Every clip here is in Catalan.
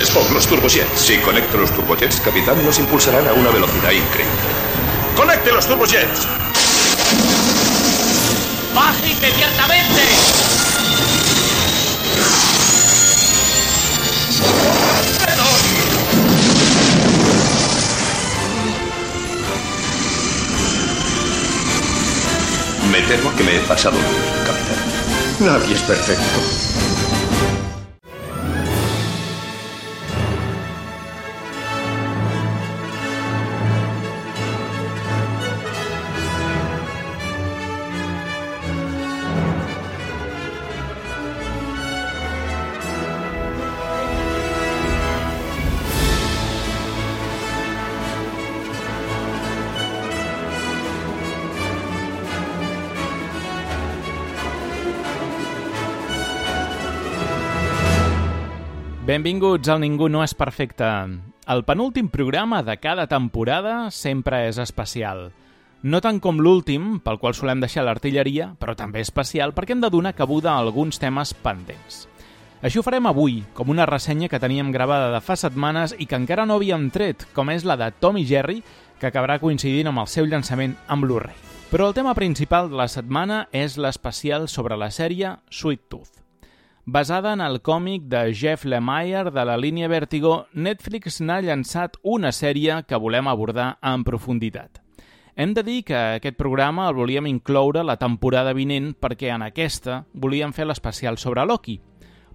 Spock, los turbojets. Si conecto los turbojets, capitán, nos impulsarán a una velocidad increíble. ¡Conecte los turbojets! ¡Baje inmediatamente! Me temo que me he pasado, capitán. Nadie es perfecto. Benvinguts al Ningú no és perfecte. El penúltim programa de cada temporada sempre és especial. No tant com l'últim, pel qual solem deixar l'artilleria, però també especial perquè hem de donar cabuda a alguns temes pendents. Així ho farem avui, com una ressenya que teníem gravada de fa setmanes i que encara no havíem tret, com és la de Tom i Jerry, que acabarà coincidint amb el seu llançament en Blu-ray. Però el tema principal de la setmana és l'especial sobre la sèrie Sweet Tooth. Basada en el còmic de Jeff Lemire de la línia Vertigo, Netflix n'ha llançat una sèrie que volem abordar en profunditat. Hem de dir que aquest programa el volíem incloure la temporada vinent perquè en aquesta volíem fer l'especial sobre Loki.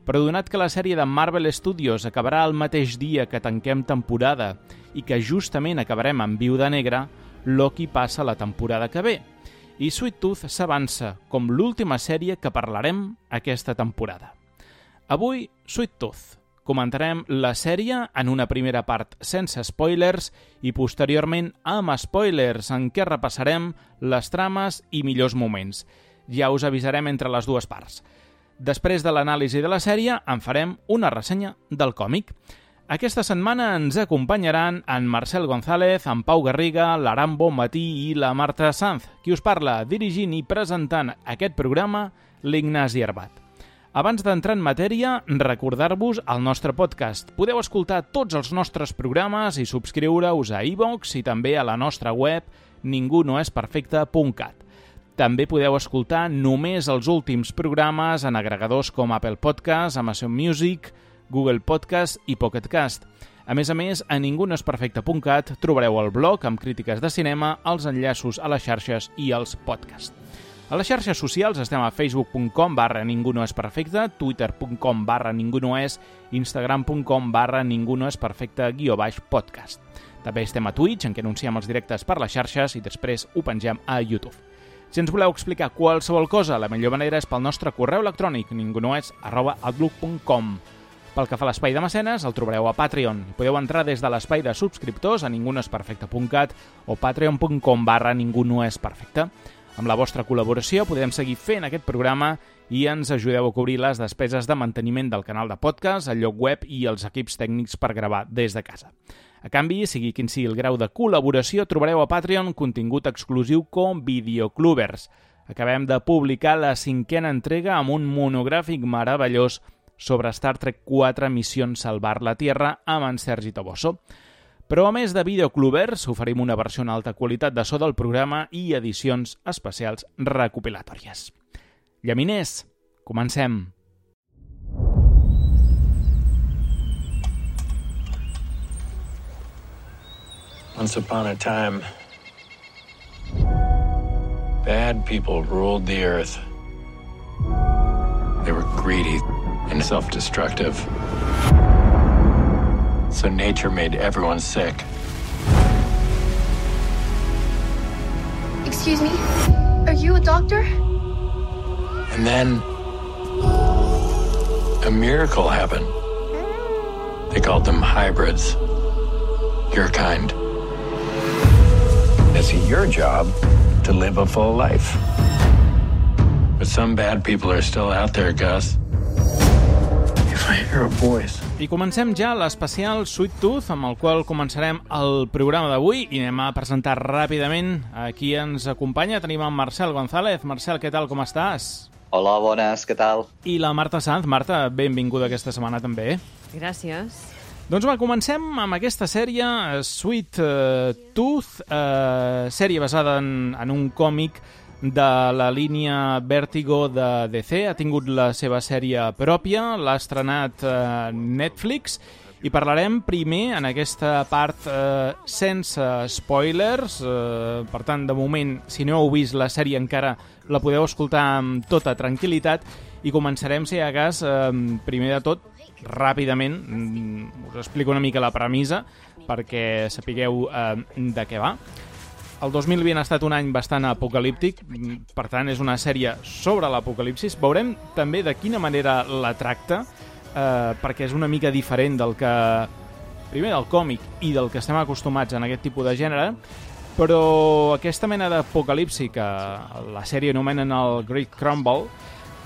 Però donat que la sèrie de Marvel Studios acabarà el mateix dia que tanquem temporada i que justament acabarem amb Viuda Negra, Loki passa la temporada que ve. I Sweet Tooth s'avança com l'última sèrie que parlarem aquesta temporada. Avui, Sweet Tooth. Comentarem la sèrie en una primera part sense spoilers i posteriorment amb spoilers en què repassarem les trames i millors moments. Ja us avisarem entre les dues parts. Després de l'anàlisi de la sèrie en farem una ressenya del còmic. Aquesta setmana ens acompanyaran en Marcel González, en Pau Garriga, l'Aram Bonmatí i la Marta Sanz, qui us parla dirigint i presentant aquest programa, l'Ignasi Arbat. Abans d'entrar en matèria, recordar-vos el nostre podcast. Podeu escoltar tots els nostres programes i subscriure-us a iVoox i també a la nostra web ningunoesperfecte.cat. També podeu escoltar només els últims programes en agregadors com Apple Podcast, Amazon Music, Google Podcast i Pocket Cast. A més, a ningunoesperfecte.cat trobareu el blog amb crítiques de cinema, els enllaços a les xarxes i els podcasts. A les xarxes socials estem a facebook.com/ningunoesperfecte, twitter.com/ningunoes, instagram.com/ningunoesperfecte_podcast. També estem a Twitch, en què anunciem els directes per les xarxes i després ho pengem a YouTube. Si ens voleu explicar qualsevol cosa, la millor manera és pel nostre correu electrònic, ningunoes@outlook.com. Pel que fa a l'espai de mecenes, el trobareu a Patreon. Podeu entrar des de l'espai de subscriptors a ningunoesperfecte.cat o patreon.com/ningunoesperfecte. Amb la vostra col·laboració podem seguir fent aquest programa i ens ajudeu a cobrir les despeses de manteniment del canal de podcast, el lloc web i els equips tècnics per gravar des de casa. A canvi, sigui quin sigui el grau de col·laboració, trobareu a Patreon contingut exclusiu com Videoclubers. Acabem de publicar la 5a entrega amb un monogràfic meravellós sobre Star Trek 4 Missions Salvar la Tierra amb en Sergi Toboso. Però a més de Videoclubers, oferim una versió en alta qualitat de so del programa i edicions especials recopilatòries. Llaminers, comencem! Once upon a time, bad people ruled the earth. They were greedy and self-destructive. So nature made everyone sick. Excuse me, are you a doctor? And then a miracle happened. They called them hybrids. Your kind. It's your job to live a full life. But some bad people are still out there, Gus. If I hear a voice... I comencem ja l'especial Sweet Tooth, amb el qual començarem el programa d'avui i anem a presentar ràpidament a qui ens acompanya. Tenim en Marcel González. Marcel, què tal, com estàs? Hola, bones, què tal? I la Marta Sanz. Marta, benvinguda aquesta setmana també. Gràcies. Doncs va, comencem amb aquesta sèrie, Sweet Tooth, sèrie basada en un còmic de la línia Vertigo de DC. Ha tingut la seva sèrie pròpia, l'ha estrenat Netflix, i parlarem primer en aquesta part sense spoilers. Per tant, de moment, si no heu vist la sèrie encara, la podeu escoltar amb tota tranquil·litat, i començarem, si hi ha cas, primer de tot, ràpidament, us explico una mica la premissa perquè sapigueu de què va. El 2020 ha estat un any bastant apocalíptic, per tant és una sèrie sobre l'apocalipsis. Veurem també de quina manera la tracta, perquè és una mica diferent del que, primer del còmic i del que estem acostumats en aquest tipus de gènere, però aquesta mena d'apocalipsi que la sèrie anomenen el Great Crumble,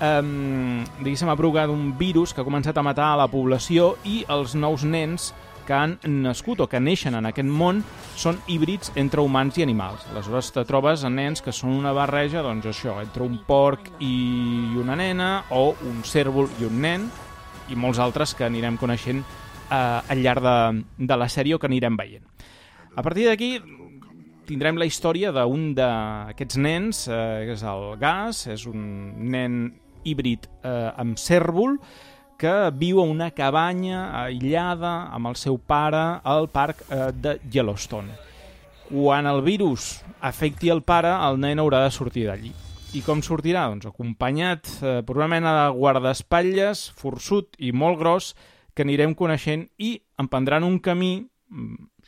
diguéssim, ha provocat un virus que ha començat a matar a la població, i els nous nens que han nascut o que neixen en aquest món són híbrids entre humans i animals. Aleshores te trobes en nens que són una barreja, doncs això, entre un porc i una nena, o un cérvol i un nen, i molts altres que anirem coneixent al llarg de la sèrie o que anirem veient. A partir d'aquí tindrem la història d'un d'aquests nens, que és el Gas, és un nen híbrid amb cérvol, que viu a una cabanya aïllada amb el seu pare al parc de Yellowstone. Quan el virus afecti el pare, el nen haurà de sortir d'allí. I com sortirà? Doncs acompanyat per una mena de guardaespatlles forçut i molt gros que anirem coneixent, i emprendran un camí,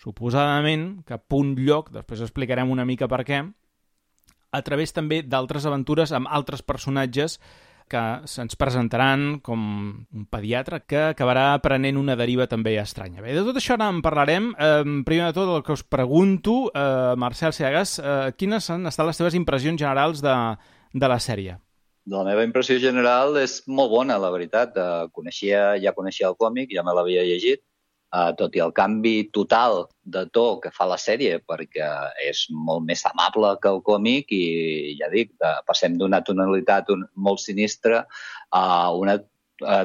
suposadament, cap a un lloc, després explicarem una mica per què, a través també d'altres aventures amb altres personatges que se'ns presentaran, com un pediatre que acabarà prenent una deriva també estranya. Bé, de tot això ara en parlarem. Primer de tot, el que us pregunto, Marcel Seagas, quines han estat les teves impressions generals de la sèrie? La meva impressió general és molt bona, la veritat. Ja coneixia el còmic, ja me l'havia llegit, tot i el canvi total de to que fa la sèrie, perquè és molt més amable que el còmic, i ja dic, passem d'una tonalitat molt sinistra a una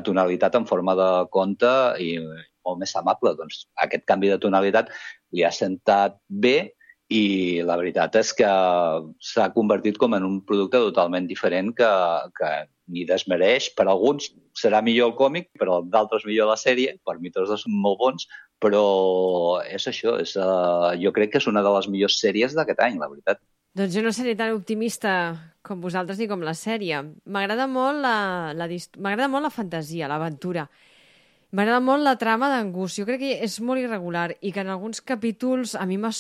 tonalitat en forma de conte i molt més amable. Doncs aquest canvi de tonalitat li ha sentat bé, i la veritat és que s'ha convertit com en un producte totalment diferent que ni desmereix. Per alguns serà millor el còmic, però d'altres millor la sèrie. Per mi tots dos són molt bons, però és això. Jo crec que és una de les millors sèries d'aquest any, la veritat. Doncs jo no seré tan optimista com vosaltres ni com la sèrie. M'agrada molt la fantasia, l'aventura. M'agrada molt la trama d'en Gus. Jo crec que és molt irregular i que en alguns capítols a mi m'ha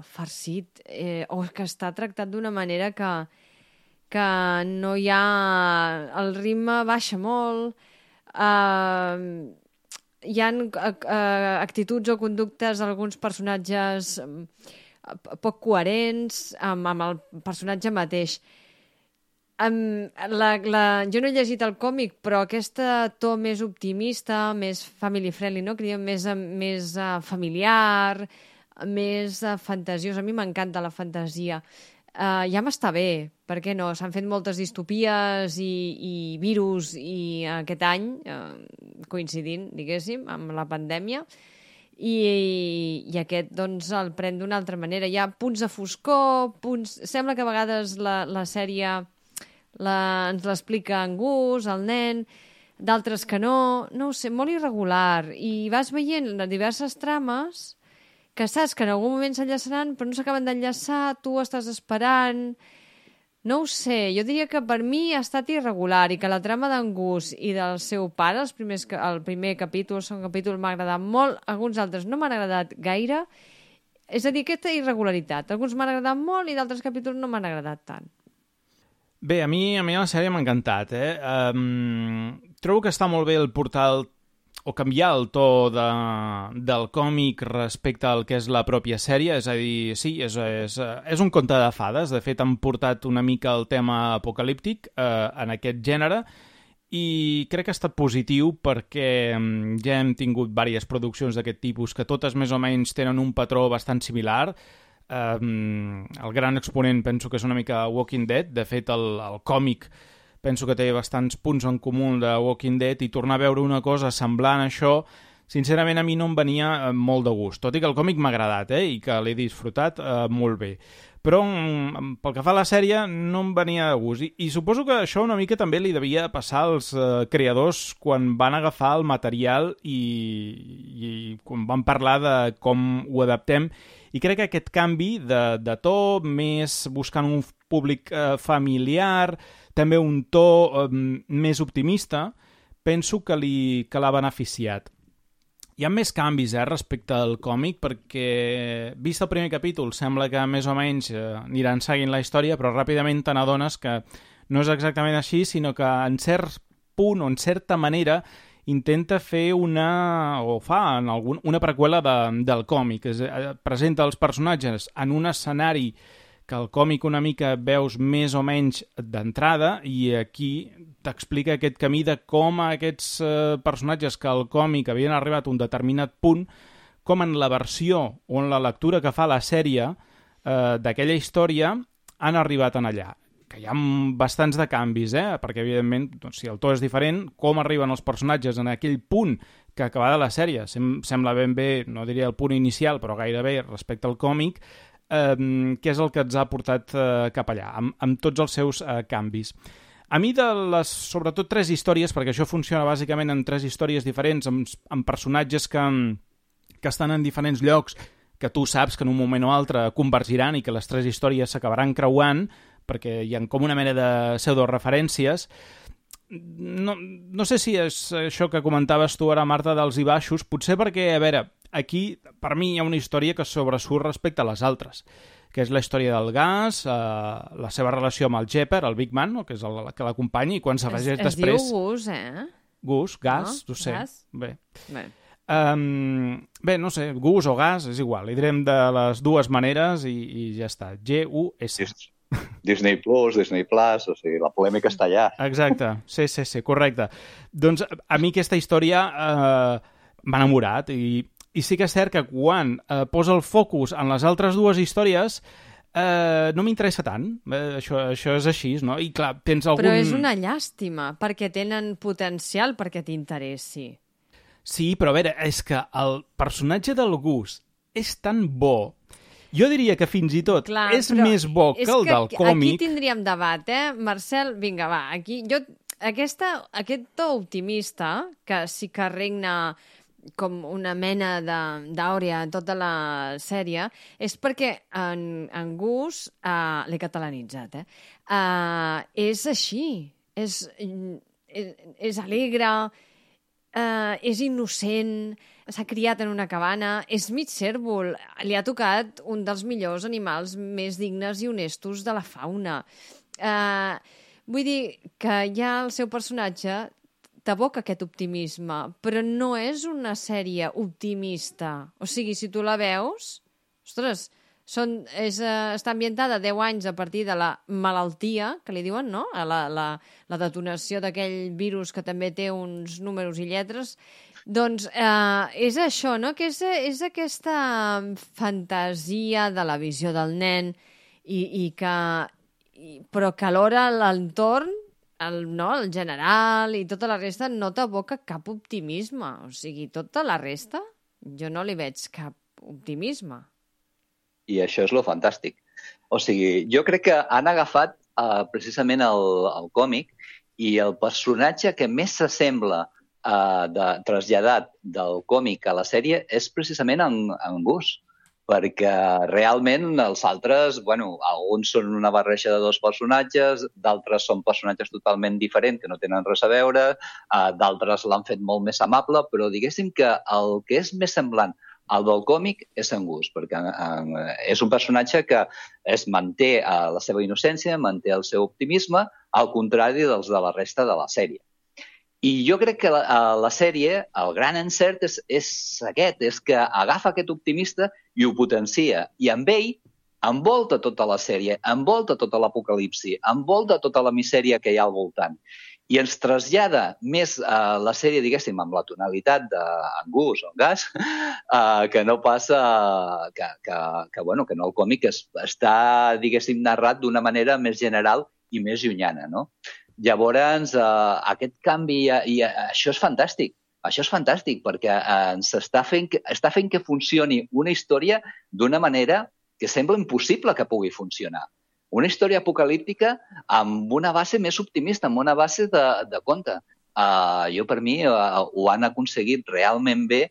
farcit, o que està tractat d'una manera que no hi ha... El ritme baixa molt, hi ha actituds o conductes d'alguns personatges poc coherents amb el personatge mateix. Jo no he llegit el còmic, però aquest to més optimista, més family friendly, no? Que diem més familiar, més fantasiós. A mi m'encanta la fantasia. Ja m'està bé, per què no? S'han fet moltes distopies i virus i aquest any, coincidint, diguéssim, amb la pandèmia, i aquest doncs el pren d'una altra manera. Hi ha punts de foscor, sembla que a vegades la sèrie ens l'explica en Gus, el nen, d'altres que no ho sé, molt irregular, i vas veient diverses trames que saps que en algun moment s'enllaçaran però no s'acaben d'enllaçar, tu estàs esperant, no ho sé, jo diria que per mi ha estat irregular, i que la trama d'en Gus i del seu pare, el primer capítol, el segon capítol m'ha agradat molt, alguns altres no m'han agradat gaire, és a dir, aquesta irregularitat, alguns m'han agradat molt i d'altres capítols no m'han agradat tant. Bé, a mi la sèrie m'ha encantat, trobo que està molt bé el portal o canviar el to del còmic respecte al que és la pròpia sèrie, és a dir, sí, és un conte de fades. De fet, han portat una mica el tema apocalíptic en aquest gènere, i crec que ha estat positiu perquè ja hem tingut diverses produccions d'aquest tipus que totes més o menys tenen un patró bastant similar. El gran exponent penso que és una mica Walking Dead. De fet, el còmic penso que té bastants punts en comú de Walking Dead, i tornar a veure una cosa semblant a això sincerament a mi no em venia molt de gust, tot i que el còmic m'ha agradat i que l'he disfrutat molt bé. Però pel que fa a la sèrie no em venia de gust. I suposo que això una mica també li devia passar als creadors quan van agafar el material i quan van parlar de com ho adaptem. I crec que aquest canvi de to, més buscant un públic familiar, també un to més optimista, penso que l'ha beneficiat. Hi ha més canvis respecte al còmic perquè, vist el primer capítol, sembla que més o menys aniran seguint la història, però ràpidament te n'adones que no és exactament així, sinó que en cert punt o en certa manera intenta fer una preqüela del còmic. Presenta els personatges en un escenari que el còmic una mica veus més o menys d'entrada i aquí t'explica aquest camí de com aquests personatges que al còmic havien arribat a un determinat punt, com en la versió o en la lectura que fa la sèrie d'aquella història han arribat en allà. Que hi ha bastants de canvis, perquè evidentment, si el to és diferent, com arriben els personatges en aquell punt que acabada la sèrie sembla ben bé, no diria el punt inicial, però gairebé respecte al còmic, que és el que ens ha portat cap allà, amb tots els seus canvis. A mi de les, sobretot, 3 històries, perquè això funciona bàsicament en 3 històries diferents, amb personatges que estan en diferents llocs, que tu saps que en un moment o altre convergiran i que les 3 històries s'acabaran creuant, perquè hi ha com una mena de pseudoreferències. No sé si és això que comentaves tu ara, Marta, dels i baixos, potser perquè, a veure, aquí per mi hi ha una història que sobresurt respecte a les altres, que és la història del Gas, la seva relació amb el Jepper, el Big Man, no? Que és el que l'acompanya, i quan s'afegeix després... Es diu Gus, Gus, Gas, no sé. Gas? Bé, no sé, Gus o Gas, és igual, li direm de les dues maneres i ja està. G-U-S. Disney Plus, Disney Plus, o sigui, la polèmica està allà. Exacte, sí, correcte. Doncs a mi aquesta història m'ha enamorat i sí que és cert que quan posa el focus en les altres dues històries no m'interessa tant. Això és així, no? I clar, tens algun... Però és una llàstima, perquè tenen potencial perquè t'interessi. Sí, però a veure, és que el personatge del Gus és tan bo. Jo diria que fins i tot és més bo que el del còmic. Aquí tindríem debat, Marcel? Vinga, va, aquí... Aquest to optimista, que sí que regna com una mena d'àurea en tota la sèrie, és perquè en Gus, l'he catalanitzat, és així. És alegre, és innocent, s'ha criat en una cabana, és mig cérvol, li ha tocat un dels millors animals més dignes i honestos de la fauna. Vull dir que ja el seu personatge t'evoca aquest optimisme, però no és una sèrie optimista. O sigui, si tu la veus, ostres, està ambientada 10 anys a partir de la malaltia, que li diuen, no? La detonació d'aquell virus que també té uns números i lletres. Doncs és això, no? Que és aquesta fantasia de la visió del nen però que alhora l'entorn, el general i tota la resta no t'evoca cap optimisme. O sigui, tota la resta jo no li veig cap optimisme. I això és lo fantàstic. O sigui, jo crec que han agafat precisament el còmic i el personatge que més s'assembla traslladat del còmic a la sèrie és precisament en Gus, perquè realment els altres, alguns són una barreja de 2 personatges, d'altres són personatges totalment diferents que no tenen res a veure, d'altres l'han fet molt més amable, però diguéssim que el que és més semblant al del còmic és en Gus, perquè és un personatge que es manté la seva innocència, manté el seu optimisme, al contrari dels de la resta de la sèrie. I jo crec que la sèrie, el gran encert és aquest, és que agafa aquest optimista i ho potencia. I amb ell envolta tota la sèrie, envolta tota l'apocalipsi, envolta tota la misèria que hi ha al voltant. I ens trasllada més la sèrie, diguéssim, amb la tonalitat d'en Gus o en Gas, que no passa que no el còmic està, diguéssim, narrat d'una manera més general i més llunyana, no? Llavors, aquest canvi, i això és fantàstic, Això és fantàstic, perquè ens està fent que funcioni una història d'una manera que sembla impossible que pugui funcionar. Una història apocalíptica amb una base més optimista, amb una base de conte. Jo, per mi, ho han aconseguit realment bé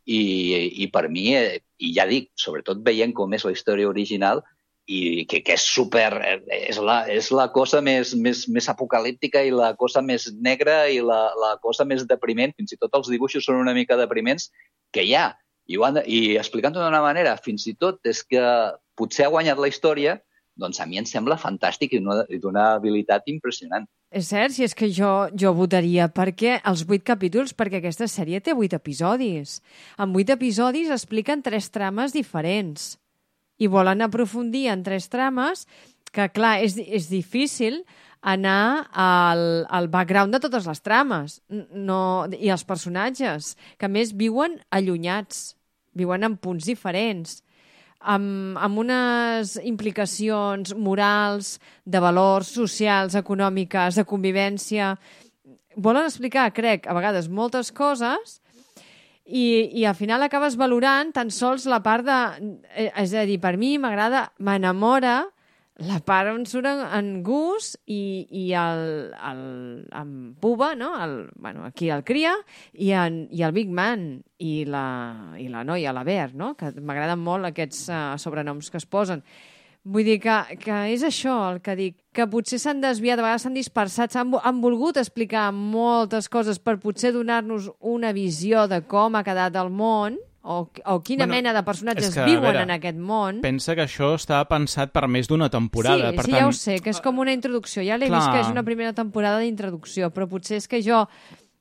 i per mi, i ja dic, sobretot veient com és la història original, i que és super... És la cosa més apocalíptica i la cosa més negra i la cosa més depriment, fins i tot els dibuixos són una mica depriments, que hi ha. I explicant-ho d'una manera, fins i tot és que potser ha guanyat la història, doncs a mi em sembla fantàstic i d'una habilitat impressionant. És cert, si és que jo votaria perquè els 8 capítols, perquè aquesta sèrie té 8 episodis. En 8 episodis expliquen 3 trames diferents i volen aprofundir en 3 trames que, clar, és difícil anar al background de totes les trames i els personatges, que a més viuen allunyats, viuen en punts diferents, amb unes implicacions morals, de valors socials, econòmiques, de convivència. Volen explicar, crec, a vegades moltes coses i al final acabes valorant tan sols la part de... És a dir, per mi m'enamora la part on surt en Gus i en Puba, no? Aquí el cria, i el Big Man, i la noia, la Bear, no? Que m'agraden molt aquests sobrenoms que es posen. Vull dir que és això el que dic, que potser s'han desviat, a vegades s'han dispersat, han volgut explicar moltes coses per potser donar-nos una visió de com ha quedat el món, o quina mena de personatges viuen en aquest món. Pensa que això està pensat per més d'una temporada. Sí, ja ho sé, que és com una introducció. Ja l'he vist que és una primera temporada d'introducció, però potser és que jo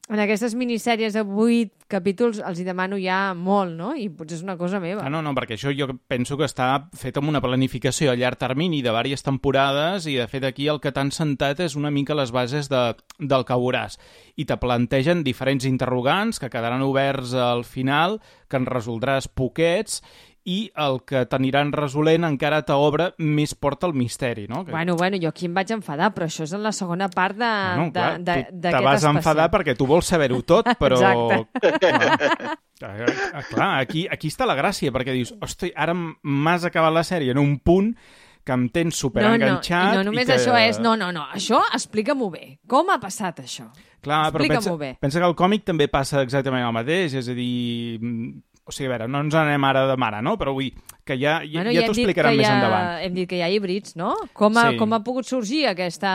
en aquestes minissèries de 8 capítols els hi demano ja molt, no? I potser és una cosa meva. No, perquè això jo penso que està fet amb una planificació a llarg termini de diverses temporades i, de fet, aquí el que t'han sentat és una mica les bases del que veuràs. I te plantegen diferents interrogants que quedaran oberts al final, que en resoldràs poquets, i el que t'aniran resolent encara t'obre més porta al misteri, no? Bueno, jo aquí em vaig enfadar, però això és en la segona part d'aquest especial. Te vas enfadar perquè tu vols saber-ho tot, però... Exacte. Clar, aquí està la gràcia, perquè dius, hosti, ara m'has acabat la sèrie en un punt que em tens superenganxat... No només això és... No, això explica-m'ho bé. Com ha passat això? Clar, però pensa que el còmic també passa exactament el mateix, és a dir... O sigui, a veure, no ens anem ara de mare, no? Però vull que ja t'ho explicaran més endavant. Hem dit que hi ha híbrids, no? Com ha pogut sorgir aquesta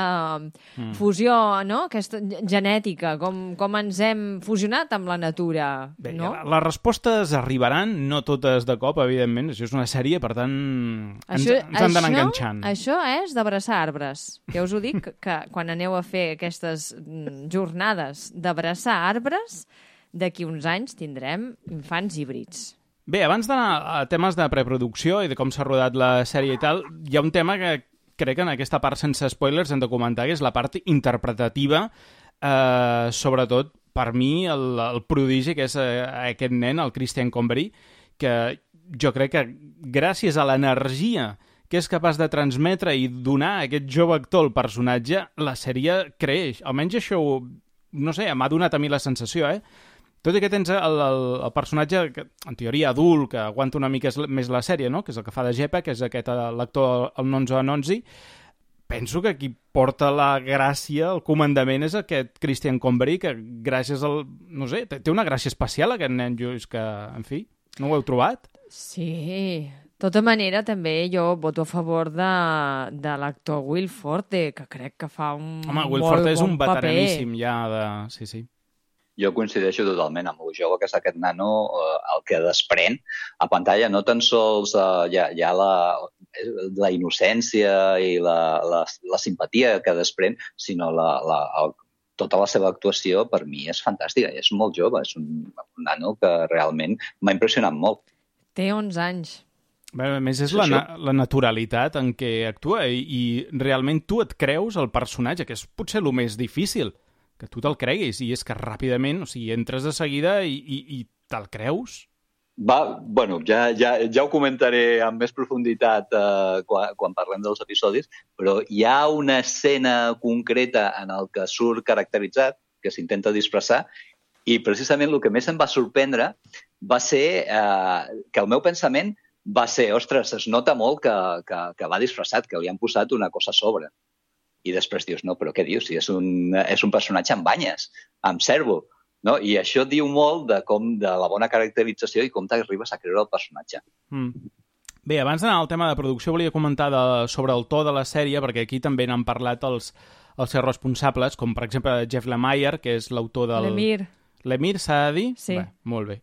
fusió, no? Aquesta genètica, com ens hem fusionat amb la natura, bé, no? Les respostes arribaran, no totes de cop, evidentment. Això és una sèrie, per tant, ens han d'anar enganxant. Això és d'abraçar arbres. Ja us ho dic, que quan aneu a fer aquestes jornades d'abraçar arbres, d'aquí uns anys tindrem infants híbrids. Bé, abans d'anar a temes de preproducció i de com s'ha rodat la sèrie i tal, hi ha un tema que crec que en aquesta part sense spoilers hem de comentar, que és la part interpretativa, sobretot per mi el prodigi que és aquest nen, el Christian Convery, que jo crec que gràcies a l'energia que és capaç de transmetre i donar a aquest jove actor el personatge, la sèrie creix. Almenys això, no sé, m'ha donat a mi la sensació, Tot i que tens el personatge, en teoria adult, que aguanta una mica més la sèrie, no? Que és el que fa de Jeppe, que és aquest l'actor, el Nonzo Anonzi, penso que qui porta la gràcia, el comandament, és aquest Christian Convery, que gràcies al... No sé, té una gràcia especial, aquest nen, és que, en fi, no ho heu trobat? Sí, de tota manera, també jo voto a favor de l'actor Will Forte, que crec que fa un molt bon paper. Home, Will Forte és un veteraníssim ja de... Sí. Jo coincideixo totalment amb el jove que és aquest nano, el que desprèn a pantalla, no tan sols ja la innocència i la simpatia que desprèn, sinó tota la seva actuació per mi és fantàstica, és molt jove, és un nano que realment m'ha impressionat molt. Té 11 anys. Bé, a més, és la naturalitat en què actua i realment tu et creus el personatge, que és potser el més difícil, que tu te'l creguis, i és que ràpidament, o sigui, entres de seguida i te'l creus? Bueno, ja ho comentaré amb més profunditat quan parlem dels episodis, però hi ha una escena concreta en el que surt caracteritzat, que s'intenta disfressar, I precisament el que més em va sorprendre va ser que el meu pensament va ser, ostres, es nota molt que va disfressat, que li han posat una cosa a sobre. I després dius, no, però què dius? Si és un personatge amb banyes, amb cérvol. No? I això diu molt de la bona caracterització i com t'arribes a creure el personatge. Bé, abans d'anar al tema de producció, volia comentar sobre el to de la sèrie, perquè aquí també n'han parlat els seus responsables, com per exemple Jeff Lemire, que és l'autor del... Lemire s'ha de dir? Sí. Bé, molt bé.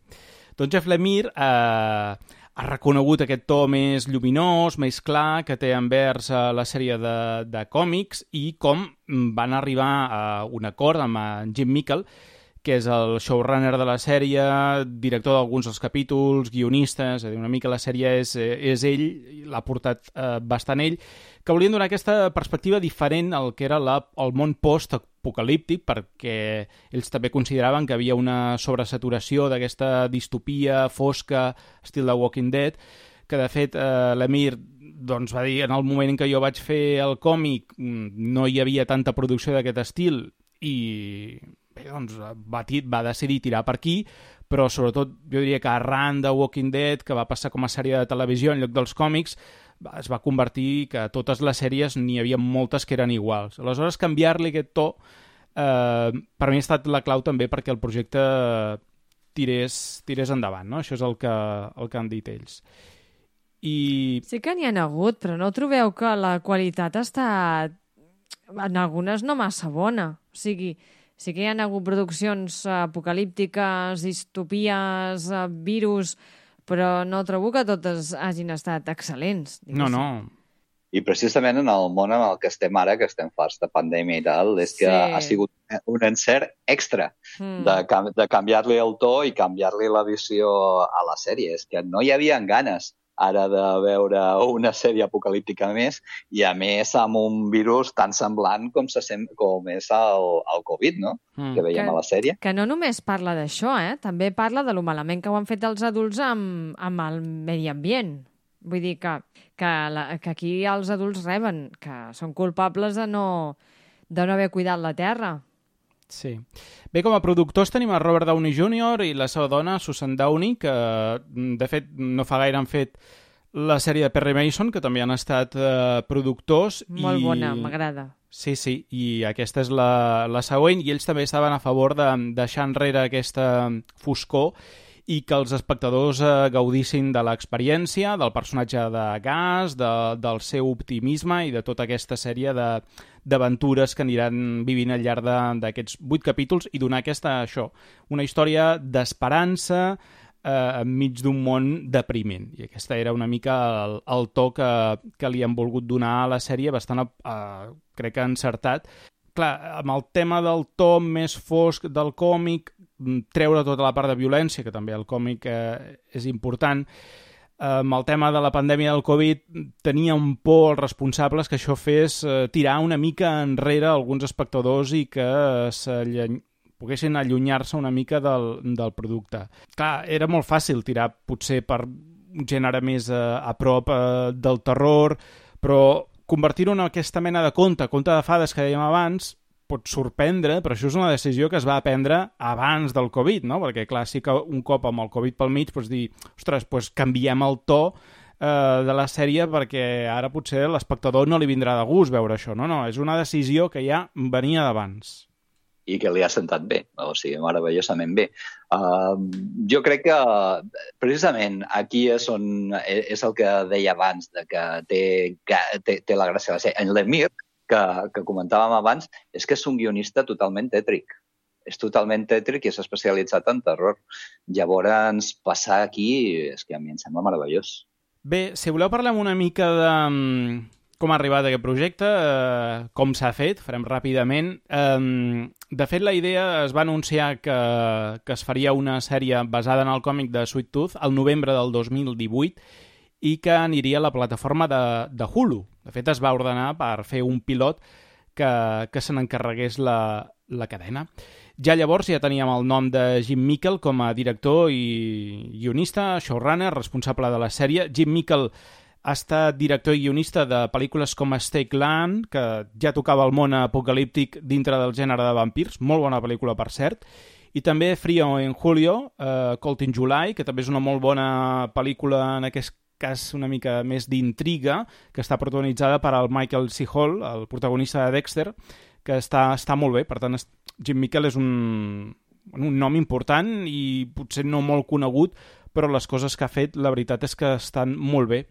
Doncs Jeff Lemire ha reconegut aquest to més lluminós, més clar, que té envers la sèrie de còmics i com van arribar a un acord amb en Jim Mickle, que és el showrunner de la sèrie, director d'alguns dels capítols, guionista, és a dir, una mica la sèrie és ell, l'ha portat bastant ell, que volien donar aquesta perspectiva diferent al que era el món post-apocalíptic, perquè ells també consideraven que havia una sobresaturació d'aquesta distopia fosca, estil de Walking Dead, que de fet l'Emir doncs, va dir en el moment en què jo vaig fer el còmic no hi havia tanta producció d'aquest estil i bé, doncs, va decidir tirar per aquí, però sobretot jo diria que arran de Walking Dead, que va passar com a sèrie de televisió en lloc dels còmics, es va convertir que totes les sèries n'hi havia moltes que eren iguals. Aleshores, canviar-li aquest to per mi ha estat la clau també perquè el projecte tirés endavant, no? Això és el que han dit ells. Sí que n'hi ha hagut, però no trobeu que la qualitat ha estat en algunes no massa bona? O sigui, sí que hi ha hagut produccions apocalíptiques, distopies, virus, però no trobo que totes hagin estat excel·lents. No. I precisament en el món en el que estem ara, que estem farts de pandèmia i tal, és que ha sigut un encert extra de canviar-li el to i canviar-li la visió a la sèrie. És que no hi havia ganes ara de veure una sèrie apocalíptica més i, a més, amb un virus tan semblant com és el Covid, no? Que veiem a la sèrie. Que no només parla d'això, també parla de lo malament que ho han fet els adults amb el medi ambient. Vull dir que aquí els adults reben, que són culpables de no haver cuidat la terra. Sí. Bé, com a productors tenim a Robert Downey Jr. i la seva dona, Susan Downey, que de fet no fa gaire han fet la sèrie de Perry Mason, que també han estat productors. Molt bona, m'agrada. Sí, i aquesta és la següent, i ells també estaven a favor de deixar enrere aquesta foscor i que els espectadors gaudissin de l'experiència, del personatge de Gas, del seu optimisme i de tota aquesta sèrie d'aventures que aniran vivint al llarg d'aquests 8 capítols i donar una història d'esperança enmig d'un món depriment. I aquesta era una mica el to que li han volgut donar a la sèrie, bastant, crec que encertat. Clar, amb el tema del to més fosc del còmic, treure tota la part de violència, que també el còmic és important. Amb el tema de la pandèmia del Covid, tenien por els responsables que això fes tirar una mica enrere alguns espectadors i que poguessin allunyar-se una mica del producte. Clar, era molt fàcil tirar potser per un gènere més a prop del terror, però convertir-ho en aquesta mena de conte de fades que dèiem abans, pot sorprendre, però això és una decisió que es va prendre abans del Covid, no? Perquè, clar, sí que un cop amb el Covid pel mig pots dir, ostres, doncs canviem el to de la sèrie perquè ara potser l'espectador no li vindrà de gust veure això. No, és una decisió que ja venia d'abans. I que li ha sentat bé, o sigui, meravellosament bé. Jo crec que, precisament, aquí és el que deia abans, de que té la gràcia de la sèrie. En Lemire, que comentàvem abans, és que és un guionista totalment tètric. És totalment tètric i és especialitzat en terror. Llavors, passar aquí, és que a mi em sembla meravellós. Bé, si voleu parlem una mica de com ha arribat aquest projecte, com s'ha fet, farem ràpidament. De fet, la idea es va anunciar que es faria una sèrie basada en el còmic de Sweet Tooth al novembre del 2018 i que aniria a la plataforma de Hulu. De fet, es va ordenar per fer un pilot que se n'encarregués la cadena. Ja llavors ja teníem el nom de Jim Mickle com a director i guionista, showrunner, responsable de la sèrie. Jim Mickle ha estat director i guionista de pel·lícules com Stake Land, que ja tocava el món apocalíptic dintre del gènere de vampirs, molt bona pel·lícula, per cert, i també Frío en Julio, Cold in July, que també és una molt bona pel·lícula, en aquest cas una mica més d'intriga, que està protagonitzada per el Michael C. Hall, el protagonista de Dexter, que està molt bé. Per tant, Jim Mickle és un nom important i potser no molt conegut, però les coses que ha fet, la veritat és que estan molt bé.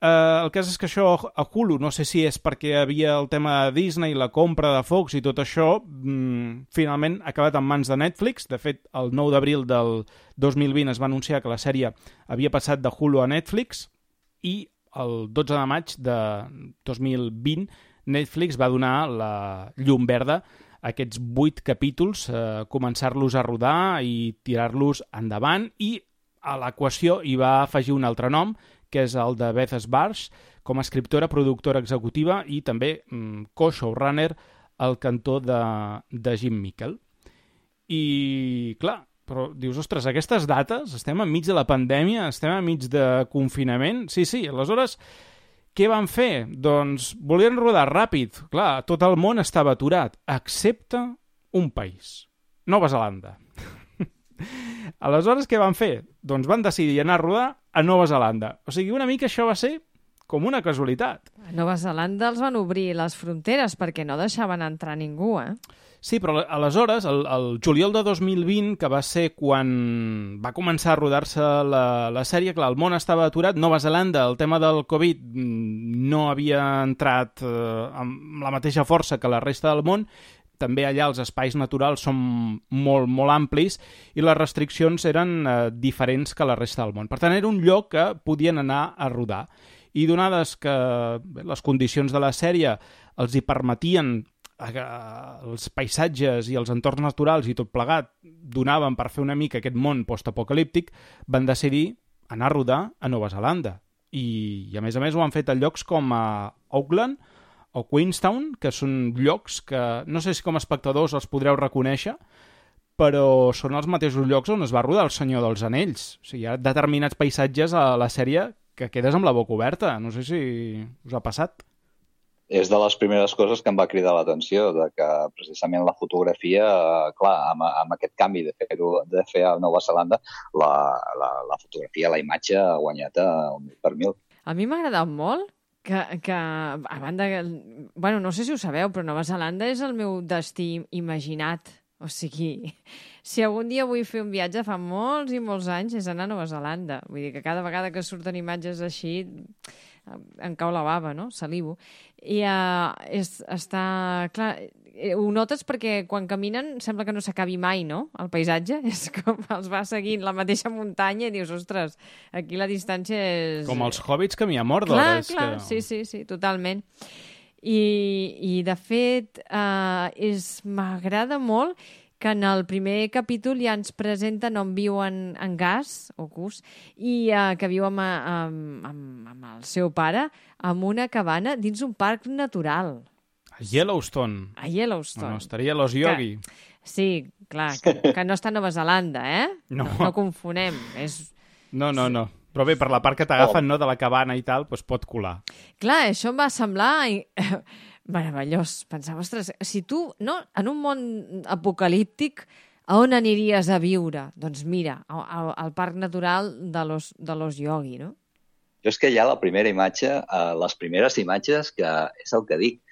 El cas és que això a Hulu, no sé si és perquè hi havia el tema de Disney, la compra de Fox i tot això, finalment ha acabat en mans de Netflix. De fet, el 9 d'abril del 2020 es va anunciar que la sèrie havia passat de Hulu a Netflix i el 12 de maig de 2020 Netflix va donar la llum verda a aquests 8 capítols, començar-los a rodar i tirar-los endavant, i a l'equació hi va afegir un altre nom, que és el de Beth Sbarge, com a escriptora, productora executiva i també co-showrunner al cantó de Jim Mickle. I, clar, però dius, ostres, aquestes dates, estem enmig de la pandèmia, estem enmig de confinament, sí, aleshores, què van fer? Doncs volien rodar ràpid. Clar, tot el món estava aturat, excepte un país, Nova Zelanda. Aleshores, què van fer? Doncs van decidir anar a rodar a Nova Zelanda. O sigui, una mica això va ser com una casualitat. A Nova Zelanda els van obrir les fronteres perquè no deixaven entrar ningú, Sí, però aleshores, el juliol de 2020, que va ser quan va començar a rodar-se la sèrie, clar, el món estava aturat. Nova Zelanda, el tema del Covid no havia entrat amb la mateixa força que la resta del món. També allà els espais naturals són molt, molt amplis i les restriccions eren diferents que la resta del món. Per tant, era un lloc que podien anar a rodar. I donades que les condicions de la sèrie els hi permetien, els paisatges i els entorns naturals i tot plegat donaven per fer una mica aquest món postapocalíptic, van decidir anar a rodar a Nova Zelanda. I a més ho han fet a llocs com a Auckland o Queenstown, que són llocs que no sé si com a espectadors els podreu reconèixer, però són els mateixos llocs on es va rodar El Senyor dels Anells. O sigui, hi ha determinats paisatges a la sèrie que quedes amb la boca oberta. No sé si us ha passat. És de les primeres coses que em va cridar l'atenció, de que precisament la fotografia, clar, amb aquest canvi de fer a Nova Zelanda, la fotografia, la imatge ha guanyat un 1000 per 1000. A mi m'ha agradat molt que a banda... Bueno, no sé si ho sabeu, però Nova Zelanda és el meu destí imaginat. O sigui, si algun dia vull fer un viatge fa molts i molts anys és anar a Nova Zelanda. Vull dir que cada vegada que surten imatges així em cau la bava, no? Salivo. I està... Clar, ho notes perquè quan caminen sembla que no s'acabi mai, no? El paisatge és com els va seguint la mateixa muntanya i dius, ostres, aquí la distància és... Com els Hobbits camí a Mordor. Clar, sí, totalment. I de fet, m'agrada molt que en el primer capítol ja ens presenten on viuen en Gus, i que viu amb el seu pare en una cabana dins un parc natural. A Yellowstone. No, estaria Los Yogi. Sí, clar, que no està a Nova Zelanda, No confonem. No. Però bé, per la part que t'agafen, no, de la cabana i tal, doncs pot colar. Clar, això em va semblar meravellós. Pensava, ostres, si tu, no, en un món apocalíptic, a on aniries a viure? Doncs mira, al parc natural de los Yogi, no? Jo és que ja la primera imatge, les primeres imatges, que és el que dic,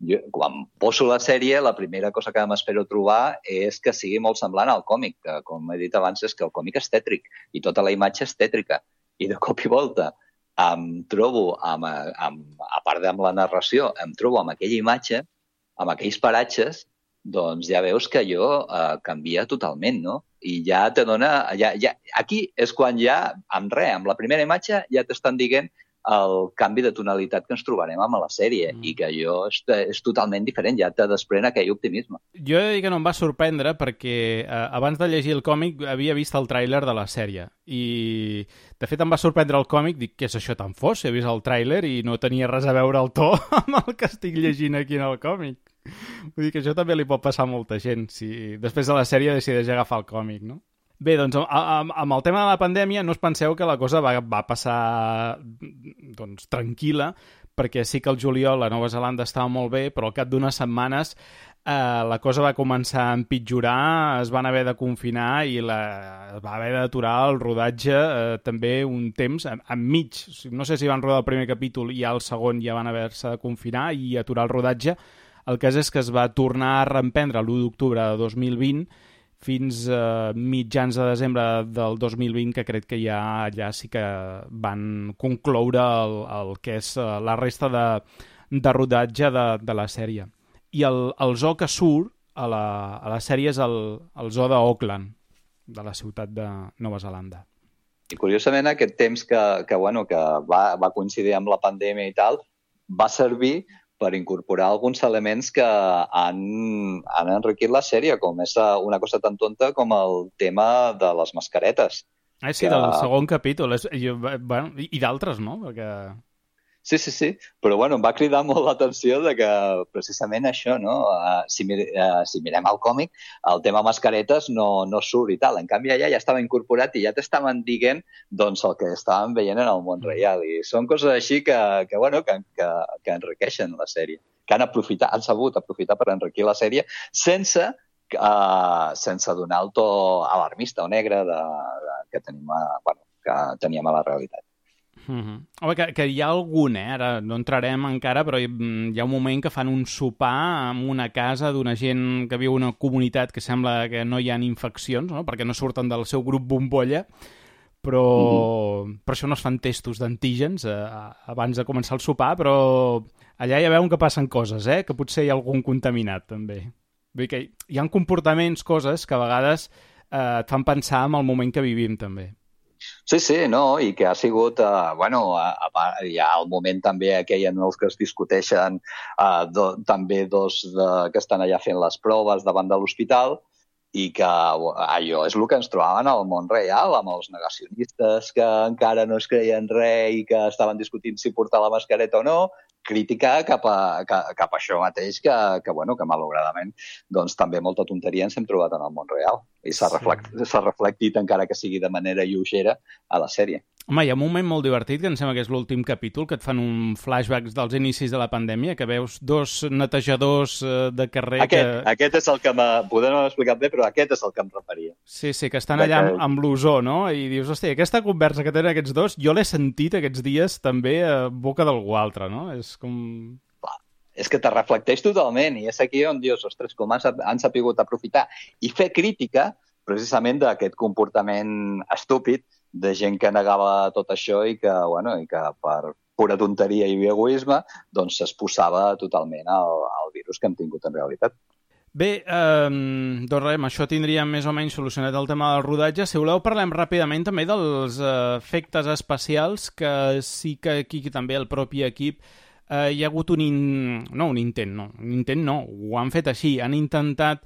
jo, quan poso la sèrie, la primera cosa que m'espero trobar és que sigui molt semblant al còmic, que, com he dit abans, és que el còmic és tètric i tota la imatge és tètrica. I de cop i volta em trobo, a part amb la narració, em trobo amb aquella imatge, amb aquells paratges, doncs ja veus que allò canvia totalment, no? I ja te dona... Aquí és quan ja, amb la primera imatge, ja t'estan dient el canvi de tonalitat que ens trobarem amb la sèrie i que allò és totalment diferent, ja te desprèn aquell optimisme. Jo he de dir que no em va sorprendre perquè abans de llegir el còmic havia vist el tràiler de la sèrie i de fet em va sorprendre el còmic, dic, què és això tan fos? He vist el tràiler i no tenia res a veure el to amb el que estic llegint aquí en el còmic. Vull dir que això també li pot passar a molta gent si després de la sèrie decideix agafar el còmic, no? Bé, doncs, amb el tema de la pandèmia no us penseu que la cosa va passar tranquil·la, perquè sí que el juliol a Nova Zelanda estava molt bé, però al cap d'unes setmanes la cosa va començar a empitjorar, es van haver de confinar i va haver d'aturar el rodatge també un temps enmig. No sé si van rodar el primer capítol i al segon ja van haver-se de confinar i aturar el rodatge. El cas és que es va tornar a reemprendre l'1 d'octubre de 2020 fins a mitjans de desembre del 2020, que crec que ja allà sí que van concloure el que és la resta de rodatge de la sèrie. I el zoo que surt a la sèrie és el zoo d'Auckland, de la ciutat de Nova Zelanda. I curiosament aquest temps que va coincidir amb la pandèmia i tal, va servir per incorporar alguns elements que han enriquit la sèrie, com és una cosa tan tonta com el tema de les mascaretes. Sí, del segon capítol. I d'altres, no? Perquè... Sí, però em va cridar molt l'atenció de que precisament això, no? Si mirem el còmic, el tema mascaretes no surt i tal. En canvi, allà ja estava incorporat i ja t'estaven dient doncs, el que estàvem veient en el món real. I són coses així que enriqueixen la sèrie, que han sabut aprofitar per enriquir la sèrie sense donar el to alarmista o negre que teníem a la realitat. Home, que hi ha algun, ara no entrarem encara, però hi ha un moment que fan un sopar en una casa d'una gent que viu en una comunitat que sembla que no hi ha infeccions, no? Perquè no surten del seu grup bombolla, però per això no es fan testos d'antígens abans de començar el sopar, però allà ja veuen que passen coses, que potser hi ha algun contaminat, també. Vull dir que hi ha comportaments, coses que a vegades et fan pensar en el moment que vivim, també. Sí, no, i que ha sigut, hi ha el moment també aquell en els que es discuteixen també dos que estan allà fent les proves davant de l'hospital i que allò és el que ens trobaven al món real, amb els negacionistes que encara no es creien res i que estaven discutint si portar la mascareta o no, crítica cap a això mateix que malauradament doncs, també molta tonteria ens hem trobat en el món real i s'ha reflectit encara que sigui de manera lleugera a la sèrie. Home, hi ha un moment molt divertit, que em sembla que és l'últim capítol, que et fan un flashback dels inicis de la pandèmia, que veus dos netejadors de carrer... Aquest és el que podem no haver explicat bé, però aquest és el que em referia. Sí, que estan allà amb l'ozó, no? I dius, hòstia, aquesta conversa que tenen aquests dos, jo l'he sentit aquests dies també a boca d'algú altre, no? És com... És que te reflecteix totalment i és aquí on dius, ostres, com han sapigut aprofitar i fer crítica precisament d'aquest comportament estúpid de gent que negava tot això i que per pura tonteria i egoisme doncs s'exposava totalment al virus que hem tingut en realitat. Bé, doncs res, amb això tindríem més o menys solucionat el tema del rodatge. Si voleu, parlem ràpidament també dels efectes especials, que sí que aquí també el propi equip hi ha hagut un intent, ho han fet així, han intentat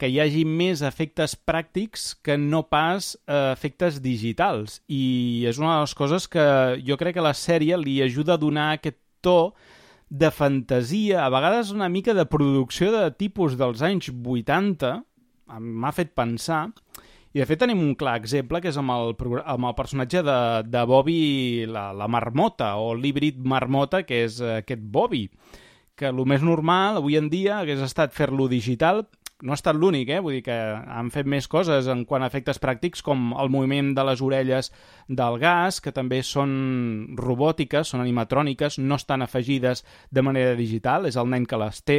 que hi hagi més efectes pràctics que no pas efectes digitals. I és una de les coses que jo crec que la sèrie li ajuda a donar aquest to de fantasia, a vegades una mica de producció de tipus dels anys 80, m'ha fet pensar. I de fet tenim un clar exemple, que és amb el personatge de Bobby la marmota, o l'híbrid marmota, que és aquest Bobby, que el més normal avui en dia hagués estat fer-lo digital. No ha estat l'únic, vull dir que han fet més coses en quant a efectes pràctics, com el moviment de les orelles del gas, que també són robòtiques, són animatròniques, no estan afegides de manera digital, és el nen que les té.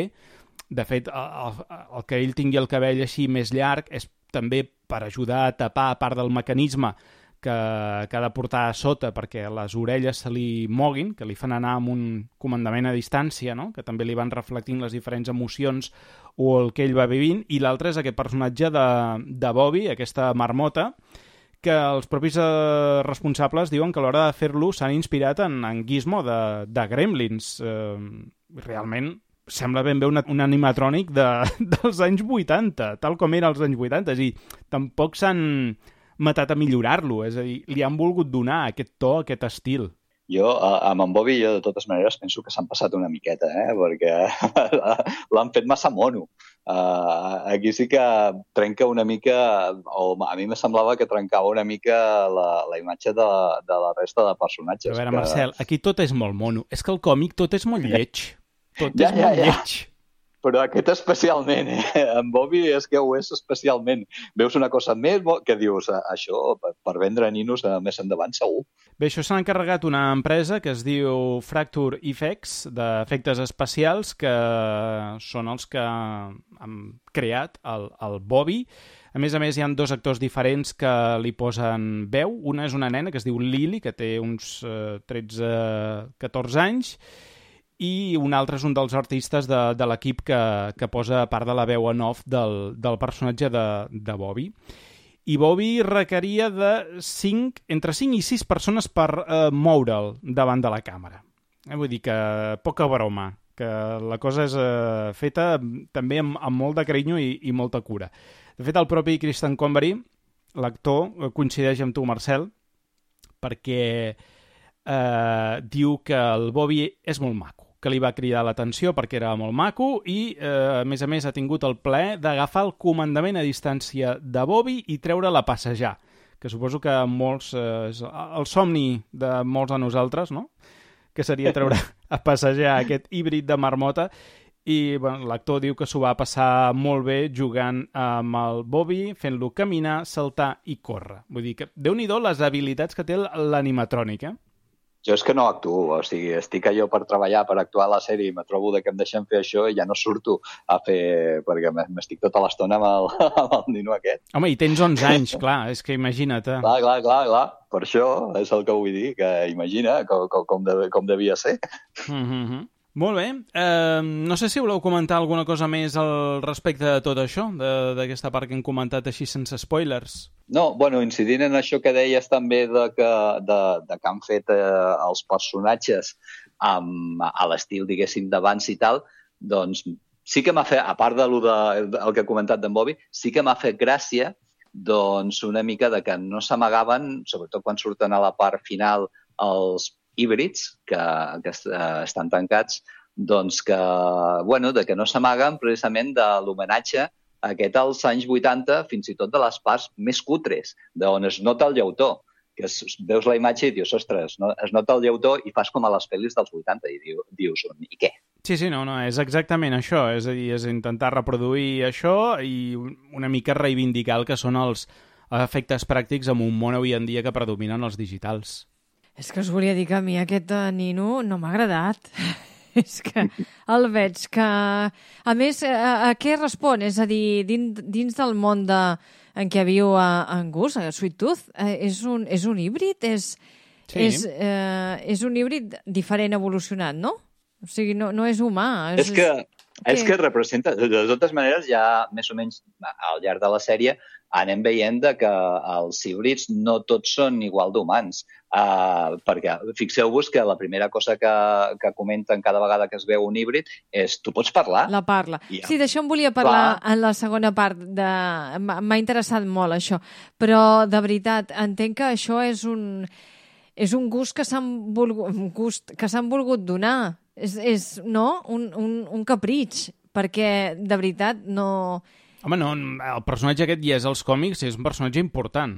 De fet, el que ell tingui el cabell així més llarg és també per ajudar a tapar part del mecanisme que ha de portar a sota perquè les orelles se li moguin, que li fan anar amb un comandament a distància, no? Que també li van reflectint les diferents emocions o el que ell va vivint, i l'altre és aquest personatge de Bobby, aquesta marmota, que els propis responsables diuen que a l'hora de fer-lo s'han inspirat en Gizmo de Gremlins. Realment sembla ben bé un animatrònic dels anys 80, tal com era als anys 80, és a dir, tampoc s'han matat a millorar-lo, és a dir, li han volgut donar aquest to, aquest estil. Jo, amb en Bobby, de totes maneres, penso que s'han passat una miqueta, perquè l'han fet massa mono. Aquí sí que trenca una mica, o a mi me semblava que trencava una mica la imatge de la resta de personatges. Però a veure, Marcel, aquí tot és molt mono. És que el còmic tot és molt lleig. Tot és molt lleig. Però aquest especialment, en Bobby és que ho és especialment. Veus una cosa més que dius, això per vendre ninos més endavant segur. Bé, això s'ha encarregat una empresa que es diu Fracture Effects, d'efectes especials, que són els que han creat el Bobby. A més, hi ha 2 actors diferents que li posen veu. Una és una nena que es diu Lily, que té uns 13-14 anys, i un altre és un dels artistes de l'equip que posa part de la veu en off del personatge de Bobby. I Bobby requeria entre 5 i 6 persones per moure'l davant de la càmera. Vull dir que poca broma, que la cosa és feta també amb molt de carinyo i molta cura. De fet, el propi Christian Convery, l'actor, coincideix amb tu, Marcel, perquè diu que el Bobby és molt maco, que li va cridar l'atenció perquè era molt maco i, a més, ha tingut el plaer d'agafar el comandament a distància de Bobby i treure-la a passejar, que suposo que molts és el somni de molts de nosaltres, no? Que seria treure a passejar aquest híbrid de marmota. I bueno, l'actor diu que s'ho va passar molt bé jugant amb el Bobby, fent-lo caminar, saltar i córrer. Vull dir que, Déu-n'hi-do les habilitats que té l'animatrònic, Jo és que no actuo, o sigui, estic allò per treballar, per actuar a la sèrie, i me trobo que em deixen fer això i ja no surto a fer... perquè m'estic tota l'estona amb el nino aquest. Home, i tens 11 anys, clar, és que imagina't. Clar. Per això és el que vull dir, que imagina com devia ser. Molt bé. No sé si voleu comentar alguna cosa més al respecte de tot això, d'aquesta part que hem comentat així sense spoilers. No, bueno, incidint en això que deies també de que han fet els personatges a l'estil, diguéssim, d'abans i tal, doncs sí que m'ha fet, a part del que ha comentat d'en Bobby, sí que m'ha fet gràcia doncs una mica de que no s'amagaven, sobretot quan surten a la part final els híbrids que estan tancats, doncs que no s'amaguen precisament de l'homenatge aquest als anys 80, fins i tot de les parts més cutres, d'on es nota el llautó, que veus la imatge i dius, ostres, es nota el llautó i fas com a les pel·lis dels 80 i dius, i què? Sí, no, és exactament això, és a dir, és intentar reproduir això i una mica reivindicar el que són els efectes pràctics en un món avui en dia que predominen els digitals. És que us volia dir que a mi aquest nino no m'ha agradat. És que el veig que... A més, a què respon? És a dir, dins del món en què viu en Gus, a Sweet Tooth, és un híbrid? És un híbrid diferent evolucionat, no? O sigui, no és humà. És que representa... De totes maneres, ja més o menys al llarg de la sèrie anem veient que els híbrids no tots són igual d'humans. Perquè fixeu-vos que la primera cosa que comenten cada vegada que es veu un híbrid és tu pots parlar? La parla. Sí, d'això em volia parlar en la segona part. M'ha interessat molt, això. Però, de veritat, entenc que això és un gust que s'han volgut donar. És no? Un capritx. Perquè, de veritat, no... Home, no, el personatge aquest ja és als còmics, és un personatge important.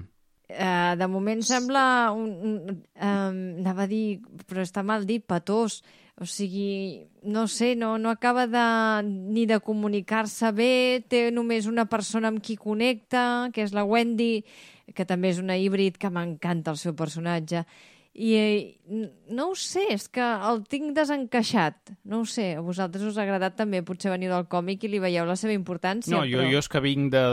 De moment sembla anava a dir, però està mal dit, patós. O sigui, no sé, no acaba ni de comunicar-se bé, té només una persona amb qui connecta, que és la Wendy, que també és una híbrid, que m'encanta el seu personatge. I no ho sé, és que el tinc desencaixat. No ho sé, a vosaltres us ha agradat també, potser veniu del còmic i li veieu la seva importància. No, jo és que vinc de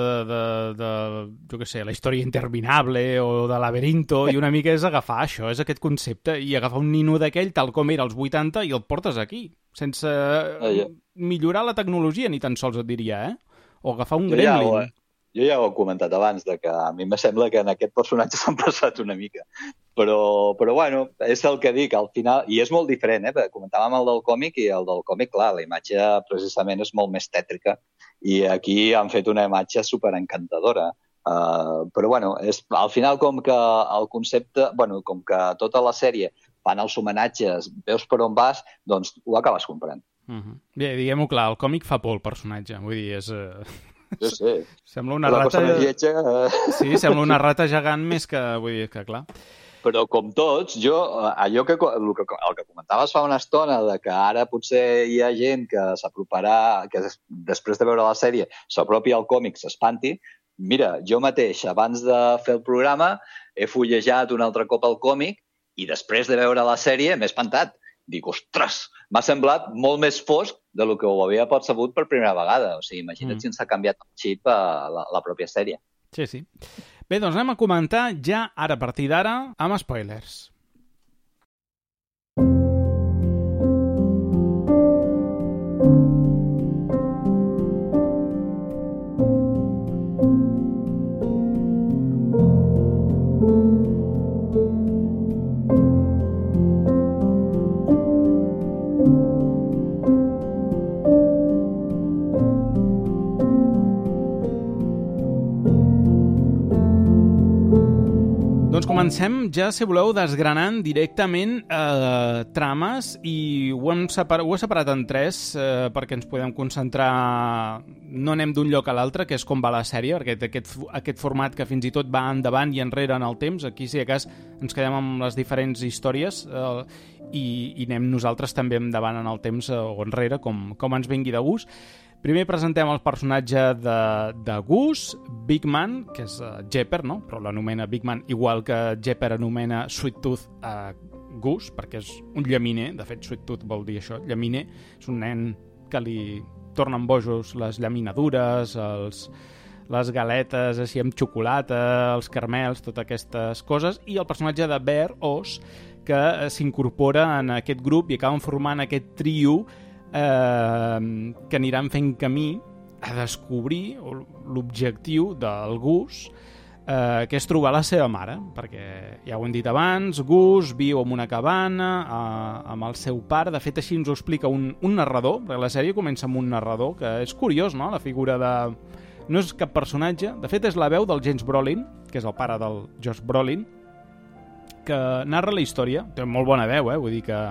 jo què sé, la història interminable o de Laberinto, i una mica és agafar això, és aquest concepte, i agafar un nino d'aquell tal com era als 80 i el portes aquí, sense millorar la tecnologia, ni tan sols et diria, o agafar un gremlin. Jo ja ho he comentat abans, que a mi me sembla que en aquest personatge s'han passat una mica. Però bueno, és el que dic, al final, i és molt diferent, perquè comentàvem el del còmic, i el del còmic, clar, la imatge precisament és molt més tètrica, i aquí han fet una imatge superencantadora. Però bueno, al final com que el concepte, com que tota la sèrie fan els homenatges, veus per on vas, doncs ho acabes comprant. Bé, diguem-ho clar, el còmic fa por el personatge, vull dir, és... Jo sé. Sembla una rata... Lletja... Sí, sembla una rata gegant més que... Vull dir que, clar... Però com tots, jo, el que comentaves fa una estona, de que ara potser hi ha gent que s'aproparà, que després de veure la sèrie s'apropi al còmic, s'espanti. Mira, jo mateix, abans de fer el programa, he fullejat un altre cop el còmic i després de veure la sèrie m'he espantat. Dic, ostres, m'ha semblat molt més fosc de lo que ho havia percebut per primera vegada. O sigui, imagina't si ens ha canviat el xip a la pròpia sèrie. Sí, sí. Bé, doncs anem a comentar ja ara, a partir d'ara, amb spoilers. Doncs comencem ja, si voleu, desgranant directament trames i ho he separat en tres perquè ens podem concentrar, no anem d'un lloc a l'altre, que és com va la sèrie, perquè té aquest format que fins i tot va endavant i enrere en el temps. Aquí, si de cas, ens quedem amb les diferents històries i anem nosaltres també endavant en el temps o enrere, com ens vingui de gust. Primer presentem el personatge de Goose, Big Man, que és Jepper, no? Però l'anomena Big Man, igual que Jepper anomena Sweet Tooth a Goose, perquè és un llaminer. De fet, Sweet Tooth vol dir això, llaminer. És un nen que li tornen bojos les llaminadures, les galetes així amb xocolata, els caramels, totes aquestes coses. I el personatge de Bear, Oz, que s'incorpora en aquest grup i acaben formant aquest trio que aniran fent camí a descobrir l'objectiu del Gus, que és trobar la seva mare, perquè ja ho hem dit abans, Gus viu en una cabana amb el seu pare. De fet, així ens ho explica un narrador, perquè la sèrie comença amb un narrador, que és curiós, no?, la figura de... No és cap personatge, de fet és la veu del James Brolin, que és el pare del Josh Brolin, que narra la història. Té molt bona veu, vull dir que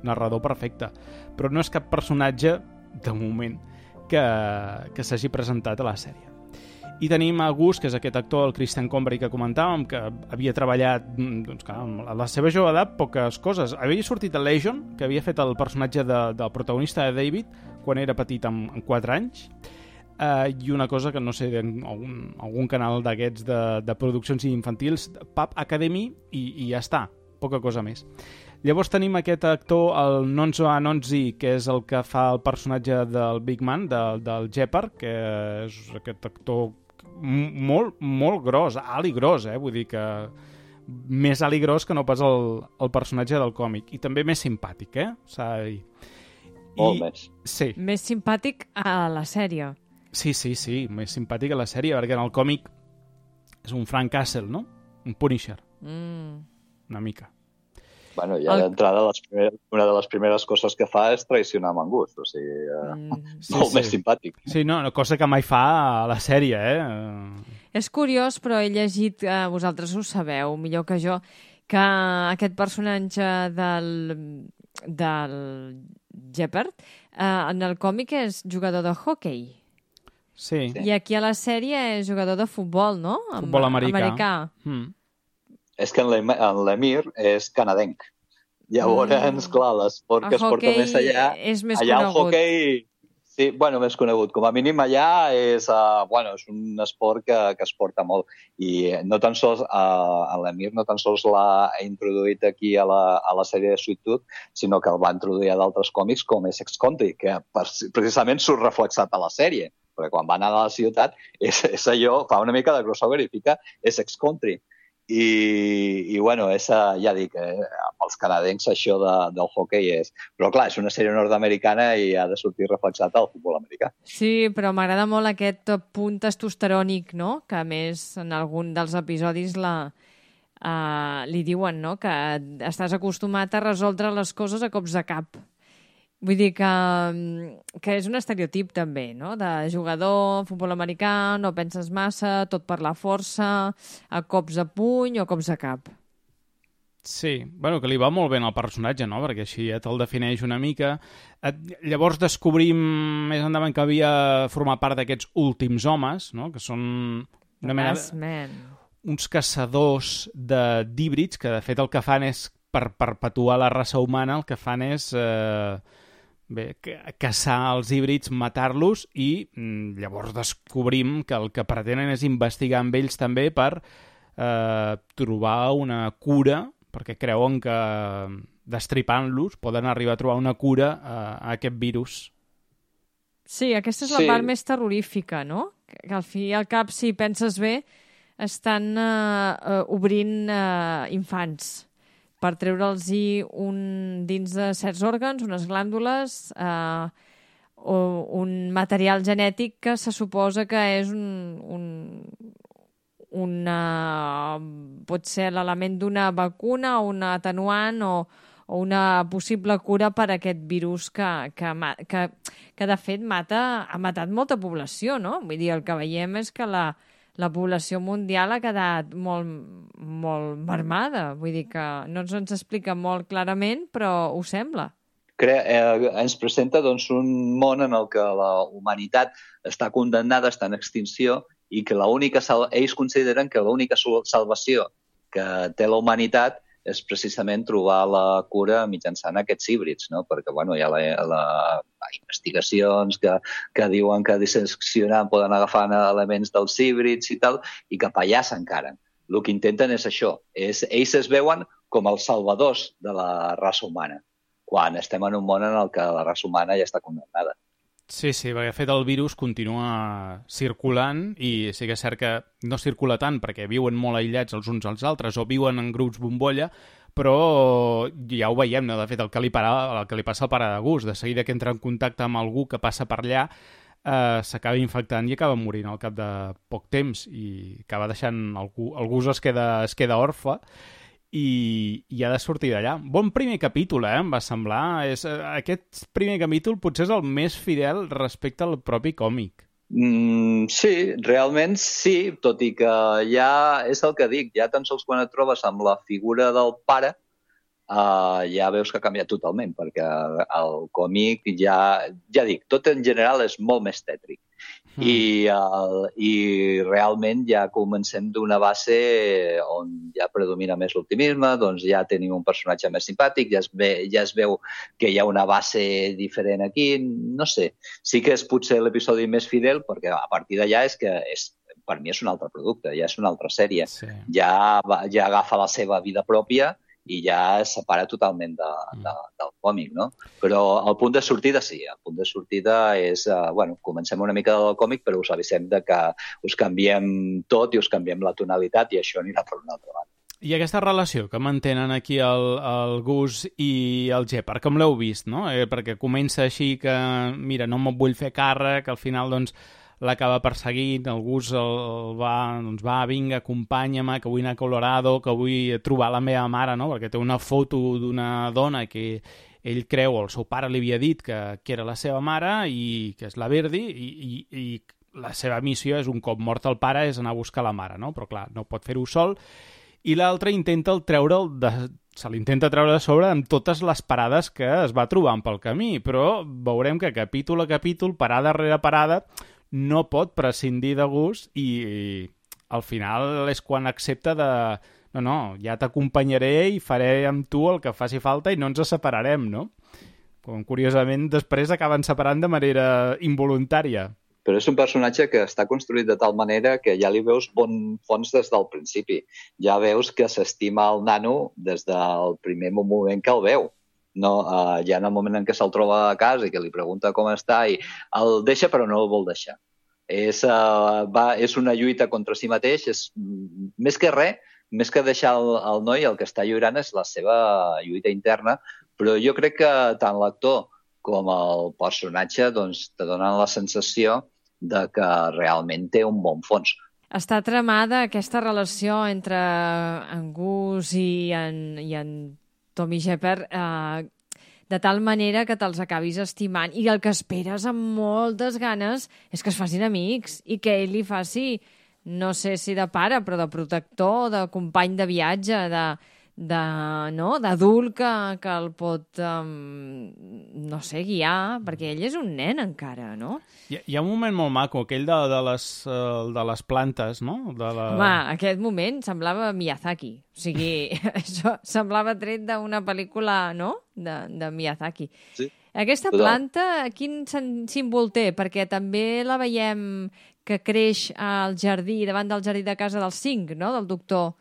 narrador perfecte, però no és cap personatge, de moment, que s'hagi presentat a la sèrie. I tenim a Gus, que és aquest actor, el Christian Convery, que comentàvem, que havia treballat, doncs, clar, a la seva jove edat, poques coses. Havia sortit a Legion, que havia fet el personatge del protagonista de David, quan era petit, amb 4 anys, i una cosa que no sé, algun canal d'aquests de produccions infantils, Pub Academy, i ja està, poca cosa més. Llavors tenim aquest actor, el Nonso Anonzi, que és el que fa el personatge del Big Man, del Jepper, que és aquest actor molt, molt gros, alt i gros, vull dir que més alt i gros que no pas el personatge del còmic. I també més simpàtic, s'ha de dir. Molt més. Sí. Més simpàtic a la sèrie. Sí, més simpàtic a la sèrie, perquè en el còmic és un Frank Castle, no? Un Punisher. Una mica. Bueno, ja d'entrada, una de les primeres coses que fa és traicionar amb en Gus, o sigui, molt més simpàtic. Sí, no, cosa que mai fa a la sèrie, És curiós, però he llegit, vosaltres ho sabeu millor que jo, que aquest personatge del Jepper en el còmic és jugador de hockey. Sí. I aquí a la sèrie és jugador de futbol, no? Futbol americà. És que en l'Emir és canadenc. Llavors, clar, l'esport que es porta més allà... És més allà conegut. El hoquei... Sí, bueno, més conegut. Com a mínim allà és un esport que es porta molt. I no tan sols l'Emir no tan sols l'ha introduït aquí a la sèrie de Sweet Tooth, sinó que el va introduir a d'altres còmics com Essex Country, que precisament surt reflexat a la sèrie. Perquè quan va anar a la ciutat, és allò, fa una mica de crossover i fica Essex Country. I bueno, ja dic, els canadencs això del hockey és... Però clar, és una sèrie nord-americana i ha de sortir reflexat al futbol americà. Sí, però m'agrada molt aquest punt testosterònic, no?, que a més en algun dels episodis li diuen, no?, que estàs acostumat a resoldre les coses a cops de cap. Vull dir que és un estereotip també, no?, de jugador, futbol americà, no penses massa, tot per la força, a cops de puny o cops de cap. Sí, bueno, que li va molt bé al personatge, no?, perquè així ja te'l defineix una mica. Llavors descobrim més endavant que havia format part d'aquests últims homes, no?, que són una mena uns caçadors d'híbrids, que de fet el que fan és, per perpetuar la raça humana, el que fan és caçar els híbrids, matar-los, i llavors descobrim que el que pretenen és investigar amb ells també per trobar una cura, perquè creuen que destripant-los poden arribar a trobar una cura a aquest virus. Sí, aquesta és la part més terrorífica, no? Que al fi i al cap, si penses bé, estan obrint infants per treure'ls-hi dins de certs òrgans, unes glàndules, o un material genètic que se suposa que és pot ser l'element d'una vacuna o un atenuant o una possible cura per a aquest virus que de fet ha matat molta població, no? Vull dir, el que veiem és que la població mundial ha quedat molt, molt mermada. Vull dir que no ens explica molt clarament, però ho sembla. Ens presenta doncs, un món en el que la humanitat està condemnada, està en extinció, i que ells consideren que l'única salvació que té la humanitat és precisament trobar la cura mitjançant aquests híbrids, no? Perquè hi ha investigacions que diuen que disseccionant poden agafar elements dels híbrids i tal, i cap allà s'encaren. El que intenten és això. Ells es veuen com els salvadors de la raça humana, quan estem en un món en el que la raça humana ja està condemnada. Sí, perquè de fet el virus continua circulant, i sí que és cert que no circula tant perquè viuen molt aïllats els uns als altres o viuen en grups bombolla, però ja ho veiem, no? De fet, el que li passa al pare de Gus, de seguida que entra en contacte amb algú que passa per allà, s'acaba infectant i acaba morint al cap de poc temps, i acaba deixant el Gus es queda orfe, i ha de sortir d'allà. Bon primer capítol, em va semblar. Aquest primer capítol potser és el més fidel respecte al propi còmic. Sí, realment sí, tot i que ja és el que dic, ja tan sols quan et trobes amb la figura del pare, ja veus que ha canviat totalment, perquè el còmic ja dic, tot en general és molt més tètric. I realment ja comencem d'una base on ja predomina més l'optimisme, doncs ja tenim un personatge més simpàtic, ja es veu que hi ha una base diferent aquí, no sé. Sí que és potser l'episodi més fidel, perquè a partir d'allà per mi és un altre producte, ja és una altra sèrie. Sí. Ja agafa la seva vida pròpia i ja es separa totalment del còmic, no? Però el punt de sortida sí, el punt de sortida és, comencem una mica del còmic, però us avisem de que us canviem tot i us canviem la tonalitat i això anirà per una altra banda. I aquesta relació que mantenen aquí el Gus i el Gepard, com l'heu vist, no? Perquè comença així que, mira, no me'n vull fer càrrec, al final, doncs, l'acaba perseguint, el Gus va, vinga, acompanya-me, que vull anar a Colorado, que vull trobar la meva mare, no? Perquè té una foto d'una dona que ell creu, o el seu pare li havia dit que era la seva mare, i que és la Verdi, i la seva missió és, un cop mort el pare, és anar a buscar la mare, no? Però clar, no pot fer-ho sol, i l'altre se l'intenta treure de sobre amb totes les parades que es va trobant pel camí, però veurem que capítol a capítol, parada rere parada, no pot prescindir de Gus, i al final és quan accepta no, ja t'acompanyaré i faré amb tu el que faci falta i no ens separarem, no? Com curiosament després acaben separant de manera involuntària. Però és un personatge que està construït de tal manera que ja li veus bon fons des del principi. Ja veus que s'estima el nano des del primer moment que el veu. No, ja en el moment en què se'l troba a casa i que li pregunta com està i el deixa però no el vol deixar. És una lluita contra si mateix, més que res, més que deixar el noi, el que està lluirant és la seva lluita interna, però jo crec que tant l'actor com el personatge doncs, te donen la sensació de que realment té un bon fons. Està tramada aquesta relació entre en Gus i en Tommy Shepard de tal manera que te'ls acabis estimant, i el que esperes amb moltes ganes és que es facin amics i que ell li faci, no sé si de pare, però de protector, de company de viatge, d'adult que el pot, no sé, guiar, perquè ell és un nen encara, no? Hi ha un moment molt maco, aquell de les plantes, no? Home, aquest moment semblava Miyazaki. O sigui, això semblava tret d'una pel·lícula, no?, de Miyazaki. Sí. Aquesta planta, quin símbol té? Perquè també la veiem que creix al jardí, davant del jardí de casa dels 5, no?, del doctor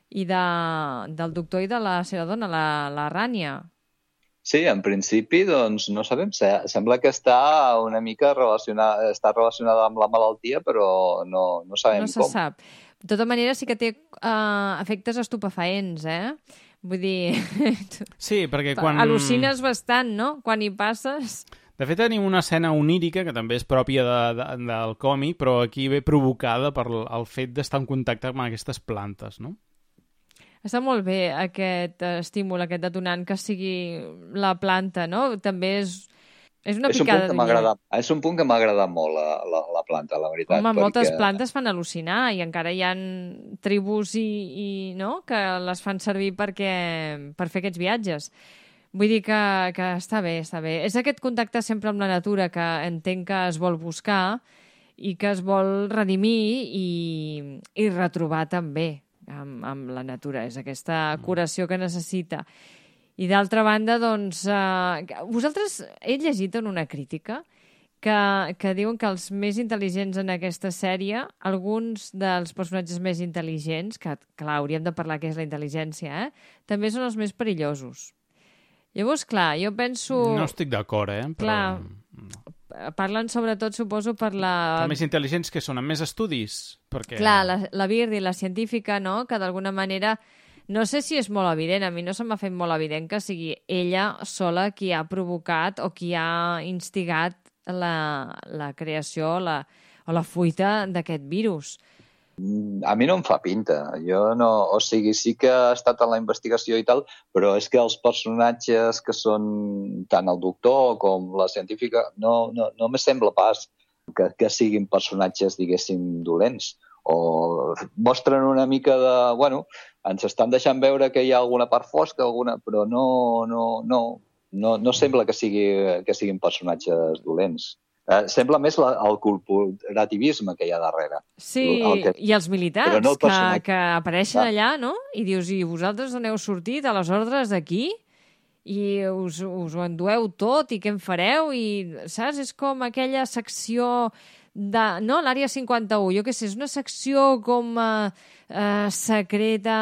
i del doctor i de la seva dona, la Rània. Sí, en principi, doncs, no sabem. Sembla que està una mica relacionada amb la malaltia, però no sabem com. No se sap. De tota manera, sí que té efectes estupefaents, Vull dir... Sí, perquè quan... Al·lucines bastant, no?, quan hi passes... De fet, tenim una escena onírica, que també és pròpia del còmic, però aquí ve provocada per el fet d'estar en contacte amb aquestes plantes, no? Està molt bé aquest estímul, aquest detonant, que sigui la planta, no? També és una picada de És un punt que m'ha agradat molt, la planta, la veritat. Home, moltes plantes fan al·lucinar i encara hi ha tribus no? que les fan servir per fer aquests viatges. Vull dir que està bé, està bé. És aquest contacte sempre amb la natura que entenc que es vol buscar i que es vol redimir i retrobar també amb la natura. És aquesta curació que necessita. I d'altra banda, doncs, vosaltres heu llegit en una crítica que diuen que els més intel·ligents en aquesta sèrie, alguns dels personatges més intel·ligents, que clar, hauríem de parlar què és la intel·ligència, també són els més perillosos. Llavors, clar, jo penso... No estic d'acord, però... Clar, parlen sobretot, suposo, per la... Els més intel·ligents que són, amb més estudis? Perquè... Clar, la Birdy, la científica, no?, que d'alguna manera... No sé si és molt evident, a mi no se m'ha fet molt evident que sigui ella sola qui ha provocat o qui ha instigat la creació o la fuita d'aquest virus. A mi no em fa pinta. Jo no... O sigui, sí que ha estat en la investigació i tal, però és que els personatges que són tant el doctor com la científica no me sembla pas que siguin personatges, diguéssim, dolents. O mostren una mica de... Bueno, ens estan deixant veure que hi ha alguna part fosca, però no sembla que siguin personatges dolents. Sembla més el corporativisme que hi ha darrere. Sí, i els militars que apareixen allà, no? I dius, i vosaltres on heu sortit a les ordres d'aquí? I us ho endueu tot, i què en fareu? I, saps? És com aquella secció... no, l'Àrea 51, jo què sé, és una secció com secreta,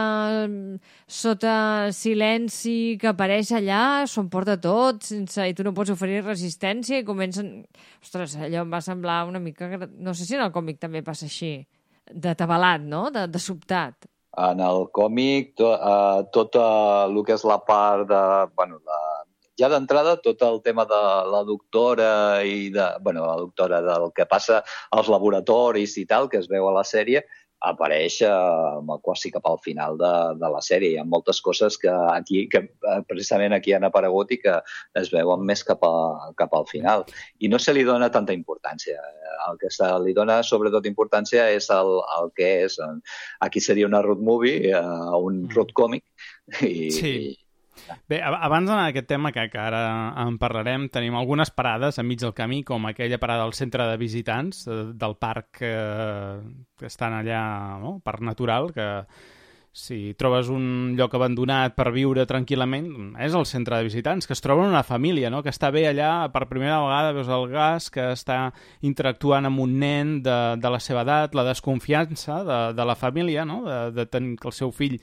sota silenci, que apareix allà, s'ho emporta tot, i tu no pots oferir resistència, i comencen... Ostres, allò em va semblar una mica... No sé si en el còmic també passa així, d'atabalat, no?, de sobtat. En el còmic, tot el que és la part de... Bueno, ja d'entrada, tot el tema de la doctora la doctora del que passa als laboratoris i tal, que es veu a la sèrie, apareix quasi cap al final de la sèrie. Hi ha moltes coses que precisament aquí han aparegut i que es veuen més cap al final. I no se li dona tanta importància. El que se li dona sobretot importància és el que és. Aquí seria una road movie, un road còmic. Sí. Bé, abans d'anar a aquest tema, que ara en parlarem, tenim algunes parades enmig del camí, com aquella parada al centre de visitants del parc que estan allà, no?, parc natural, que si trobes un lloc abandonat per viure tranquil·lament, és el centre de visitants, que es troben una família, no?, que està bé allà, per primera vegada veus el Gas, que està interactuant amb un nen de la seva edat, la desconfiança de la família, no?, de tenir que el seu fill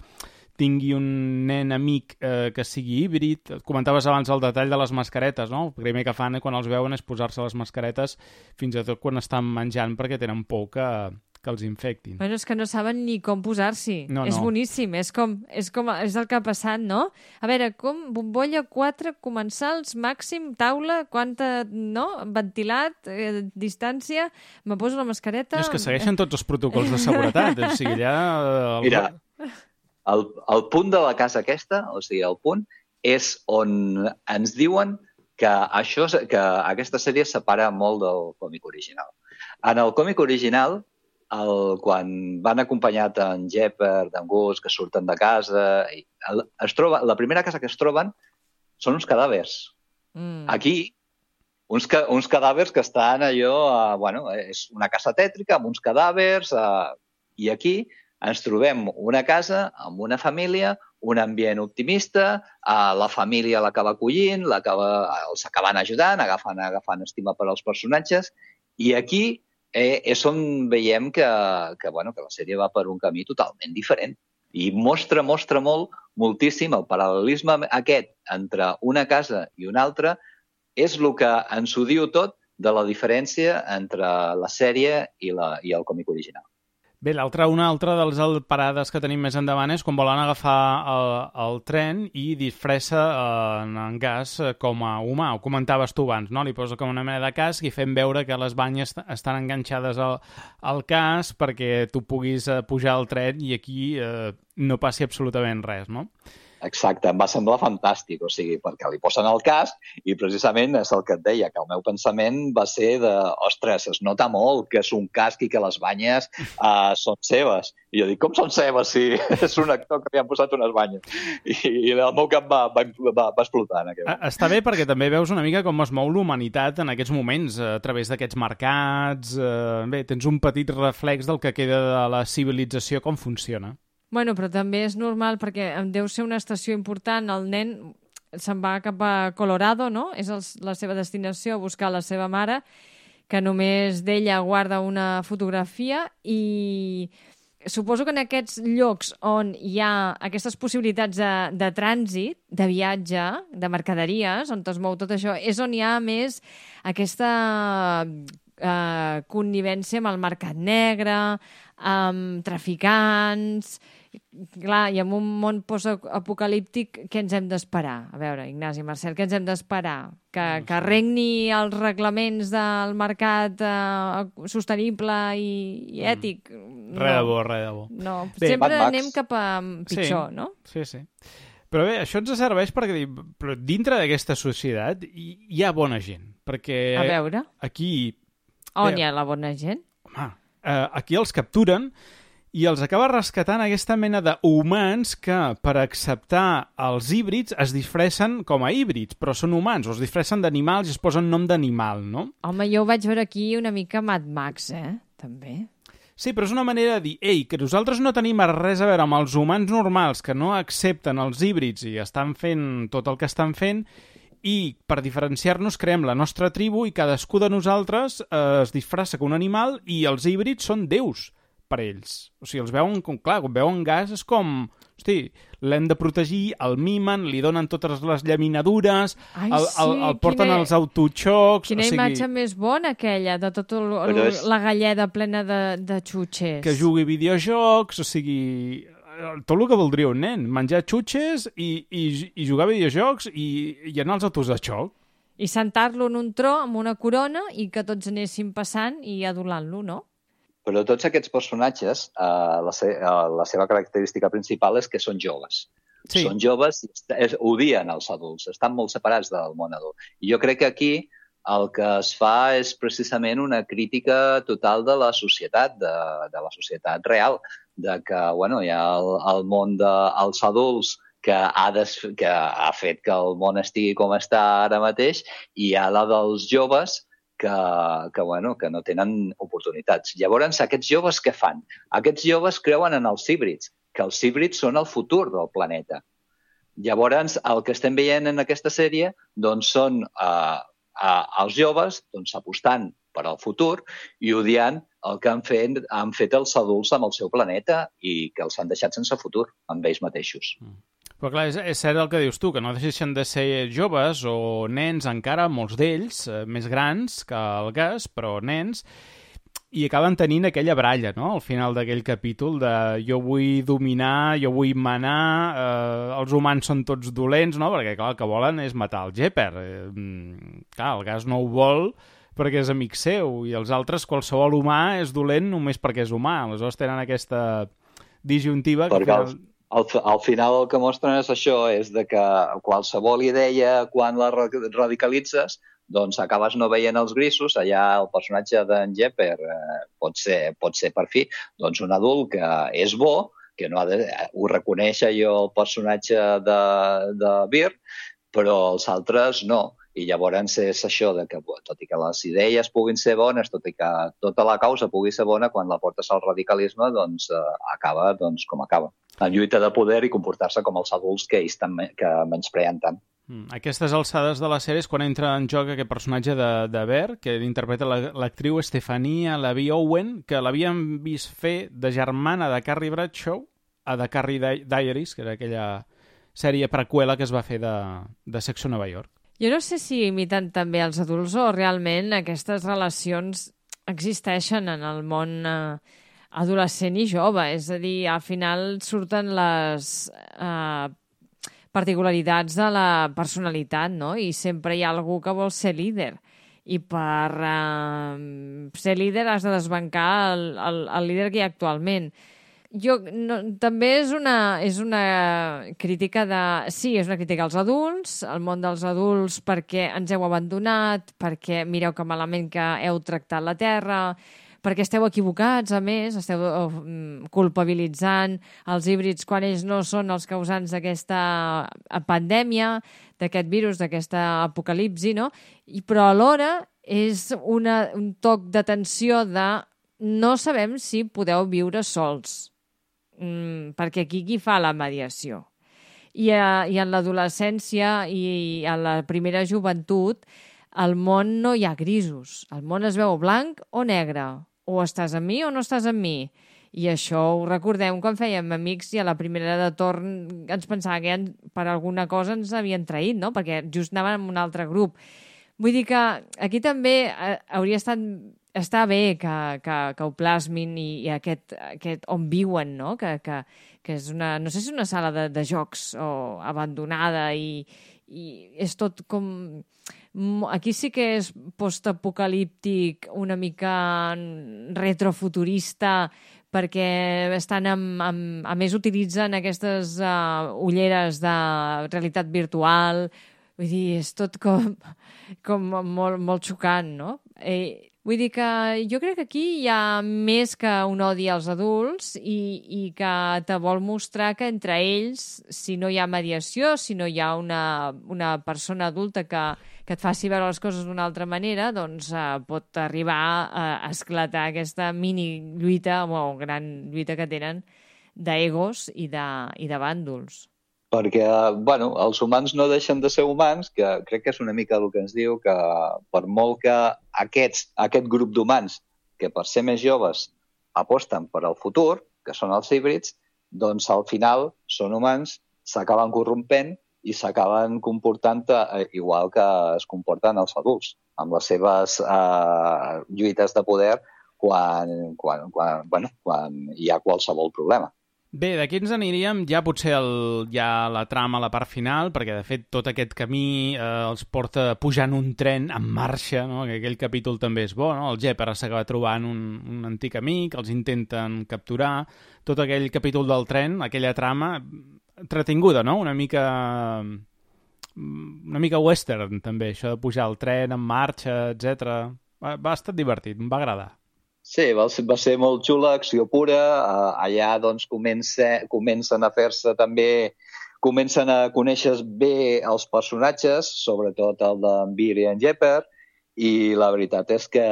tingui un nen amic que sigui híbrid. Comentaves abans el detall de les mascaretes, no? El primer que fan quan els veuen és posar-se les mascaretes fins i tot quan estan menjant perquè tenen por que els infectin. Bueno, és que no saben ni com posar-s'hi. No. És boníssim, és el que ha passat, no? A veure, com bombolla 4 comensals, màxim, taula, quanta, no? Ventilat, distància, me poso la mascareta... És que segueixen tots els protocols de seguretat, o sigui, allà... Mira... El punt de la casa aquesta, o sigui, el punt, és on ens diuen que aquesta sèrie separa molt del còmic original. En el còmic original, quan van acompanyat en Jepper, d'en Gus, que surten de casa, la primera casa que es troben són uns cadàvers. Aquí, uns cadàvers que estan allò... és una casa tètrica amb uns cadàvers, i aquí ens trobem una casa amb una família, un ambient optimista, la família l'acaba acollint, els acaben ajudant, agafant estima per als personatges, i aquí és on veiem que la sèrie va per un camí totalment diferent. I mostra moltíssim el paral·lelisme aquest entre una casa i una altra, és el que ens ho diu tot de la diferència entre la sèrie i el còmic original. Bé, una altra de les parades que tenim més endavant és quan volen agafar el tren i disfressa en Gas com a humà. Ho comentaves tu abans, no? Li posa com una mena de casc i fem veure que les banyes estan enganxades al casc perquè tu puguis pujar al tren i aquí no passi absolutament res, no? Exacte, em va semblar fantàstic, o sigui, perquè li posen el casc i precisament és el que et deia, que el meu pensament va ser de, ostres, es nota molt que és un casc i que les banyes són seves. I jo dic, com són seves si és un actor que li han posat unes banyes? I el meu cap va explotar en aquell moment. Està bé perquè també veus una mica com es mou l'humanitat en aquests moments, a través d'aquests mercats. Bé, tens un petit reflex del que queda de la civilització, com funciona. Bueno, però també és normal perquè deu ser una estació important. El nen se'n va cap a Colorado, no? És la seva destinació, a buscar la seva mare, que només d'ella guarda una fotografia, i suposo que en aquests llocs on hi ha aquestes possibilitats de trànsit, de viatge, de mercaderies, on es mou tot això, és on hi ha més aquesta connivència amb el mercat negre, amb traficants... Clar, i en un món postapocalíptic, què ens hem d'esperar? A veure, Ignasi, Marcel, què ens hem d'esperar? Que regni els reglaments del mercat sostenible i ètic? Res de bo. No, sempre anem cap a pitjor, no? Sí. Però bé, això ens serveix perquè però dintre d'aquesta societat hi ha bona gent. Perquè a veure, aquí... On hi ha la bona gent? Home, aquí els capturen i els acaba rescatant aquesta mena d'humans que, per acceptar els híbrids, es disfressen com a híbrids, però són humans, o es disfressen d'animals i es posen nom d'animal, no? Home, jo ho vaig veure aquí una mica Mad Max, també. Sí, però és una manera de dir, que nosaltres no tenim res a veure amb els humans normals que no accepten els híbrids i estan fent tot el que estan fent, i per diferenciar-nos creem la nostra tribu i cadascú de nosaltres es disfressa com un animal i els híbrids són déus per ells. O sigui, els veuen com, clar, quan veuen Gas és com, hosti, l'hem de protegir, el mimen, li donen totes les llaminadures, el porten als autoxocs... Quina imatge més bona aquella, de tota la galleda plena de xutxes. Que jugui videojocs, o sigui... Tot el que voldria un nen, menjar xutxes i jugar a videojocs i anar als autos de xoc. I sentar-lo en un tro amb una corona i que tots anéssim passant i adulant-lo, no? Però tots aquests personatges, la seva característica principal és que són joves. Sí. Són joves i odien els adults, estan molt separats del món adult. I jo crec que aquí el que es fa és precisament una crítica total de la societat, de la societat real, de que hi ha el món dels adults que ha fet que el món estigui com està ara mateix, i hi ha la dels joves que no tenen oportunitats. Llavors, aquests joves què fan? Aquests joves creuen en els híbrids, que els híbrids són el futur del planeta. Llavors, el que estem veient en aquesta sèrie són els joves apostant per al futur i odiant el que han fet els adults amb el seu planeta i que els han deixat sense futur amb ells mateixos. Però clar, és cert el que dius tu, que no deixen de ser joves o nens encara, molts d'ells, més grans que el Gas, però nens, i acaben tenint aquella baralla, no?, al final d'aquell capítol de jo vull dominar, jo vull manar, els humans són tots dolents, no?, perquè clar, el que volen és matar el Jepper. Clar, el Gas no ho vol perquè és amic seu, i els altres, qualsevol humà és dolent només perquè és humà. Aleshores tenen aquesta disjuntiva que... Al final el que mostren és això, és de que qualsevol idea, quan la radicalitzes, doncs acabes no veient els grisos. Allà el personatge d'en Jepper pot ser per fi doncs un adult que és bo, que no ha de, ho reconeix allò el personatge de Bird, però els altres no. I llavors és això de que, tot i que les idees puguin ser bones, tot i que tota la causa pugui ser bona, quan la portes al radicalisme, doncs acaba doncs, com acaba. En lluita de poder i comportar-se com els adults que ells que menyspreen tant. Aquestes alçades de la sèrie és quan entra en joc aquest personatge de Bear, que interpreta l'actriu Stefania Lavie Owen, que l'havíem vist fer de germana de Carrie Bradshaw a The Carrie Diaries, que era aquella sèrie preqüela que es va fer de Sexo Nova York. Jo no sé si imiten també els adults o realment aquestes relacions existeixen en el món adolescent i jove. És a dir, al final surten les particularitats de la personalitat, no? I sempre hi ha algú que vol ser líder. I per ser líder has de desbancar el líder que hi ha actualment. També és una crítica sí, és una crítica als adults, al món dels adults, perquè ens heu abandonat, perquè mireu que malament que heu tractat la Terra, perquè esteu equivocats, a més, esteu culpabilitzant els híbrids quan ells no són els causants d'aquesta pandèmia, d'aquest virus, d'aquesta apocalipsi, no? Però alhora és un toc d'atenció de no sabem si podeu viure sols. Perquè aquí qui fa la mediació? I en l'adolescència i en la primera joventut al món no hi ha grisos. El món es veu blanc o negre. O estàs amb mi o no estàs amb mi. I això ho recordem quan fèiem amics i a la primera de torn ens pensava que per alguna cosa ens havien traït, no? Perquè just anàvem en un altre grup. Vull dir que aquí també hauria estat està bé que ho plasmin i aquest on viuen, no? Que és una... No sé si és una sala de jocs o abandonada i és tot com... Aquí sí que és postapocalíptic, una mica retrofuturista, perquè estan a més utilitzen aquestes ulleres de realitat virtual. Vull dir, és tot com molt, molt xocant, no? Vull dir que jo crec que aquí hi ha més que un odi als adults i que te vol mostrar que entre ells, si no hi ha mediació, si no hi ha una persona adulta que et faci veure les coses d'una altra manera, doncs pot arribar a esclatar aquesta mini lluita o gran lluita que tenen d'egos i de bàndols. Perquè, els humans no deixen de ser humans, que crec que és una mica el que ens diu que per molt que aquest grup d'humans, que per ser més joves aposten per al futur, que són els híbrids, doncs al final són humans, s'acaben corrompent i s'acaben comportant igual que es comporten els adults, amb les seves lluites de poder quan hi ha qualsevol problema. Bé, d'aquí ens aniríem ja potser la trama a la part final, perquè de fet tot aquest camí els porta pujant un tren en marxa, no? Que aquell capítol també és bo, no? El Jepper s'acaba trobant un antic amic, els intenten capturar, tot aquell capítol del tren, aquella trama entretinguda, no? Una mica western també, això de pujar el tren en marxa, etc. Va estar divertit, em va agradar. Sí, va ser molt xula, acció pura. Allà doncs comencen a fer-se també, comencen a conèixer bé els personatges, sobretot el d'en Bear i en Jepper, i la veritat és que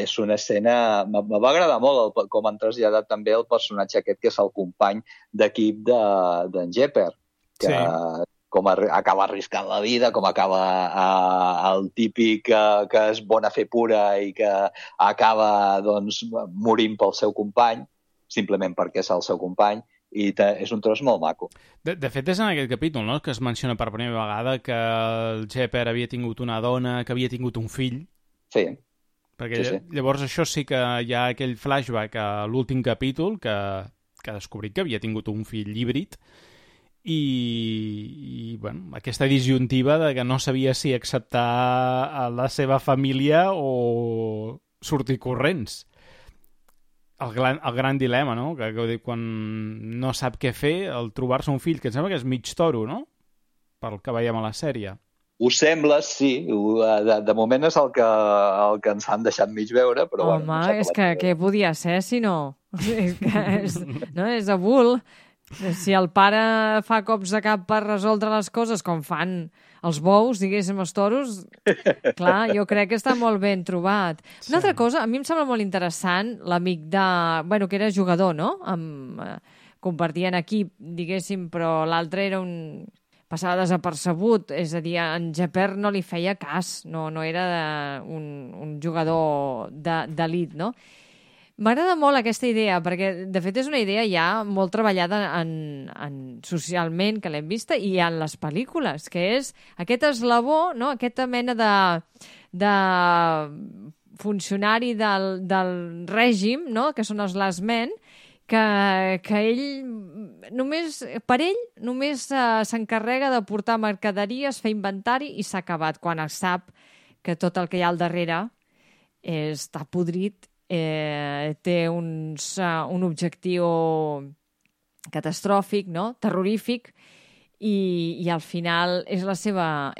és una escena... Me va agradar molt com han traslladat també el personatge aquest que és el company d'equip d'en Jepper, que sí. Com acaba arriscant la vida, com acaba el típic que és bona fer pura i que acaba doncs, morint pel seu company, simplement perquè és el seu company, i és un tros molt maco. De fet, és en aquest capítol, no?, que es menciona per primera vegada que el Jepper havia tingut una dona, que havia tingut un fill. Sí. Perquè sí. Llavors això sí que hi ha aquell flashback a l'últim capítol que ha descobrit que havia tingut un fill híbrid i aquesta disjuntiva de que no sabia si acceptar a la seva família o sortir corrents. El gran dilema, no?, que quan no sap què fer, el trobar-se un fill, que em sembla que és mig toro, no?, pel que veiem a la sèrie. Ho sembla, sí. De moment és el que ens han deixat mig veure, però Home, bueno... és que què podia ser, si no? És a bull. Si el pare fa cops de cap per resoldre les coses, com fan els bous, diguéssim, els toros, clar, jo crec que està molt ben trobat. Sí. Una altra cosa, a mi em sembla molt interessant l'amic de... Bueno, que era jugador, no? Compartien equip, diguéssim, però l'altre era un... passava desapercebut, és a dir, en Jeper no li feia cas, no era un jugador d'elit, no? M'agrada molt aquesta idea, perquè de fet és una idea ja molt treballada socialment, que l'hem vista, i en les pel·lícules, que és aquest eslabó, no? Aquesta mena de funcionari del règim, no? Que són els last men, que ell només s'encarrega de portar mercaderies, fer inventari i s'ha acabat, quan es sap que tot el que hi ha al darrere està podrit, té un objectiu catastròfic, no? Terrorífic, i al final és la seva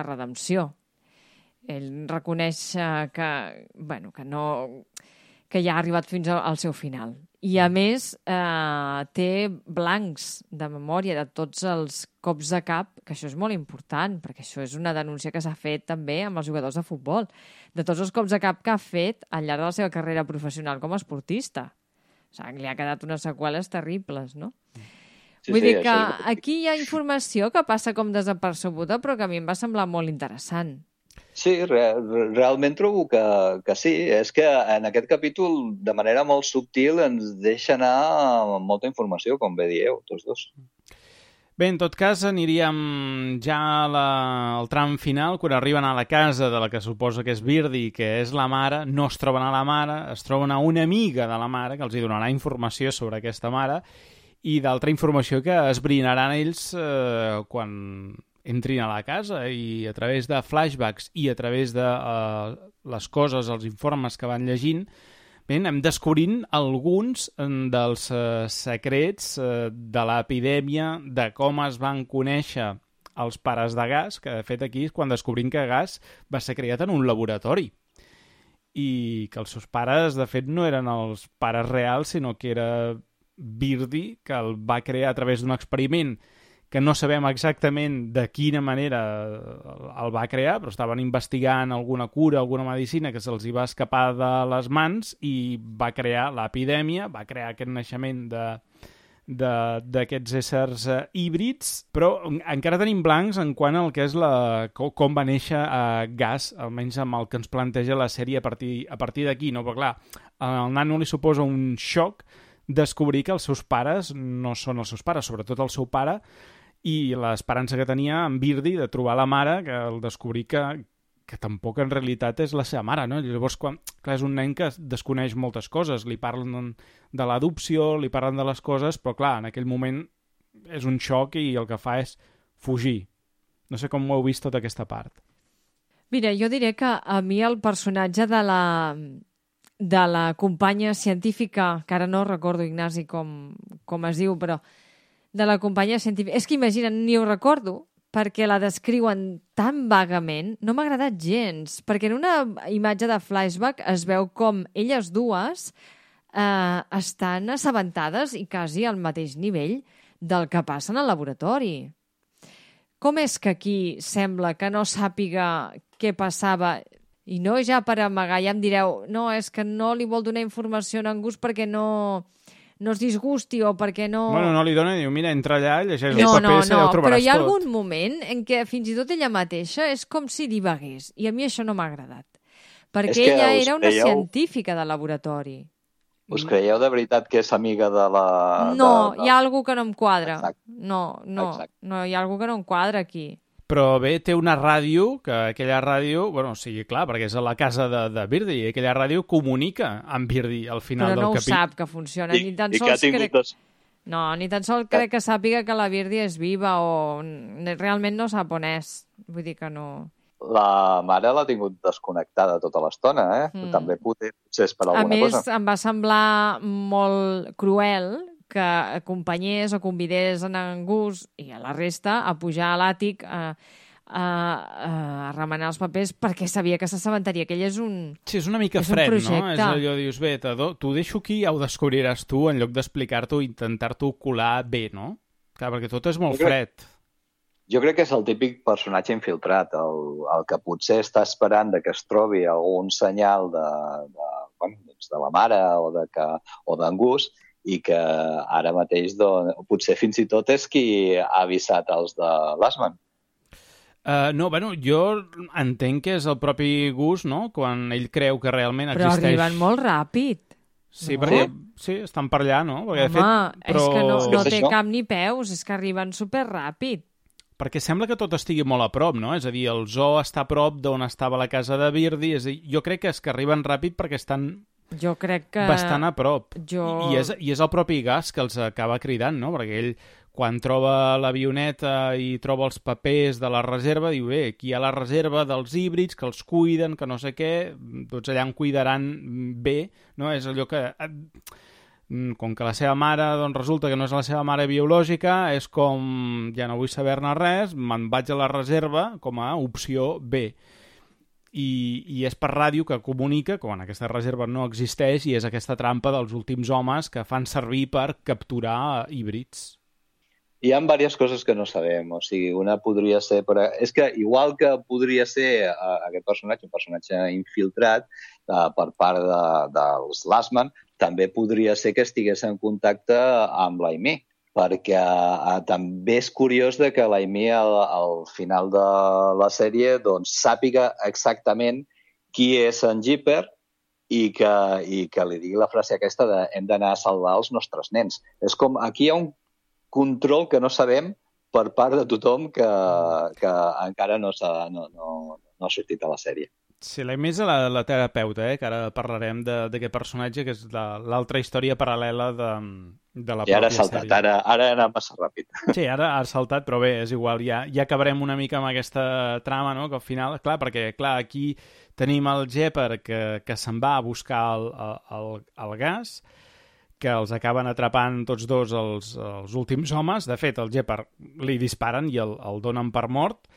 redempció. Ell reconeix que ja ha arribat fins al seu final. I, a més, té blancs de memòria de tots els cops de cap, que això és molt important, perquè això és una denúncia que s'ha fet també amb els jugadors de futbol, de tots els cops de cap que ha fet al llarg de la seva carrera professional com a esportista. O sigui, li ha quedat unes seqüeles terribles, no? Sí, vull dir que aquí hi ha informació que passa com desapercebuda, però que a mi em va semblar molt interessant. Sí, realment trobo que sí. És que en aquest capítol, de manera molt subtil, ens deixa anar molta informació, com bé dieu, tots dos. Bé, en tot cas, aniríem ja al tram final, quan arriben a la casa de la que suposa que és Birdie, que és la mare. No es troben a la mare, es troben a una amiga de la mare, que els hi donarà informació sobre aquesta mare, i d'altra informació que esbrinaran ells quan entrin a la casa, i a través de flashbacks i a través de les coses, els informes que van llegint, anem descobrint alguns dels secrets de l'epidèmia, de com es van conèixer els pares de Gas, que de fet aquí és quan descobrim que Gas va ser creat en un laboratori i que els seus pares de fet no eren els pares reals, sinó que era Birdie, que el va crear a través d'un experiment que no sabem exactament de quina manera el va crear, però estaven investigant alguna cura, alguna medicina que se'ls hi va escapar de les mans i va crear l'epidèmia, va crear aquest naixement d'aquests éssers híbrids, però encara tenim blancs en quant al que és com va néixer Gas, almenys amb el que ens planteja la sèrie a partir d'aquí, no? Però clar, al nano li suposa un xoc descobrir que els seus pares no són els seus pares, sobretot el seu pare, i l'esperança que tenia en Birdie de trobar la mare, que al descobrir que tampoc en realitat és la seva mare, no? Llavors, clar, és un nen que desconeix moltes coses, li parlen de l'adopció, li parlen de les coses, però clar, en aquell moment és un xoc i el que fa és fugir. No sé com ho heu vist tota aquesta part. Mira, jo diré que a mi el personatge de la companya científica, que ara no recordo, Ignasi, com es diu, però de la companya científica... És que imagina't, ni ho recordo, perquè la descriuen tan vagament, no m'ha agradat gens, perquè en una imatge de flashback es veu com elles dues estan assabentades i quasi al mateix nivell del que passa en el laboratori. Com és que aquí sembla que no sàpiga què passava? I no ja per amagar, ja em direu, no, és que no li vol donar informació a en Gus perquè no es disgusti o perquè no... Bueno, no li dona, diu, mira, entra allà, llegeix el paper, ja ho trobaràs tot. Però hi ha algun moment en què fins i tot ella mateixa és com si divagués, i a mi això no m'ha agradat. Perquè ella era una científica de laboratori. Us creieu de veritat que és amiga de la... No, hi ha algú que no em quadra. No, hi ha algú que no em quadra aquí. Però bé, té una ràdio, que aquella ràdio, bueno, sí, clar, perquè és a la casa de Birdie, i aquella ràdio comunica amb Birdie al final del capítol. Però no ho sap que funciona, ni tan sols crec... No, ni tan sols crec que sàpiga que la Birdie és viva o realment no sap on és. Vull dir que no... La mare l'ha tingut desconnectada tota l'estona, També potser és per alguna cosa. A més, em va semblar molt cruel que acompanyés o convidés en Gus i a la resta a pujar a l'àtic a remenar els papers perquè sabia que s'assabentaria, que ell és un... Sí, és una mica és un fred, no? projecte. És allò, dius, bé, t'ho deixo aquí, ja ho descobriràs tu, en lloc d'explicar-t'ho i intentar-t'ho colar bé, no? Clar, perquè tot és molt fred. Jo crec que és el típic personatge infiltrat, el que potser està esperant de que es trobi algun senyal de la mare o d'en Gus, i que ara mateix potser fins i tot és qui ha avisat els de Last Man. No, bueno, jo entenc que és el propi Gus, no?, quan ell creu que realment existeix... Però arriben molt ràpid. Sí, no? perquè sí, estan per allà, no? Perquè, Home, de fet, però... és que no té això? cap ni peus, és que arriben superràpid. Perquè sembla que tot estigui molt a prop, no? És a dir, el zoo està a prop d'on estava la casa de Birdie, és a dir, jo crec que és que arriben ràpid perquè estan Jo crec que... bastant a prop. I és el propi Gus que els acaba cridant, no? Perquè ell, quan troba l'avioneta i troba els papers de la reserva, diu, bé, aquí hi ha la reserva dels híbrids, que els cuiden, que no sé què, tots allà en cuidaran bé, no? És allò que... Com que la seva mare, doncs resulta que no és la seva mare biològica, és com, ja no vull saber-ne res, me'n vaig a la reserva com a opció B. I és per ràdio que comunica quan aquesta reserva no existeix i és aquesta trampa dels últims homes que fan servir per capturar híbrids. Hi ha diverses coses que no sabem, o sigui, una podria ser... És que igual que podria ser aquest personatge, un personatge infiltrat per part dels Last Man, també podria ser que estigués en contacte amb l'Amy, perquè també és curiós de que l'Amy al final de la sèrie doncs, sàpiga exactament qui és en Jeeper i que li digui la frase aquesta de hem d'anar a salvar els nostres nens. És com, aquí hi ha un control que no sabem per part de tothom que encara no ha sortit a la sèrie. Sí, l'Amy és la terapeuta, que ara parlarem d'aquest personatge, que és l'altra història paral·lela de la pròpia sèrie. Ara ha anat massa ràpid. Sí, ara ha saltat, però bé, és igual, ja acabarem una mica amb aquesta trama, no?, que al final, clar, perquè aquí tenim el Jeeper que se'n va a buscar el gas, que els acaben atrapant tots dos els últims homes. De fet, el Jeeper li disparen i el donen per mort,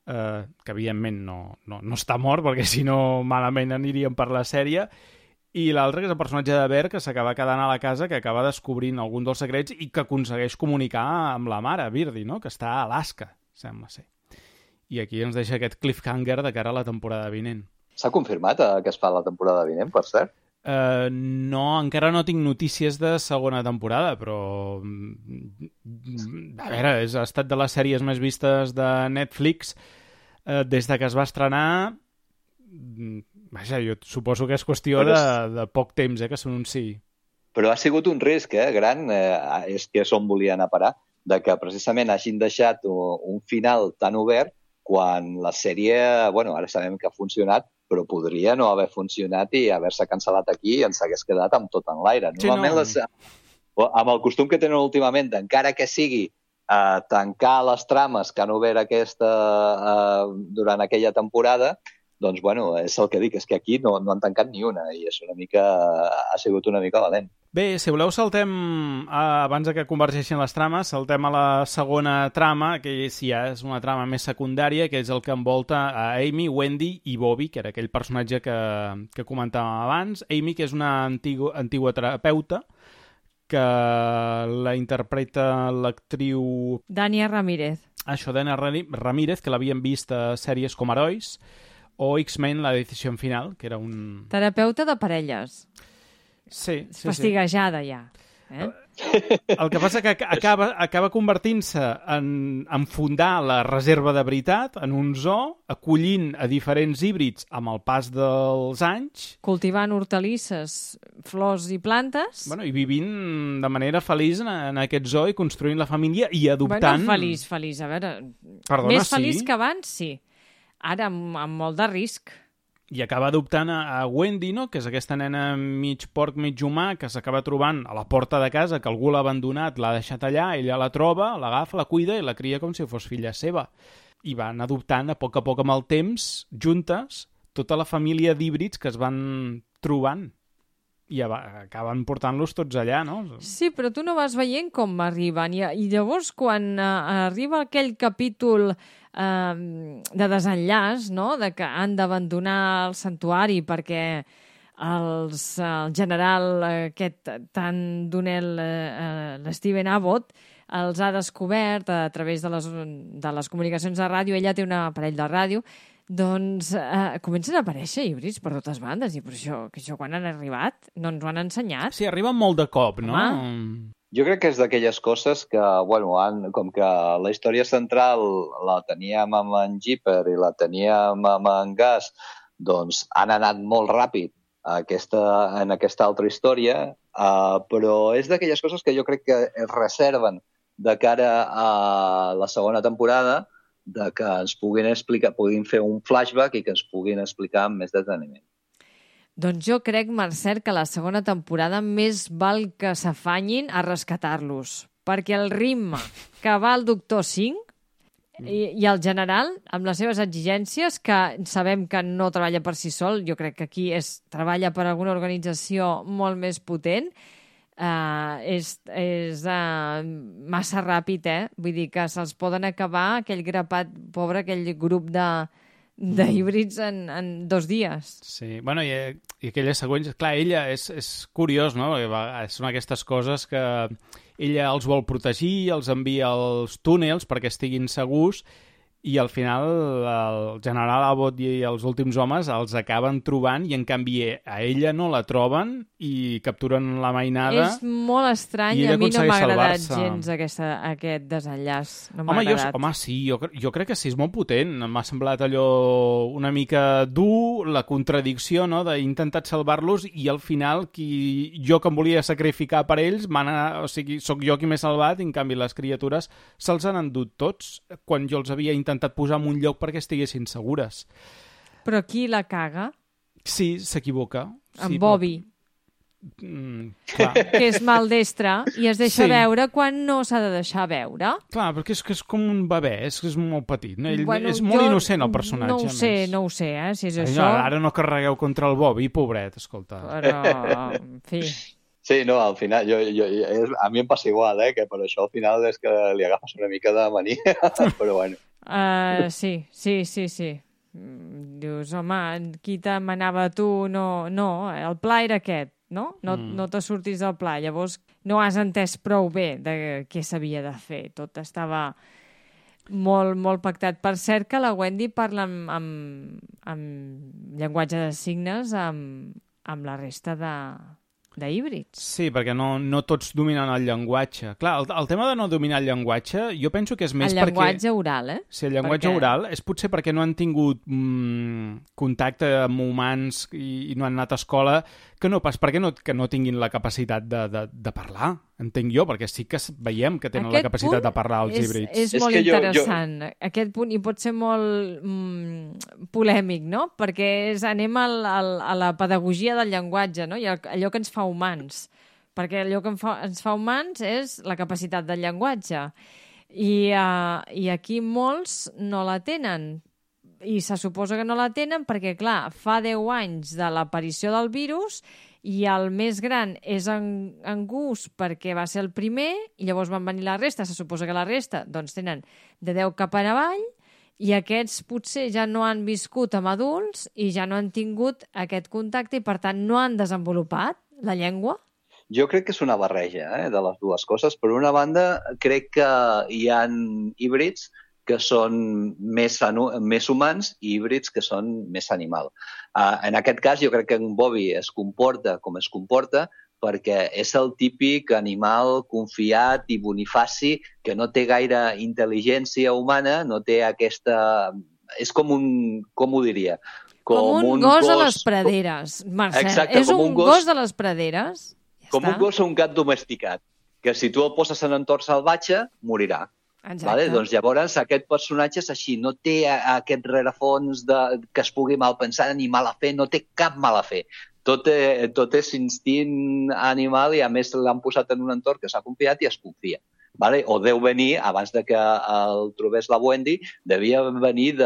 que evidentment no està mort, perquè si no malament aniríem per la sèrie, i l'altre, que és el personatge de Bear, que s'acaba quedant a la casa, que acaba descobrint algun dels secrets i que aconsegueix comunicar amb la mare, Birdie, no?, que està a Alaska, sembla ser. I aquí ens deixa aquest cliffhanger de cara a la temporada vinent. S'ha confirmat que es fa la temporada vinent, per cert? No, encara no tinc notícies de segona temporada, però a veure, ha estat de les sèries més vistes de Netflix des de que es va estrenar. Vaja, jo suposo que és qüestió de poc temps que s'anunciï. Però ha sigut un risc gran, és que és on volien a parar, de que precisament hagin deixat un final tan obert quan la sèrie, bueno, ara sabem que ha funcionat, però podria no haver funcionat i haver-se cancel·lat aquí i ens hagués quedat amb tot en l'aire. Normalment, amb el costum que tenen últimament, encara que sigui tancar les trames que han obert durant aquella temporada, doncs, bueno, és el que dic, és que aquí no han tancat ni una i ha sigut una mica valent. Bé, si voleu saltem, abans que convergeixin les trames, saltem a la segona trama, que sí, és una trama més secundària, que és el que envolta a Amy, Wendy i Bobby, que era aquell personatge que comentàvem abans. Amy, que és una antigua terapeuta, que la interpreta l'actriu... Dania Ramírez. Això, Dania Ramírez, que l'havien vist a sèries com Herois, o X-Men, La decisió final, que era un... Terapeuta de parelles. Sí. Fastiguejada, ja. El que passa que acaba convertint-se en fundar la reserva de veritat en un zoo, acollint a diferents híbrids amb el pas dels anys. Cultivant hortalisses, flors i plantes. Bueno, i vivint de manera feliç en aquest zoo i construint la família i adoptant... Bueno, feliç, a veure... Perdona, més feliç que abans, sí. Ara, amb molt de risc. I acaba adoptant a Wendy, no?, que és aquesta nena mig porc, mig humà, que s'acaba trobant a la porta de casa, que algú l'ha abandonat, l'ha deixat allà, ella la troba, l'agafa, la cuida i la cria com si fos filla seva. I van adoptant a poc amb el temps, juntes, tota la família d'híbrids que es van trobant. i acaben portant-los tots allà, no? Sí, però tu no vas veient com arriben. I llavors, quan arriba aquell capítol de desenllaç, no?, de que han d'abandonar el santuari perquè el general aquest tan donel, l'Steven Abbott, els ha descobert a través de les comunicacions de ràdio. Ella té un aparell de ràdio. Doncs comencen a aparèixer híbrids per totes bandes. I per això quan han arribat no ens ho han ensenyat. Sí, arriben molt de cop, no? Jo crec que és d'aquelles coses que, bueno, com que la història central la teníem amb en Jeeper i la teníem amb en Gus, doncs han anat molt ràpid en aquesta altra història, però és d'aquelles coses que jo crec que es reserven de cara a la segona temporada, de que ens puguin fer un flashback i que ens puguin explicar amb més deteniment. Doncs jo crec, Marcel, que la segona temporada més val que s'afanyin a rescatar-los, perquè el ritme que va el Doctor Singh i el general, amb les seves exigències, que sabem que no treballa per si sol, jo crec que aquí treballa per alguna organització molt més potent, és massa ràpid, Vull dir que se'ls poden acabar aquell grapat, pobre, aquell grup d'híbrids en 2 dies. Sí, bueno, i aquelles següents... Clar, ella és curiós, no? Són aquestes coses que ella els vol protegir, els envia als túnels perquè estiguin segurs, i al final el general Abbott i els últims homes els acaben trobant i en canvi a ella no la troben i capturen la mainada. És molt estrany, a mi no m'ha agradat gens aquest desenllaç. No m'ha agradat. Home, sí, jo crec que sí, és molt potent. M'ha semblat allò una mica dur, la contradicció, no?, d'intentar salvar-los i al final jo que em volia sacrificar per ells, o sigui, sóc jo qui m'he salvat i en canvi les criatures se'ls han endut tots quan jo els havia intentat posar en un lloc perquè estiguessin segures. Però qui la caga? Sí, s'equivoca. En Bobby. Clar. Que és maldestre i es deixa veure quan no s'ha de deixar veure. Clar, perquè és que és com un bebè, és molt petit. No? És molt innocent, el personatge. No ho sé, si és això... Ara no carregueu contra el Bobby, pobret, escolta. Però, en fi... Sí, no, al final, a mi em passa igual, que per això al final és que li agafes una mica de mania, però bueno. Sí. Dius, home, qui te manava tu? No, el pla era aquest, no? No te surtis del pla. Llavors no has entès prou bé de què s'havia de fer. Tot estava molt, molt pactat. Per cert que la Wendy parla amb llenguatge de signes amb la resta d'híbrids. Sí, perquè no tots dominen el llenguatge. Clar, el tema de no dominar el llenguatge, jo penso que és més perquè... El llenguatge oral, Sí, el llenguatge oral és potser perquè no han tingut contacte amb humans i no han anat a escola, que no pas perquè no tinguin la capacitat de parlar, entenc jo, perquè sí que veiem que tenen la capacitat de parlar els híbrids. És molt interessant. Aquest punt, i pot ser molt polèmic, no? Perquè anem a la pedagogia del llenguatge, no? I allò que ens fa humans. Perquè allò que ens fa humans és la capacitat del llenguatge. I aquí molts no la tenen. I se suposa que no la tenen perquè, clar, fa 10 anys de l'aparició del virus i el més gran és en Gus perquè va ser el primer i llavors van venir la resta. Se suposa que la resta doncs, tenen de 10 cap avall i aquests potser ja no han viscut amb adults i ja no han tingut aquest contacte i, per tant, no han desenvolupat la llengua. Jo crec que és una barreja de les dues coses. Per una banda, crec que hi ha híbrids que són més humans i híbrids que són més animal. En aquest cas, jo crec que en Bobby es comporta com es comporta perquè és el típic animal confiat i bonifaci que no té gaire intel·ligència humana, no té aquesta... És com un... Com ho diria? Com un gos a les praderes, Marcel. Exacte, és un gos de les praderes. Com un gos o un gat domesticat, que si tu el poses en entorn salvatge, morirà. Vale? Doncs llavors aquest personatge és així, no té aquest rerefons que es pugui malpensar ni mala fe, no té cap mala fe. Tot és instint animal i a més l'han posat en un entorn que s'ha confiat i es confia. Vale? O deu venir, abans de que el trobés la Wendy, devia venir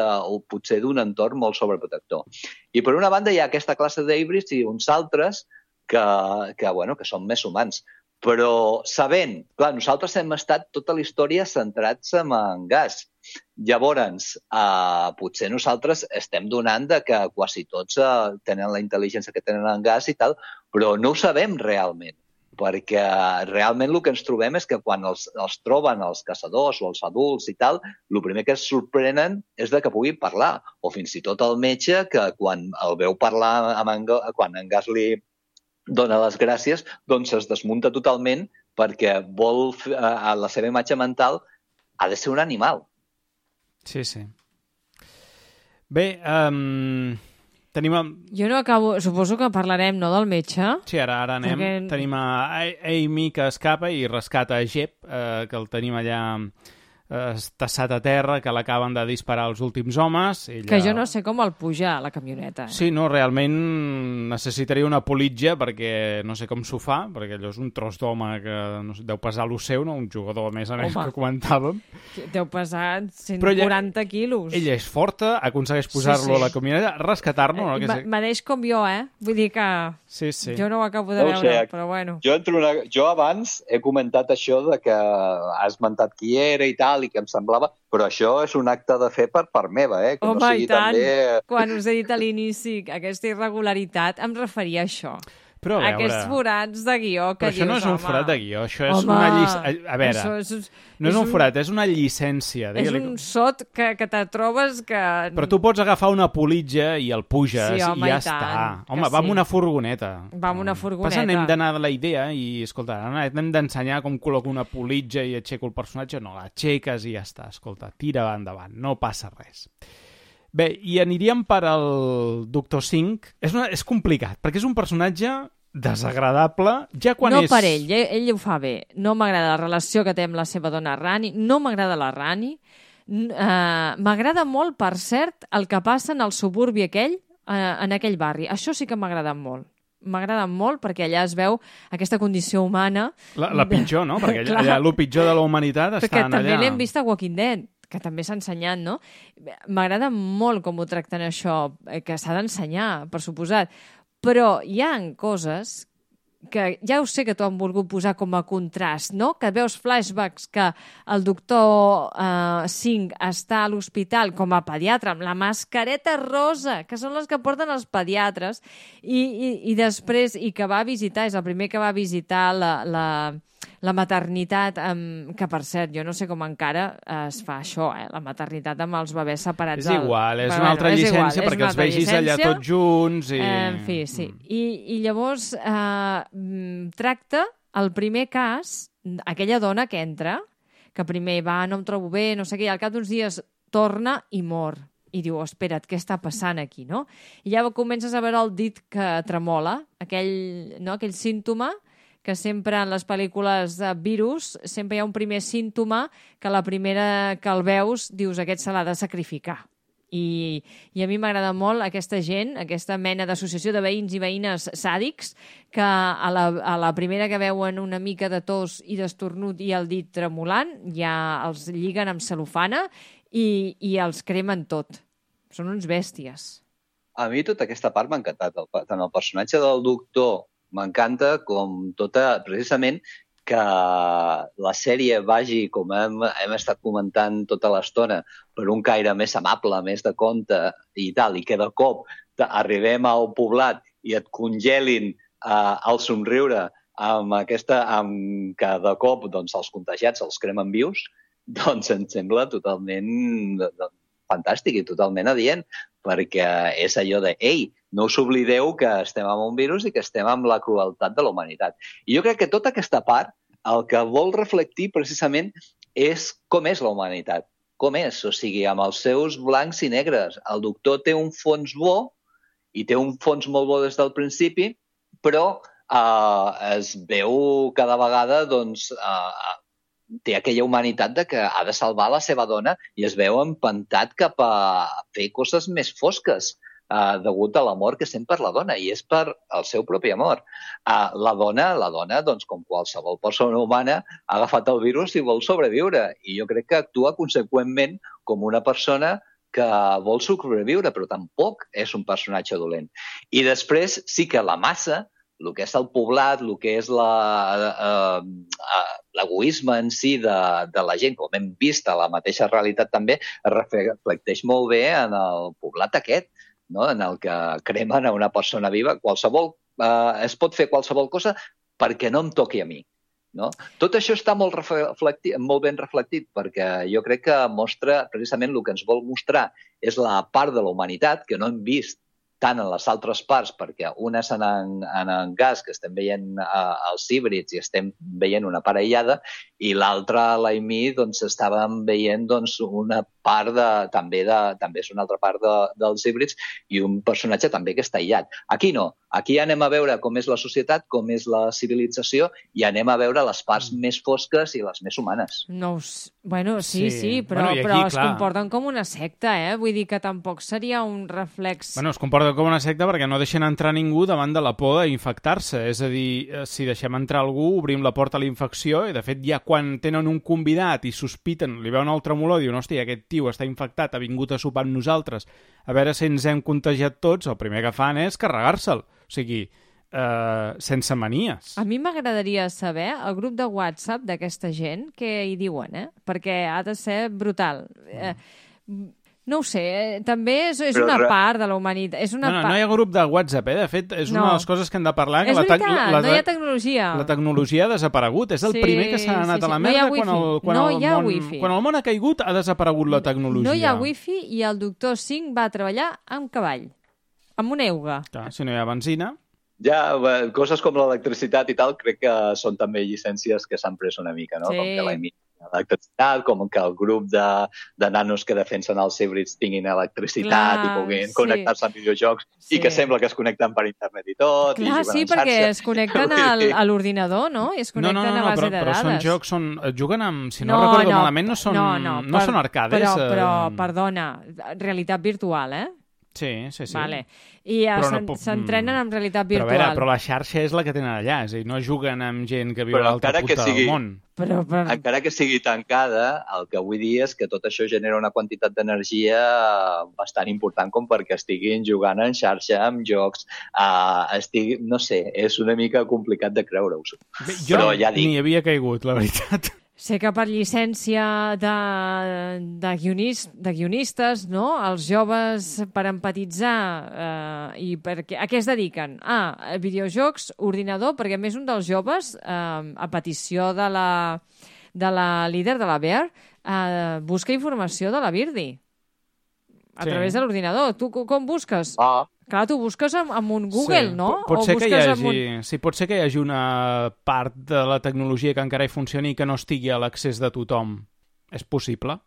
potser d'un entorn molt sobreprotector. I per una banda hi ha aquesta classe d'híbrids i uns altres que són més humans. Però sabent, clar, nosaltres hem estat tota la història centrats en Gas. Llavors, potser nosaltres estem donant de que quasi tots tenen la intel·ligència que tenen en Gas i tal, però no ho sabem realment, perquè realment el que ens trobem és que quan els troben els caçadors o els adults i tal, el primer que es sorprenen és de que puguin parlar, o fins i tot el metge que quan el veu parlar quan en Gas li dona les gràcies, doncs es desmunta totalment perquè vol, a la seva imatge mental, ha de ser un animal. Sí. Bé, tenim... Jo no acabo... Suposo que parlarem, no, del metge? Sí, ara anem. Perquè... Tenim a Amy que escapa i rescata a Jeb, que el tenim allà estassat a terra, que l'acaben de disparar els últims homes. Ella... Que jo no sé com el puja a la camioneta. Sí, no, realment necessitaria una politja perquè no sé com s'ho fa, perquè allò és un tros d'home que no sé, deu pesar lo seu, no? Un jugador a més que comentàvem. Deu pesar 140 quilos. Ella és forta, aconsegueix posar-lo a la camioneta, rescatar-lo. No? M'adeix com jo, Vull dir que jo no ho acabo de veure, però bueno. Jo abans he comentat això de que has esmentat qui era i tal, i que em semblava... Però això és un acte de fe per part meva, que home, no sigui i tant. també... Quan us he dit a l'inici aquesta irregularitat, em referia a això. Però a veure... Aquests forats de guió que dius, Però això no és un forat de guió, això és una llicència... A veure, no és un forat, és una llicència. És un sot que te trobes que... Però tu pots agafar una politja i el puges i ja està. Home, va amb una furgoneta. Va amb una furgoneta. Passa, anem d'anar de la idea i, escolta, hem d'ensenyar com col·loco una politja i aixeco el personatge. No, l'aixeques i ja està. Escolta, tira endavant, no passa res. Bé, i aniríem per al Doctor Singh. És complicat, perquè és un personatge desagradable, ja quan és... No per ell ho fa bé. No m'agrada la relació que té amb la seva dona Rani, no m'agrada la Rani. M'agrada molt, per cert, el que passa en el suburbi aquell, en aquell barri. Això sí que m'agrada molt. M'agrada molt perquè allà es veu aquesta condició humana... La pitjor, no? Perquè allà el pitjor de la humanitat està allà. També l'hem vist a Walking Dead, que també s'ha ensenyat, no? M'agrada molt com ho tracten això, que s'ha d'ensenyar, per suposat. Però hi ha coses que ja ho sé que t'ho han volgut posar com a contrast, no? Que veus flashbacks que el doctor Singh està a l'hospital com a pediatre amb la mascareta rosa, que són les que porten els pediatres, i després, i que va visitar, és el primer que va visitar la maternitat, que per cert, jo no sé com encara es fa això, la maternitat amb els bebès separats. És igual, és una altra llicència perquè els vegis allà tots junts. En fi, sí. I llavors tracta el primer cas, aquella dona que entra, que primer va, no em trobo bé, no sé què, i al cap d'uns dies torna i mor. I diu, espera't, què està passant aquí, no? I ja comences a veure el dit que tremola, aquell símptoma que sempre en les pel·lícules de virus sempre hi ha un primer símptoma que la primera que el veus dius aquest se l'ha de sacrificar. I a mi m'agrada molt aquesta gent, aquesta mena d'associació de veïns i veïnes sàdics que a la primera que veuen una mica de tos i d'estornut i el dit tremolant ja els lliguen amb cel·lofana i els cremen tot. Són uns bèsties. A mi tota aquesta part m'ha encantat. Tant el personatge del doctor m'encanta com precisament que la sèrie vagi, com hem estat comentant tota l'estona, per un caire més amable, més de conte i tal, i que de cop arribem al poblat i et congelin el somriure amb que de cop doncs, els contagiats els cremen vius, doncs em sembla totalment fantàstic i totalment adient, perquè és allò de, ei, no us oblideu que estem amb un virus i que estem amb la crueltat de la humanitat. I jo crec que tota aquesta part el que vol reflectir precisament és com és la humanitat, com és, o sigui, amb els seus blancs i negres. El doctor té un fons bo i té un fons molt bo des del principi, però es veu cada vegada doncs, té aquella humanitat de que ha de salvar la seva dona i es veu empantat cap a fer coses més fosques degut a l'amor que sent per la dona, i és per el seu propi amor. La dona, doncs, com qualsevol persona humana, ha agafat el virus i vol sobreviure, i jo crec que actua conseqüentment com una persona que vol sobreviure, però tampoc és un personatge dolent. I després sí que la massa el que és el poblat, el que és l'egoisme en si de la gent, com hem vist a la mateixa realitat també, es reflecteix molt bé en el poblat aquest, no? En el que cremen a una persona viva. Es pot fer qualsevol cosa perquè no em toqui a mi. No? Tot això està molt ben reflectit, perquè jo crec que mostra, precisament el que ens vol mostrar és la part de la humanitat que no hem vist tant en les altres parts, perquè una és en gas, que estem veient els híbrids i estem veient una part aïllada, i l'altra, l'Aimee, doncs estàvem veient una part també és una altra part dels híbrids i un personatge també que està aïllat. Aquí no. Aquí anem a veure com és la societat, com és la civilització i anem a veure les parts més fosques i les més humanes. No, bueno, sí, però es comporten com una secta, Vull dir que tampoc seria un reflex... Bueno, es comporten com una secta perquè no deixen entrar ningú davant de la por d'infectar-se. És a dir, si deixem entrar algú, obrim la porta a la infecció i, de fet, ja quan tenen un convidat i sospiten, li veuen el tremolor i diuen, hòstia, aquest tio està infectat, ha vingut a sopar amb nosaltres, a veure si ens hem contagiat tots, el primer que fan és carregar-se'l. O sigui, sense manies. A mi m'agradaria saber el grup de WhatsApp d'aquesta gent què hi diuen, perquè ha de ser brutal. No ho sé, també és una part de la humanitat. No hi ha grup de WhatsApp, De fet, és una de les coses que hem de parlar. És veritat, no hi ha tecnologia. La tecnologia ha desaparegut. És el primer que s'ha anat a la merda quan el món ha caigut, ha desaparegut la tecnologia. No hi ha wifi i el doctor Singh va treballar amb cavall, amb una euga. Clar, si no hi ha benzina... Ja, coses com l'electricitat i tal, crec que són també llicències que s'han pres una mica, no? Sí. Com que l'electricitat, com que el grup de nanos que defensen els híbrids tinguin electricitat i puguin connectar-se amb videojocs i que sembla que es connecten per internet i tot. Clar, sí, perquè es connecten a l'ordinador, no? I es connecten a base de dades. Però són jocs, juguen amb... Si no recordo malament, no són arcades. Però, perdona, realitat virtual, Sí. Vale. I s'entrenen en realitat virtual. Però la xarxa és la que tenen allà, és a dir, no juguen amb gent que viu a l'altra punta del món. Encara que sigui tancada, el que vull dir és que tot això genera una quantitat d'energia bastant important com perquè estiguin jugant en xarxa, amb jocs, no sé, és una mica complicat de creure-ho. Jo ni havia caigut, la veritat. Sé que per llicència de guionistes, no? Els joves, per empatitzar, i perquè a què es dediquen? A videojocs, ordinador, perquè a més un dels joves, a petició de la líder de la Bear, busca informació de la Birdi a través de l'ordinador. Tu com busques? Clar, tu busques amb un Google, no? Pot ser que hi hagi una part de la tecnologia que encara hi funcioni i que no estigui a l'accés de tothom. És possible?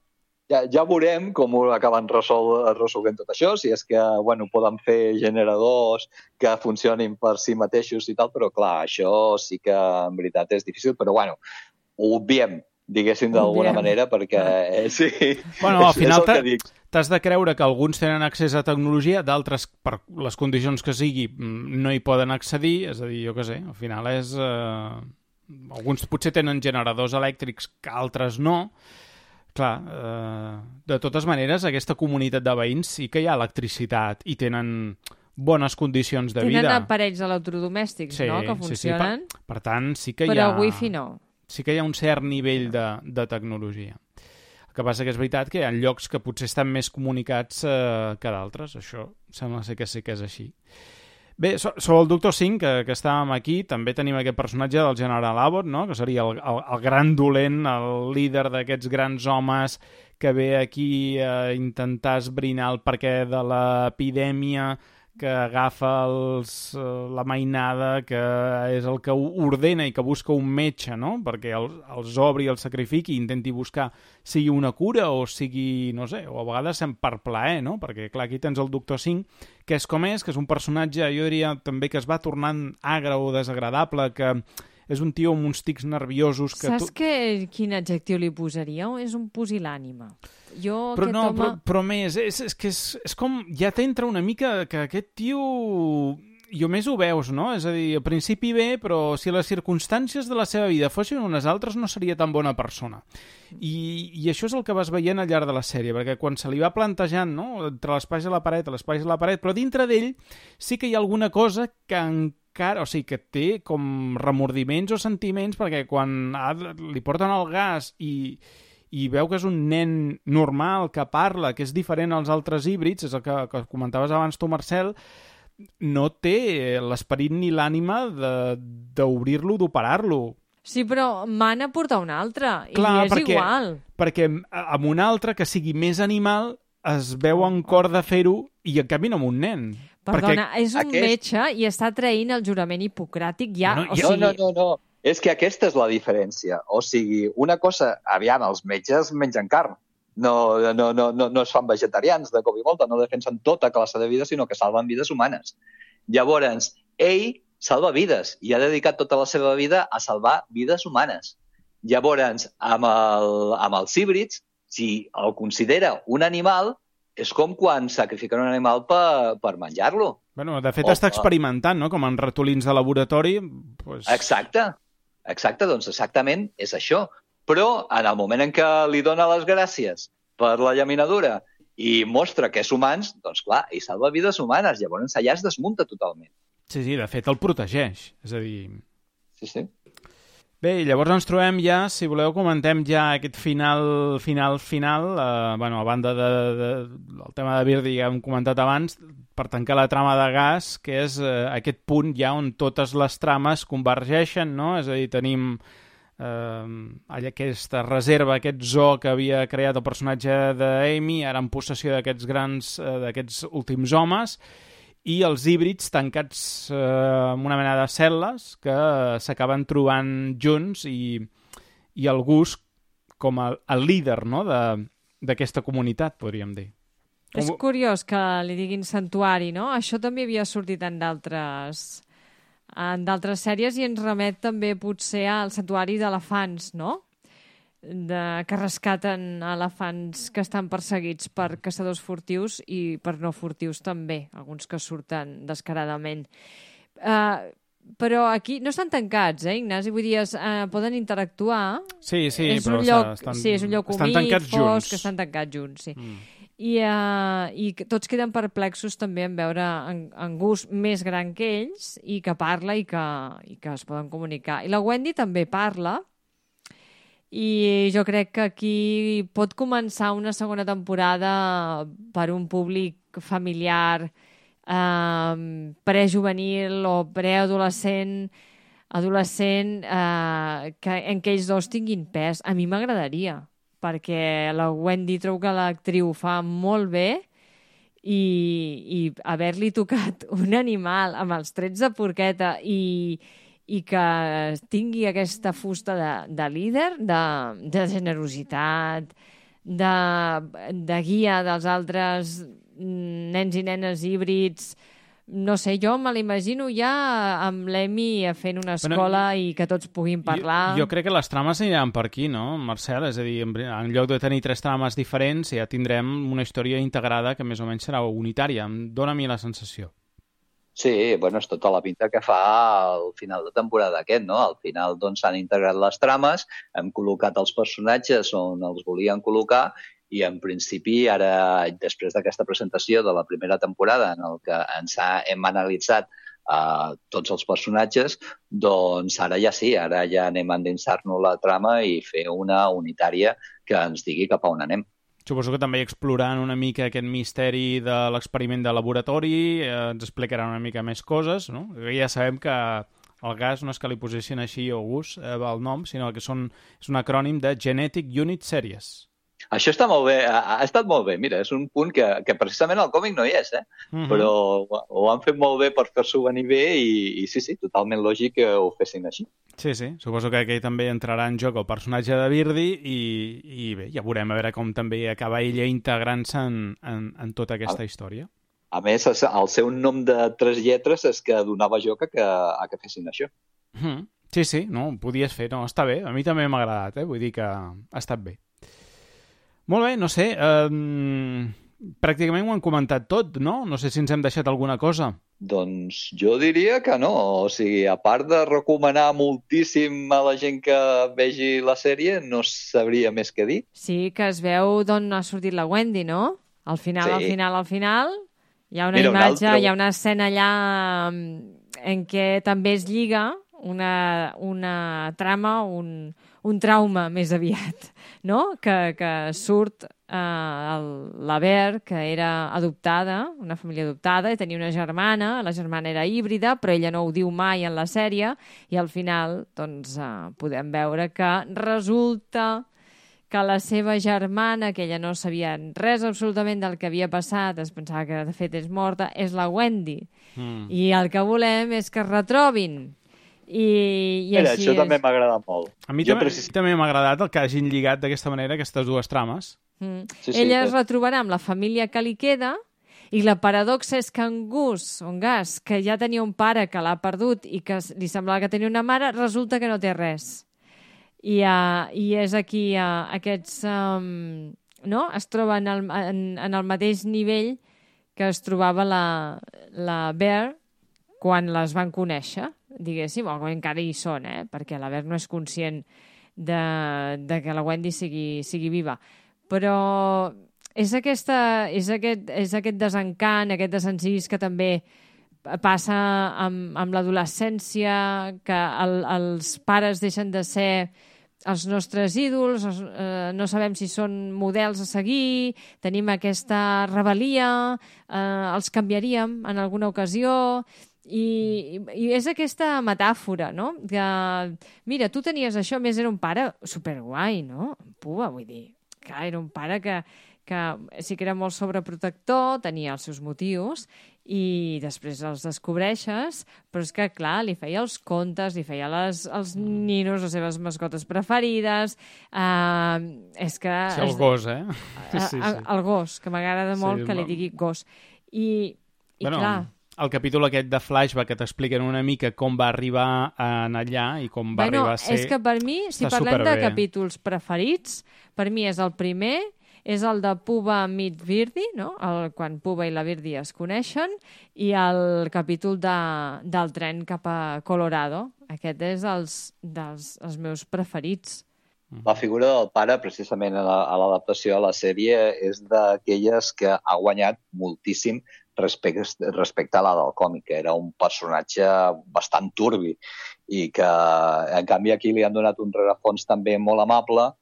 Ja veurem com acaben resolent tot això, si és que poden fer generadors que funcionin per si mateixos i tal, però clar, això sí que en veritat és difícil, però ho obviem, diguéssim d'alguna manera, perquè sí, al final t'has de creure que alguns tenen accés a tecnologia, d'altres, per les condicions que sigui, no hi poden accedir, és a dir, jo què sé, al final és... Alguns potser tenen generadors elèctrics que altres no. Clar, de totes maneres, aquesta comunitat de veïns sí que hi ha electricitat i tenen bones condicions de vida. Tenen aparells electrodomèstics, no?, que funcionen. Sí. Per tant, sí que hi ha... Però wifi no. Sí que hi ha un cert nivell de tecnologia. El que passa que és veritat que hi ha llocs que potser estan més comunicats que d'altres. Això sembla ser que sí que és així. Bé, sobre el Dr. Singh, que estàvem aquí, també tenim aquest personatge del General Abbott, no?, que seria el gran dolent, el líder d'aquests grans homes que ve aquí a intentar esbrinar el perquè de l'epidèmia, que agafa la mainada, que és el que ordena i que busca un metge, no?, perquè els obri, els sacrifiqui i intenti buscar sigui una cura o sigui, no sé, o a vegades per plaer, no?, perquè clar, aquí tens el Dr. Singh, que és com és, que és un personatge, jo diria també que es va tornant agre o desagradable, que és un tio amb uns tics nerviosos... Saps quin adjectiu li posaria? És un pusil·lànime. Però més, és com... Ja t'entra una mica que aquest tio... I més ho veus, no? És a dir, al principi bé, però si les circumstàncies de la seva vida fossin unes altres no seria tan bona persona. I això és el que vas veient al llarg de la sèrie, perquè quan se li va plantejant, no?, entre l'espai i la paret, però dintre d'ell sí que hi ha alguna cosa que cara, o sigui, que té com remordiments o sentiments, perquè quan li porten el gas i veu que és un nen normal, que parla, que és diferent als altres híbrids, és el que comentaves abans tu, Marcel, no té l'esperit ni l'ànima d'obrir-lo, d'operar-lo. Sí, però mana portar un altre, Clar, i és igual. Perquè amb un altre que sigui més animal es veu en cor de fer-ho i en canvi no amb un nen. Perdona, és un metge i està traint el jurament hipocràtic ja... No. És que aquesta és la diferència. O sigui, una cosa... Aviam, els metges mengen carn. No es fan vegetarians de cop i volta, no defensen tota classe de vida, sinó que salven vides humanes. Llavors, ell salva vides i ha dedicat tota la seva vida a salvar vides humanes. Llavors, amb els híbrids, si el considera un animal, és com quan sacrifiquen un animal per menjar-lo. Bueno, de fet, està experimentant, no? Com en ratolins de laboratori. Pues... Exacte, doncs exactament és això. Però en el moment en què li dona les gràcies per la llaminadura i mostra que és humans, doncs clar, i salva vides humanes. Llavors allà es desmunta totalment. Sí, de fet el protegeix, és a dir... Sí. Bé, llavors ens trobem ja, si voleu comentem ja aquest final, bueno, a banda del tema de Birdy que hem comentat abans, per tancar la trama de Gas, que és aquest punt ja on totes les trames convergeixen, no? És a dir, tenim aquesta reserva, aquest zoo que havia creat el personatge d'Amy, ara en possessió d'aquests últims homes, i els híbrids tancats en una mena de cel·les que s'acaben trobant junts i el Gus com el líder, no?, d'aquesta comunitat, podríem dir. És curiós que li diguin santuari, no? Això també havia sortit en d'altres sèries i ens remet també potser al santuari d'elefants, no? Que rescaten elefants que estan perseguits per caçadors furtius i per no furtius també, alguns que surten descaradament. Però aquí no estan tancats, Ignasi? Vull dir, poden interactuar. Sí, és però és un lloc humit, fosc, que estan tancats junts, sí. I tots queden perplexos també en veure en Gus més gran que ells i que parla i que es poden comunicar. I la Wendy també parla, i jo crec que aquí pot començar una segona temporada per un públic familiar prejuvenil o preadolescent, adolescent, en què ells dos tinguin pes. A mi m'agradaria, perquè la Wendy trobo que l'actriu fa molt bé i haver-li tocat un animal amb els trets de porqueta i que tingui aquesta fusta de líder, de generositat, de guia dels altres nens i nenes híbrids. No sé, jo me l'imagino ja amb l'Emi fent una escola i que tots puguin parlar. Jo crec que les trames aniran per aquí, no, Marcel? És a dir, en lloc de tenir 3 trames diferents, ja tindrem una història integrada que més o menys serà unitària. Em dóna a mi la sensació. Sí, bueno, és tota la pinta que fa al final de temporada aquest, no? Al final doncs s'han integrat les trames, hem col·locat els personatges on els volien col·locar i en principi ara, després d'aquesta presentació de la primera temporada en el que hem analitzat tots els personatges, doncs ara ja sí, ara ja anem a endinsar-nos la trama i fer una unitària que ens digui cap a on anem. Suposo que també explorant una mica aquest misteri de l'experiment de laboratori, ens explicaran una mica més coses, no? Ja sabem que el Gas no és que li posessin així o Gus el nom, sinó que és un acrònim de Genetic Unit Series. Això està molt bé, ha estat molt bé. Mira, és un punt que precisament al còmic no hi és, però ho han fet molt bé per fer-s'ho venir bé i sí, totalment lògic que ho fessin així. Sí, suposo que aquí també entrarà en joc el personatge de Birdy i bé, ja veurem a veure com també acaba ella integrant-se en tota aquesta història. A més, el seu nom de 3 lletres és que donava joc a que fessin això. Sí, no, ho podies fer, no, està bé, a mi també m'ha agradat, vull dir que ha estat bé. Molt bé, no sé, pràcticament ho han comentat tot, no? No sé si ens hem deixat alguna cosa. Doncs jo diria que no, o sigui, a part de recomanar moltíssim a la gent que vegi la sèrie, no sabria més què dir. Sí, que es veu d'on ha sortit la Wendy, no? Al final, hi ha una imatge, hi ha una escena allà en què també es lliga una trama, un trauma més aviat, no? Que surt la Ver, que era adoptada, una família adoptada, i tenia una germana, la germana era híbrida, però ella no ho diu mai en la sèrie, i al final doncs, podem veure que resulta que la seva germana, que ella no sabia res absolutament del que havia passat, es pensava que de fet és morta, és la Wendy. I el que volem és que es retrobin. I Mira, així això també m'ha agradat molt. A mi també m'ha agradat el que hagin lligat d'aquesta manera aquestes dues trames. Sí, Ella es retrobarà amb la família que li queda, i la paradoxa és que en Gus, que ja tenia un pare que l'ha perdut i que li semblava que tenia una mare, resulta que no té res. I és aquí aquests... no? Es troba en el mateix nivell que es trobava la Bear quan les van conèixer, diguéssim, o encara hi són, perquè la Bear no és conscient de que la Wendy sigui viva. Però és aquest desencant, aquest desencís que també passa amb l'adolescència, que els pares deixen de ser els nostres ídols, no sabem si són models a seguir, tenim aquesta rebel·lia, els canviaríem en alguna ocasió, i és aquesta metàfora, no? Que, mira, tu tenies això, més era un pare superguai, no? Pua, vull dir, clar, era un pare que sí que era molt sobreprotector, tenia els seus motius, i després els descobreixes, però és que, clar, li feia els contes, li feia els ninos, les seves mascotes preferides, és que... Sí, el gos, Sí. El gos, que m'agrada molt que li digui gos. I clar... El capítol aquest de Flashback que t'expliquen una mica com va arribar allà i com va arribar a ser... És que per mi, si parlem de capítols preferits, per mi és el primer, és el de Puba meet Birdie, no? Quan Puba i la Birdie es coneixen, i el capítol del tren cap a Colorado. Aquest és dels meus preferits. La figura del pare, precisament a l'adaptació a la sèrie, és d'aquelles que ha guanyat moltíssim respecte a la del còmic, que era un personatge bastant turbi i que, en canvi, aquí li han donat un rerefons també molt amable,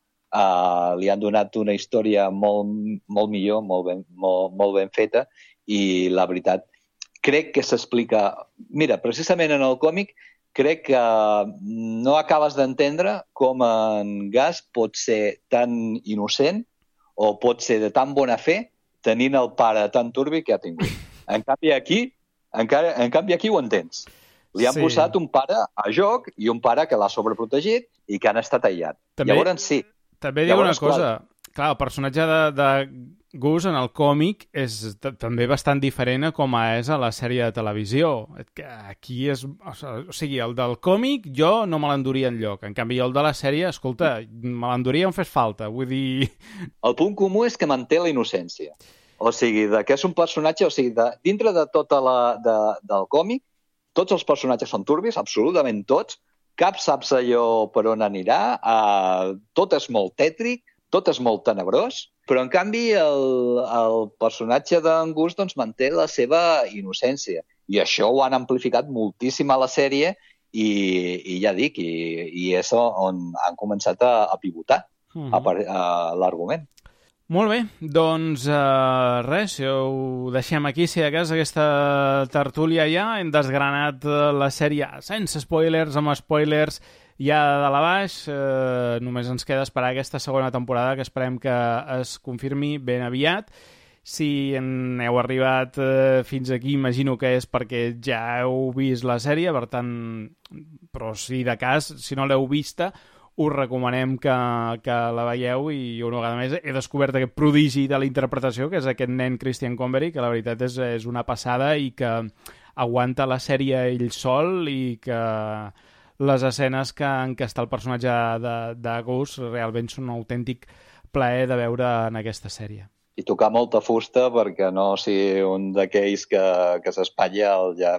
li han donat una història molt millor, molt ben feta, i la veritat, crec que s'explica... Mira, precisament en el còmic, crec que no acabes d'entendre com en Gus pot ser tan innocent o pot ser de tan bona fe tenint el pare tan turbi que ha tingut. En canvi, aquí ho entens. Li han posat un pare a joc i un pare que l'ha sobreprotegit i que han estat aïllat. Llavors, sí. També dic una cosa. Clar, el personatge de Gus en el còmic és també bastant diferent a com és a la sèrie de televisió. Aquí és... O sigui, el del còmic jo no me l'enduria enlloc. En canvi, el de la sèrie, escolta, me l'enduria on fes falta. Vull dir... El punt comú és que manté la innocència. O sigui, que és un personatge... O sigui, dintre de tota del còmic, tots els personatges són turbis, absolutament tots. Cap saps allò per on anirà. Tot és molt tètric, tot és molt tenebrós, però en canvi el personatge d'en Gus doncs, manté la seva innocència. I això ho han amplificat moltíssim a la sèrie i ja dic, i és on han començat a pivotar l'argument. Molt bé, doncs res, ho deixem aquí, si de cas aquesta tertúlia ja hem desgranat la sèrie sense spoilers, amb spoilers ja de dalt a baix, només ens queda esperar aquesta segona temporada que esperem que es confirmi ben aviat. Si heu arribat fins aquí, imagino que és perquè ja heu vist la sèrie, per tant, però si de cas, si no l'heu vista, us recomanem que la veieu, i una vegada més he descobert aquest prodigi de la interpretació, que és aquest nen Christian Convery, que la veritat és una passada i que aguanta la sèrie ell sol, i que les escenes en què està el personatge de Gus realment són un autèntic plaer de veure en aquesta sèrie. I tocar molta fusta perquè no sigui un d'aquells que s'espatlla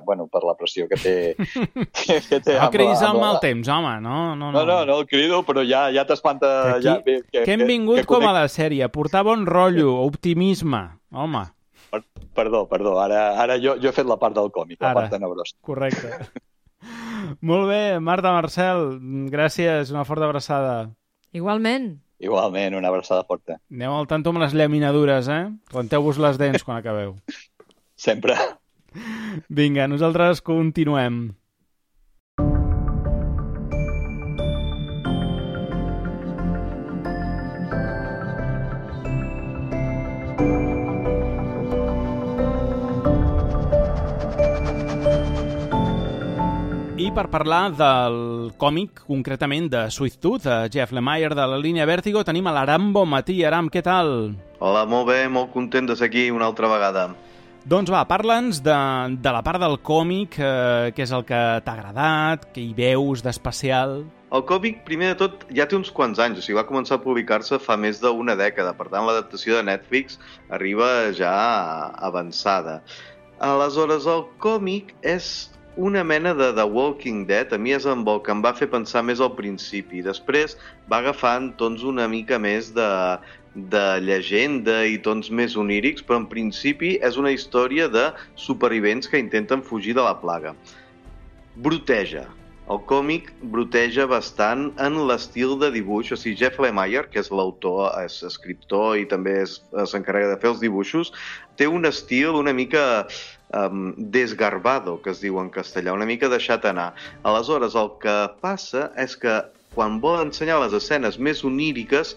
per la pressió que té. No cridis al mal temps, home, no. No el crido, però ja t'espanta. Que hem vingut com a la sèrie, a portar bon rotllo, optimisme, home. Perdó. Ara jo he fet la part del còmic, la part tenebrosa. Correcte. Molt bé, Marta, Marcel, gràcies, una forta abraçada. Igualment, una abraçada forta. Aneu al tanto amb les llaminadures, Renteu-vos les dents quan acabeu. Sempre. Vinga, nosaltres continuem. I per parlar del còmic, concretament de Sweet Tooth, de Jeff Lemire de la línia Vértigo, tenim a l'Aram Bonmatí. Aram, què tal? Hola, molt bé, molt content de ser aquí una altra vegada. Doncs va, parla'ns de la part del còmic, què és el que t'ha agradat, què hi veus d'especial. El còmic, primer de tot, ja té uns quants anys, o sigui, va començar a publicar-se fa més d'una dècada, per tant, l'adaptació de Netflix arriba ja avançada. Aleshores, el còmic és una mena de The Walking Dead. A mi és el que em va fer pensar més al principi. Després va agafant tons una mica més de llegenda i tons més onírics, però en principi és una història de supervivents que intenten fugir de la plaga. Broteja. El còmic broteja bastant en l'estil de dibuix, o sigui, Jeff Lemire, que és l'autor, és escriptor i també s'encarrega de fer els dibuixos, té un estil una mica desgarbado, que es diu en castellà, una mica deixat anar. Aleshores, el que passa és que quan vol ensenyar les escenes més oníriques,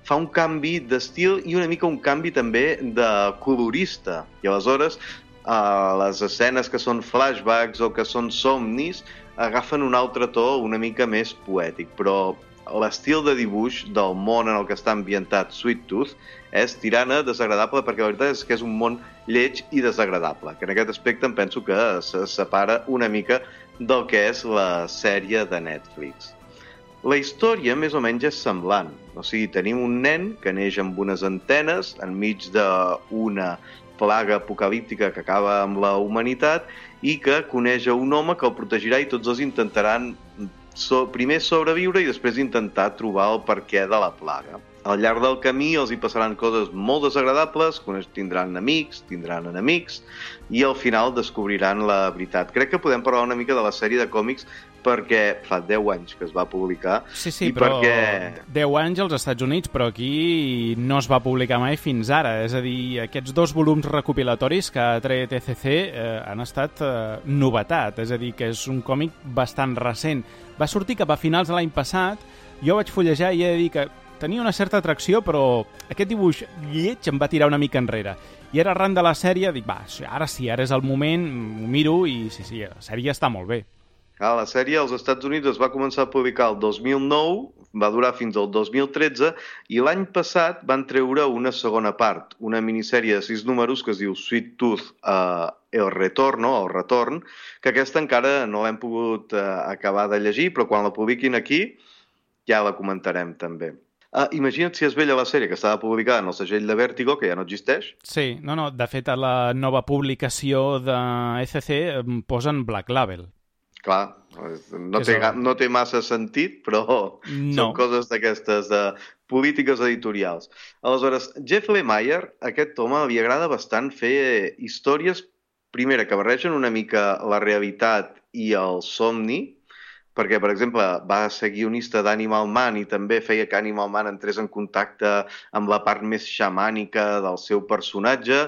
fa un canvi d'estil i una mica un canvi també de colorista. I aleshores, les escenes que són flashbacks o que són somnis agafen un altre to una mica més poètic, però l'estil de dibuix del món en el que està ambientat Sweet Tooth és tirant a desagradable, perquè la veritat és que és un món lleig i desagradable, que en aquest aspecte em penso que se separa una mica del que és la sèrie de Netflix. La història més o menys és semblant, o sigui, tenim un nen que neix amb unes antenes enmig d'una plaga apocalíptica que acaba amb la humanitat i que coneix a un home que el protegirà i tots dos intentaran primer sobreviure i després intentar trobar el perquè de la plaga. Al llarg del camí els hi passaran coses molt desagradables, tindran amics, tindran enemics i al final descobriran la veritat. Crec que podem parlar una mica de la sèrie de còmics perquè fa 10 anys que es va publicar. Sí, però 10 anys als Estats Units, però aquí no es va publicar mai fins ara. És a dir, aquests 2 volums recopilatoris que ha tret ECC han estat novetat. És a dir, que és un còmic bastant recent. Va sortir cap a finals de l'any passat, jo vaig fullejar i he de dir que tenia una certa atracció, però aquest dibuix lleig em va tirar una mica enrere. I ara arran de la sèrie dic, ara és el moment, ho miro i sí, la sèrie està molt bé. La sèrie als Estats Units es va començar a publicar el 2009, va durar fins al 2013, i l'any passat van treure una segona part, una minissèrie de 6 números que es diu Sweet Tooth El Retorn, que aquesta encara no l'hem pogut acabar de llegir, però quan la publiquin aquí ja la comentarem també. Imagina't si es vella la sèrie que estava publicada en el segell de Vértigo, que ja no existeix. Sí, de fet a la nova publicació de ECC posen Black Label. Clar, no té massa sentit, però són coses d'aquestes de polítiques editorials. Aleshores, Jeff Lemire, aquest home, li agrada bastant fer històries, primera, que barregen una mica la realitat i el somni, perquè, per exemple, va ser guionista d'Animal Man i també feia que Animal Man entrés en contacte amb la part més xamànica del seu personatge,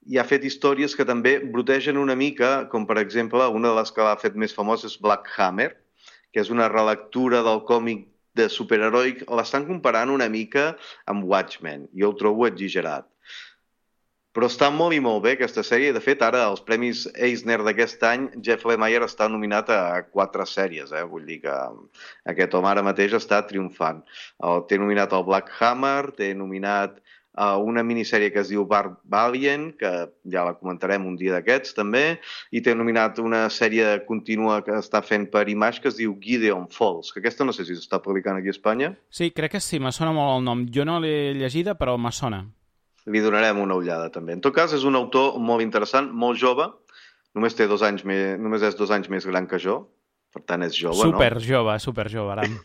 i ha fet històries que també brotegen una mica, com per exemple, una de les que l'ha fet més famosa és Black Hammer, que és una relectura del còmic de superheroic. L'estan comparant una mica amb Watchmen. Jo ho trobo exagerat. Però està molt i molt bé aquesta sèrie. De fet, ara, als Premis Eisner d'aquest any, Jeff Lemire està nominat a 4 sèries. Vull dir que aquest home ara mateix està triomfant. Té nominat el Black Hammer, té nominat una minissèrie que es diu Barbarian, que ja la comentarem un dia d'aquests també, i té nominat una sèrie contínua que està fent per Image que es diu Gideon Falls, que aquesta no sé si s'està publicant aquí a Espanya. Sí, crec que sí, me sona molt el nom. Jo no l'he llegida, però me sona. Li donarem una ullada també. En tot cas, és un autor molt interessant, molt jove, només és 2 anys més gran que jo, per tant és jove, super jove, Aram.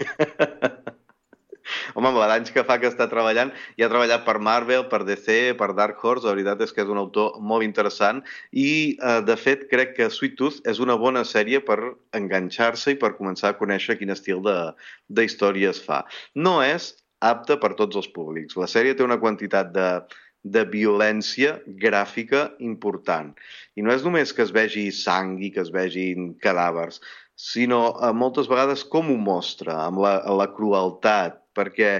home, amb l'anys que fa que està treballant, i ha treballat per Marvel, per DC, per Dark Horse, la veritat és que és un autor molt interessant, i de fet crec que Sweet Tooth és una bona sèrie per enganxar-se i per començar a conèixer quin estil de història es fa. No és apta per tots els públics. La sèrie té una quantitat de violència gràfica important. I no és només que es vegi sang i que es vegin cadàvers, sinó moltes vegades com ho mostra, amb la crueltat, perquè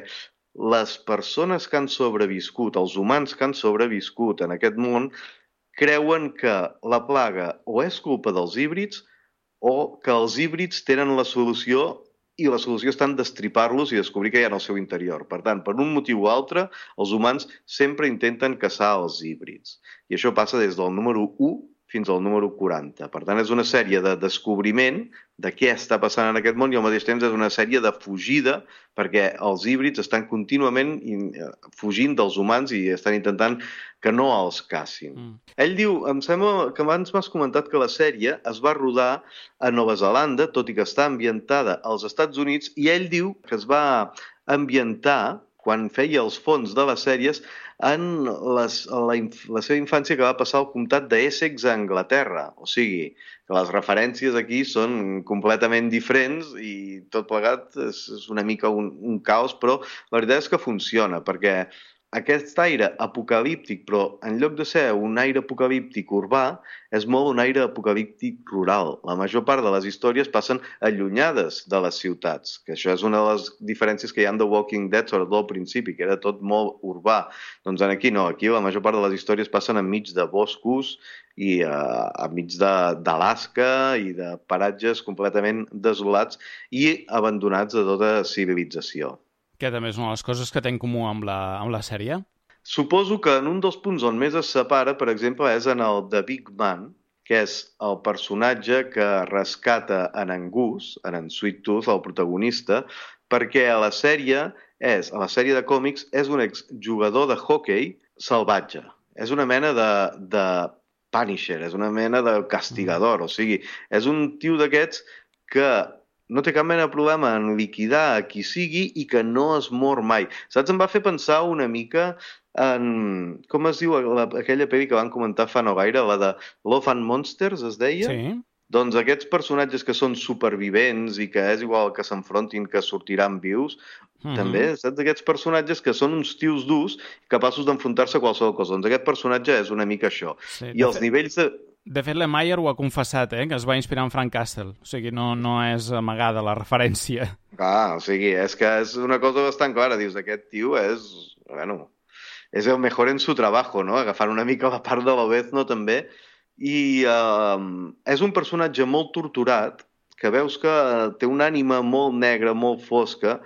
les persones que han sobreviscut, els humans que han sobreviscut en aquest món, creuen que la plaga o és culpa dels híbrids o que els híbrids tenen la solució i la solució està en destripar-los i descobrir què hi ha en el seu interior. Per tant, per un motiu o altre, els humans sempre intenten caçar els híbrids. I això passa des del número 1 fins al número 40. Per tant, és una sèrie de descobriment de què està passant en aquest món i al mateix temps és una sèrie de fugida perquè els híbrids estan contínuament fugint dels humans i estan intentant que no els cacin. Ell diu, em sembla que abans m'has comentat que la sèrie es va rodar a Nova Zelanda, tot i que està ambientada als Estats Units, i ell diu que es va ambientar quan feia els fons de les sèries en la seva infància que va passar al comtat d'Essex a Anglaterra. O sigui, que les referències aquí són completament diferents i tot plegat és una mica un caos, però la veritat és que funciona, perquè aquest aire apocalíptic, però en lloc de ser un aire apocalíptic urbà, és molt un aire apocalíptic rural. La major part de les històries passen allunyades de les ciutats, que això és una de les diferències que hi ha en The Walking Dead, sobretot al principi, que era tot molt urbà. Doncs aquí no, aquí la major part de les històries passen enmig de boscos i enmig d'Alaska i de paratges completament desolats i abandonats de tota civilització. Que també és una de les coses que té en comú amb la sèrie. Suposo que en un dels punts on més es separa, per exemple, és en el The Big Man, que és el personatge que rescata en Gus, en Sweet Tooth, el protagonista, perquè a la sèrie de còmics és un exjugador de hockey salvatge. És una mena de Punisher, és una mena de castigador, o sigui, és un tio d'aquests que no té cap mena de problema en liquidar a qui sigui i que no es mor mai. Saps? Em va fer pensar una mica en... Com es diu aquella pel·li que van comentar fa no gaire, la de Love and Monsters, es deia? Sí. Doncs aquests personatges que són supervivents i que és igual que s'enfrontin que sortiran vius, també, saps? Aquests personatges que són uns tios durs capaços d'enfrontar-se a qualsevol cosa. Doncs aquest personatge és una mica això. Sí, I els nivells de... De fet, Lemire ho ha confessat, que es va inspirar en Frank Castle. O sigui, no és amagada la referència. O sigui, és que és una cosa bastant clara. Dius, aquest tio és... Bueno, és el mejor en su trabajo, no? Agafant una mica la part de l'Obezno, també. I és un personatge molt torturat, que veus que té una ànima molt negra, molt fosca,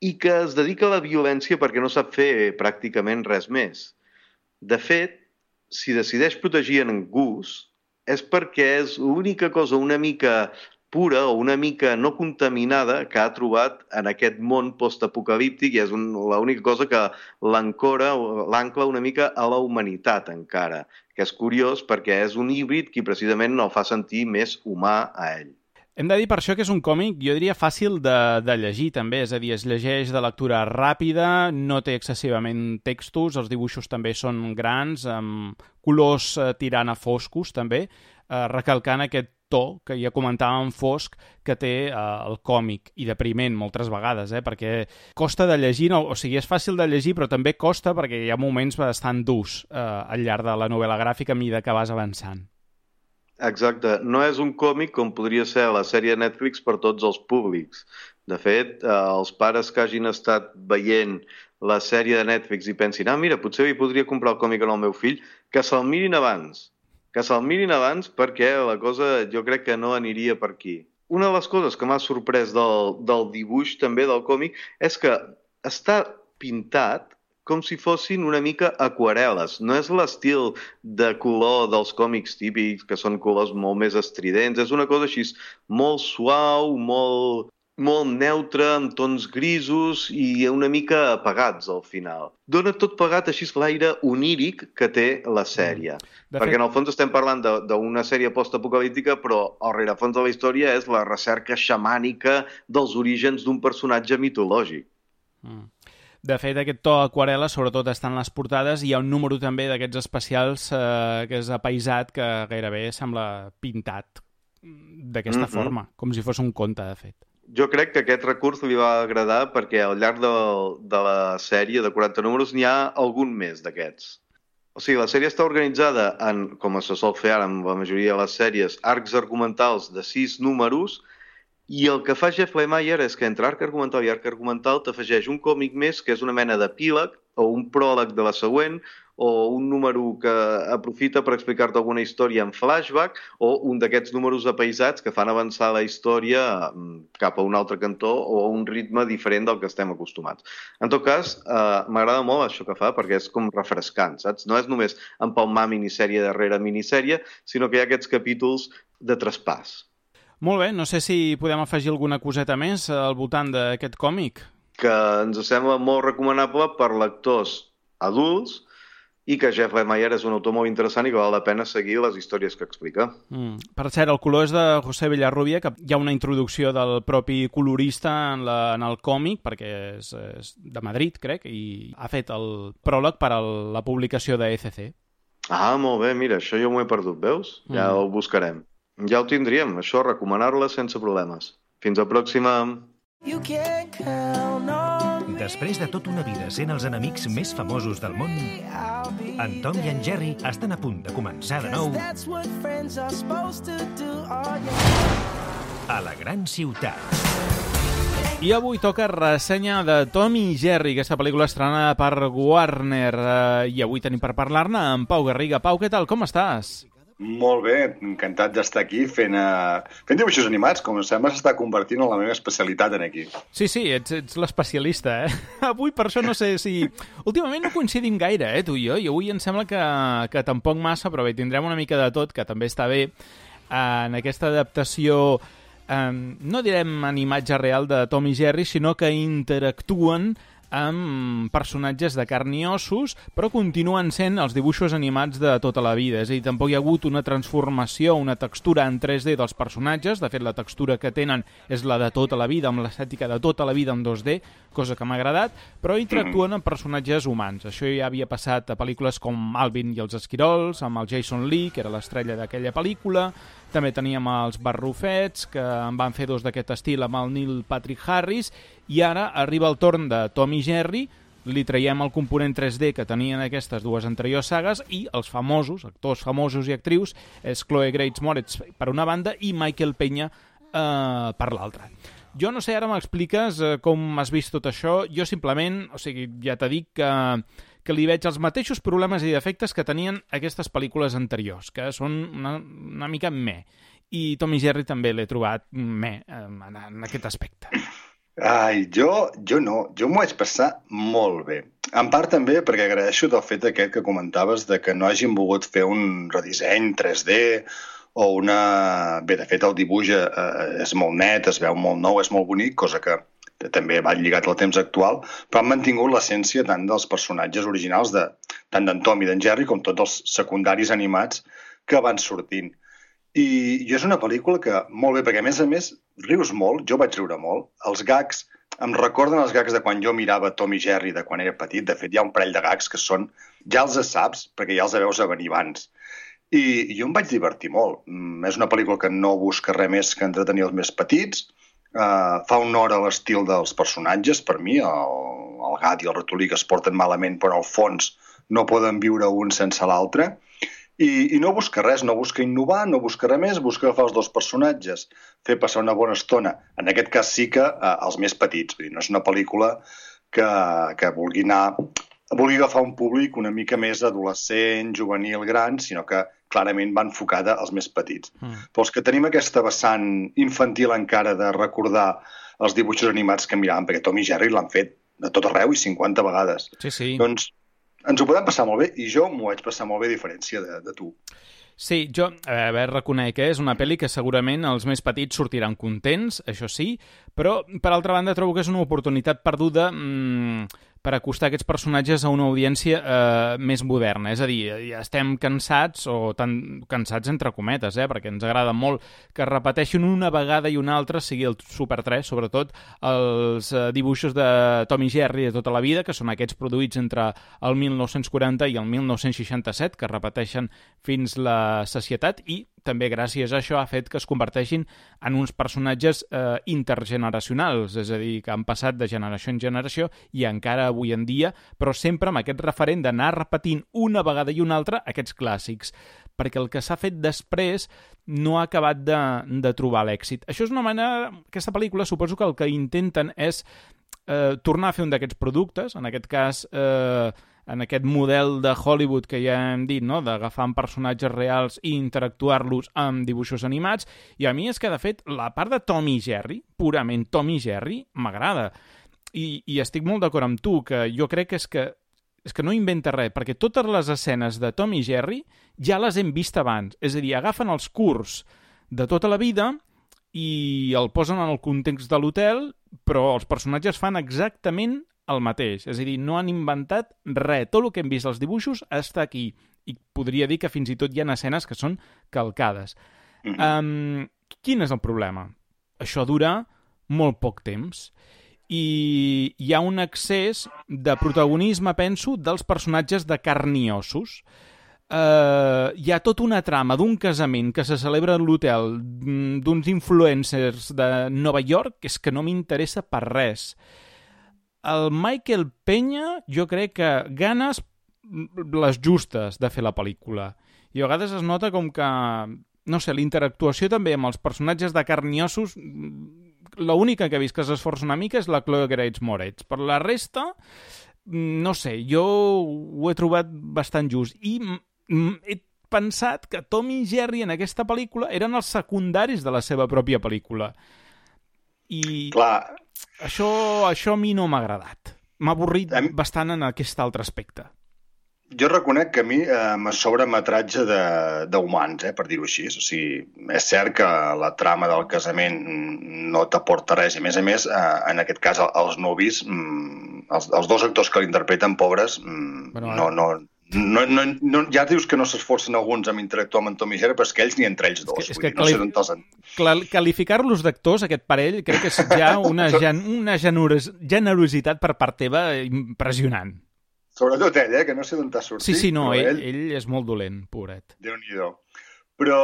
i que es dedica a la violència perquè no sap fer pràcticament res més. De fet, si decideix protegir en Gus, és perquè és l'única cosa una mica pura o una mica no contaminada que ha trobat en aquest món postapocalíptic i és l'única cosa que l'ancla una mica a la humanitat encara, que és curiós perquè és un híbrid qui precisament el fa sentir més humà a ell. Hem de dir per això que és un còmic, jo diria, fàcil de llegir també, és a dir, es llegeix de lectura ràpida, no té excessivament textos, els dibuixos també són grans, amb colors tirant a foscos també, recalcant aquest to que ja comentàvem fosc que té el còmic i depriment moltes vegades, perquè costa de llegir, o sigui, és fàcil de llegir però també costa perquè hi ha moments bastant durs al llarg de la novel·la gràfica a mesura que vas avançant. Exacte. No és un còmic com podria ser la sèrie de Netflix per tots els públics. De fet, els pares que hagin estat veient la sèrie de Netflix i pensin mira, potser hi podria comprar el còmic al meu fill, que se'l mirin abans. Que se'l mirin abans perquè la cosa jo crec que no aniria per aquí. Una de les coses que m'ha sorprès del dibuix també del còmic és que està pintat com si fossin una mica aquarel·les. No és l'estil de color dels còmics típics, que són colors molt més estridents. És una cosa així molt suau, molt neutra, amb tons grisos i una mica apagats al final. Dona tot plegat així l'aire oníric que té la sèrie. Perquè en el fons estem parlant d'una sèrie postapocalíptica, però el rerefons de la història és la recerca xamànica dels orígens d'un personatge mitològic. De fet, aquest to aquarel·la sobretot està en les portades i hi ha un número també d'aquests especials que és apaisat, que gairebé sembla pintat d'aquesta forma, com si fos un conte, de fet. Jo crec que aquest recurs li va agradar perquè al llarg de la sèrie de 40 números n'hi ha algun més d'aquests. O sigui, la sèrie està organitzada en, com se sol fer ara amb la majoria de les sèries, arcs argumentals de 6 números. I el que fa Jeff Lemire és que entre arc argumental i arc argumental t'afegeix un còmic més que és una mena d'epíleg o un pròleg de la següent o un número que aprofita per explicar-te alguna història en flashback o un d'aquests números apaisats que fan avançar la història cap a un altre cantó o a un ritme diferent del que estem acostumats. En tot cas, m'agrada molt això que fa perquè és com refrescant, saps? No és només empalmar minissèrie darrere minissèrie, sinó que hi ha aquests capítols de traspàs. Molt bé, no sé si podem afegir alguna coseta més al voltant d'aquest còmic. Que ens sembla molt recomanable per lectors adults i que Jeff Lemire és un autor molt interessant i que val la pena seguir les històries que explica. Per cert, el color és de José Villarrubia, que hi ha una introducció del propi colorista en el còmic, perquè és de Madrid, crec, i ha fet el pròleg per a la publicació de ECC. Ah, molt bé, mira, això jo m'ho he perdut, veus? Ja ho buscarem. Ja ho tindríem, això, recomanar-la sense problemes. Fins a la pròxima. Després de tota una vida sent els enemics més famosos del món, en Tom i en Jerry estan a punt de començar de nou a la gran ciutat. I avui toca ressenya de Tom i Jerry, aquesta pel·lícula estrenada per Warner. I avui tenim per parlar-ne amb Pau Garriga. Pau, què tal? Com estàs? Molt bé, encantat d'estar aquí fent dibuixos animats, com sembla s'està convertint en la meva especialitat en aquí. Sí, ets l'especialista, eh? Avui per això no sé si... Últimament no coincidim gaire, tu i jo, i avui em sembla que tampoc massa, però bé, tindrem una mica de tot, que també està bé, en aquesta adaptació, no direm en imatge real de Tom i Jerry, sinó que interactuen amb personatges de carn i ossos, però continuen sent els dibuixos animats de tota la vida. És a dir, tampoc hi ha hagut una transformació, una textura en 3D dels personatges. De fet, la textura que tenen és la de tota la vida, amb l'estètica de tota la vida en 2D, cosa que m'ha agradat, però interactuen amb personatges humans. Això ja havia passat a pel·lícules com Alvin i els esquirols, amb el Jason Lee, que era l'estrella d'aquella pel·lícula. També teníem els Barrufets, que en van fer 2 d'aquest estil amb el Neil Patrick Harris, i ara arriba el torn de Tom i Jerry, li traiem el component 3D que tenien aquestes 2 anteriors sagues i els famosos, actors famosos i actrius, és Chloe Grace Moretz per una banda i Michael Peña per l'altra. Jo no sé, ara m'expliques com has vist tot això. Jo simplement, o sigui, ja t'he dit que li veig els mateixos problemes i defectes que tenien aquestes pel·lícules anteriors, que són una mica meh. I Tom i Jerry també l'he trobat meh en aquest aspecte. Ai, jo no. Jo m'ho vaig passar molt bé. En part també perquè agraeixo del fet aquest que comentaves de que no hagin volgut fer un redisseny 3D o una... Bé, de fet, el dibuix és molt net, es veu molt nou, és molt bonic, cosa que també va lligat al temps actual, però han mantingut l'essència tant dels personatges originals, tant d'en Tom i d'en Jerry, com tots els secundaris animats que van sortint. I és una pel·lícula que, molt bé, perquè a més, rius molt, jo vaig riure molt. Els gags, em recorden els gags de quan jo mirava Tom i Jerry de quan era petit. De fet, hi ha un parell de gags que són, ja els saps, perquè ja els veus a venir abans. I jo em vaig divertir molt. És una pel·lícula que no busca res més que entretenir els més petits. Fa honor a l'estil dels personatges, per mi, el gat i el ratolí que es porten malament, però al fons no poden viure un sense l'altre. I no busca res, no busca innovar, no busca res més, busca agafar els 2 personatges, fer passar una bona estona. En aquest cas sí que els més petits. Vull dir, no és una pel·lícula que vulgui agafar un públic una mica més adolescent, juvenil, gran, sinó que clarament va enfocada als més petits. Però els que tenim aquesta vessant infantil encara de recordar els dibuixos animats que miràvem, perquè Tom i Jerry l'han fet de tot arreu i 50 vegades. Sí. Doncs ens ho podem passar molt bé i jo m'ho vaig passar molt bé a diferència de tu. Sí, jo reconec que és una pel·li que segurament els més petits sortiran contents, això sí, però per altra banda trobo que és una oportunitat perduda per acostar aquests personatges a una audiència més moderna. És a dir, ja estem cansats, o tan cansats entre cometes, perquè ens agrada molt que repeteixin una vegada i una altra, sigui el Super 3, sobretot els dibuixos de Tom i Jerry de tota la vida, que són aquests produïts entre el 1940 i el 1967, que repeteixen fins la sacietat, i també gràcies a això ha fet que es converteixin en uns personatges intergeneracionals, és a dir, que han passat de generació en generació i encara avui en dia, però sempre amb aquest referent d'anar repetint una vegada i una altra aquests clàssics, perquè el que s'ha fet després no ha acabat de trobar l'èxit. Això és una manera... Aquesta pel·lícula suposo que el que intenten és tornar a fer un d'aquests productes, en aquest cas... en aquest model de Hollywood que ja hem dit, no? D'agafar personatges reals i interactuar-los amb dibuixos animats, i a mi és que, de fet, la part de Tom i Jerry, purament Tom i Jerry, m'agrada. I estic molt d'acord amb tu, que jo crec que és que no inventa res, perquè totes les escenes de Tom i Jerry ja les hem vist abans. És a dir, agafen els curts de tota la vida i el posen en el context de l'hotel, però els personatges fan exactament el mateix, és a dir, no han inventat res, tot el que hem vist als dibuixos està aquí, i podria dir que fins i tot hi ha escenes que són calcades. Quin és el problema? Això dura molt poc temps, i hi ha un excés de protagonisme, penso, dels personatges de carn i ossos. Hi ha tota una trama d'un casament que se celebra a l'hotel d'uns influencers de Nova York que és que no m'interessa per res. El Michael Peña, jo crec que ganes les justes de fer la pel·lícula. I a vegades es nota com que, no sé, l'interactuació també amb els personatges de carn i ossos, l'única que he vist que s'esforça una mica és la Chloe Grace Moretz. Per la resta, no sé, jo ho he trobat bastant just. I he pensat que Tom i Jerry en aquesta pel·lícula eren els secundaris de la seva pròpia pel·lícula. I... Clar. Això a mi no m'ha agradat. M'ha avorrit bastant en aquest altre aspecte. Jo reconec que a mi me sobra metratge d'humans, per dir-ho així. O sigui, és cert que la trama del casament no t'aporta res, i a més, en aquest cas, els nuvis, els dos actors que l'interpreten, pobres, ja dius que no s'esforcen alguns amb interactuar amb en Tom i Jerry, però és que ells ni entre ells dos. És que qualificar-los d'actors, aquest parell, crec que és ja una generositat per part teva impressionant. Sobretot ell, que no sé d'on t'ha sortit. Sí, no, ell és molt dolent, pobret. Déu-n'hi-do. Però,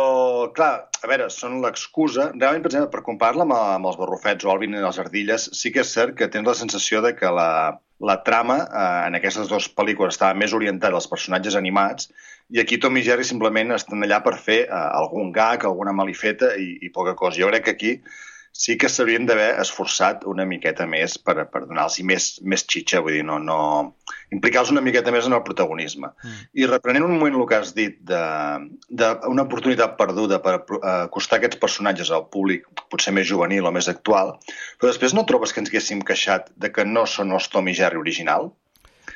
clar, a veure, són l'excusa. Realment, per exemple, per comparar-la amb els barrufets o Alvin i les ardilles, sí que és cert que tens la sensació de que la trama en aquestes dues pel·lícules estava més orientada als personatges animats, i aquí Tom i Jerry simplement estan allà per fer algun gag, alguna malifeta i poca cosa. Jo crec que aquí sí que s'haurien d'haver esforçat una miqueta més per donar-los més xitxa, vull dir, no implicar-los una miqueta més en el protagonisme. I reprenent un moment el que has dit d'una oportunitat perduda per acostar aquests personatges al públic potser més juvenil o més actual, però després no trobes que ens haguéssim queixat de que no són els Tom i Jerry original?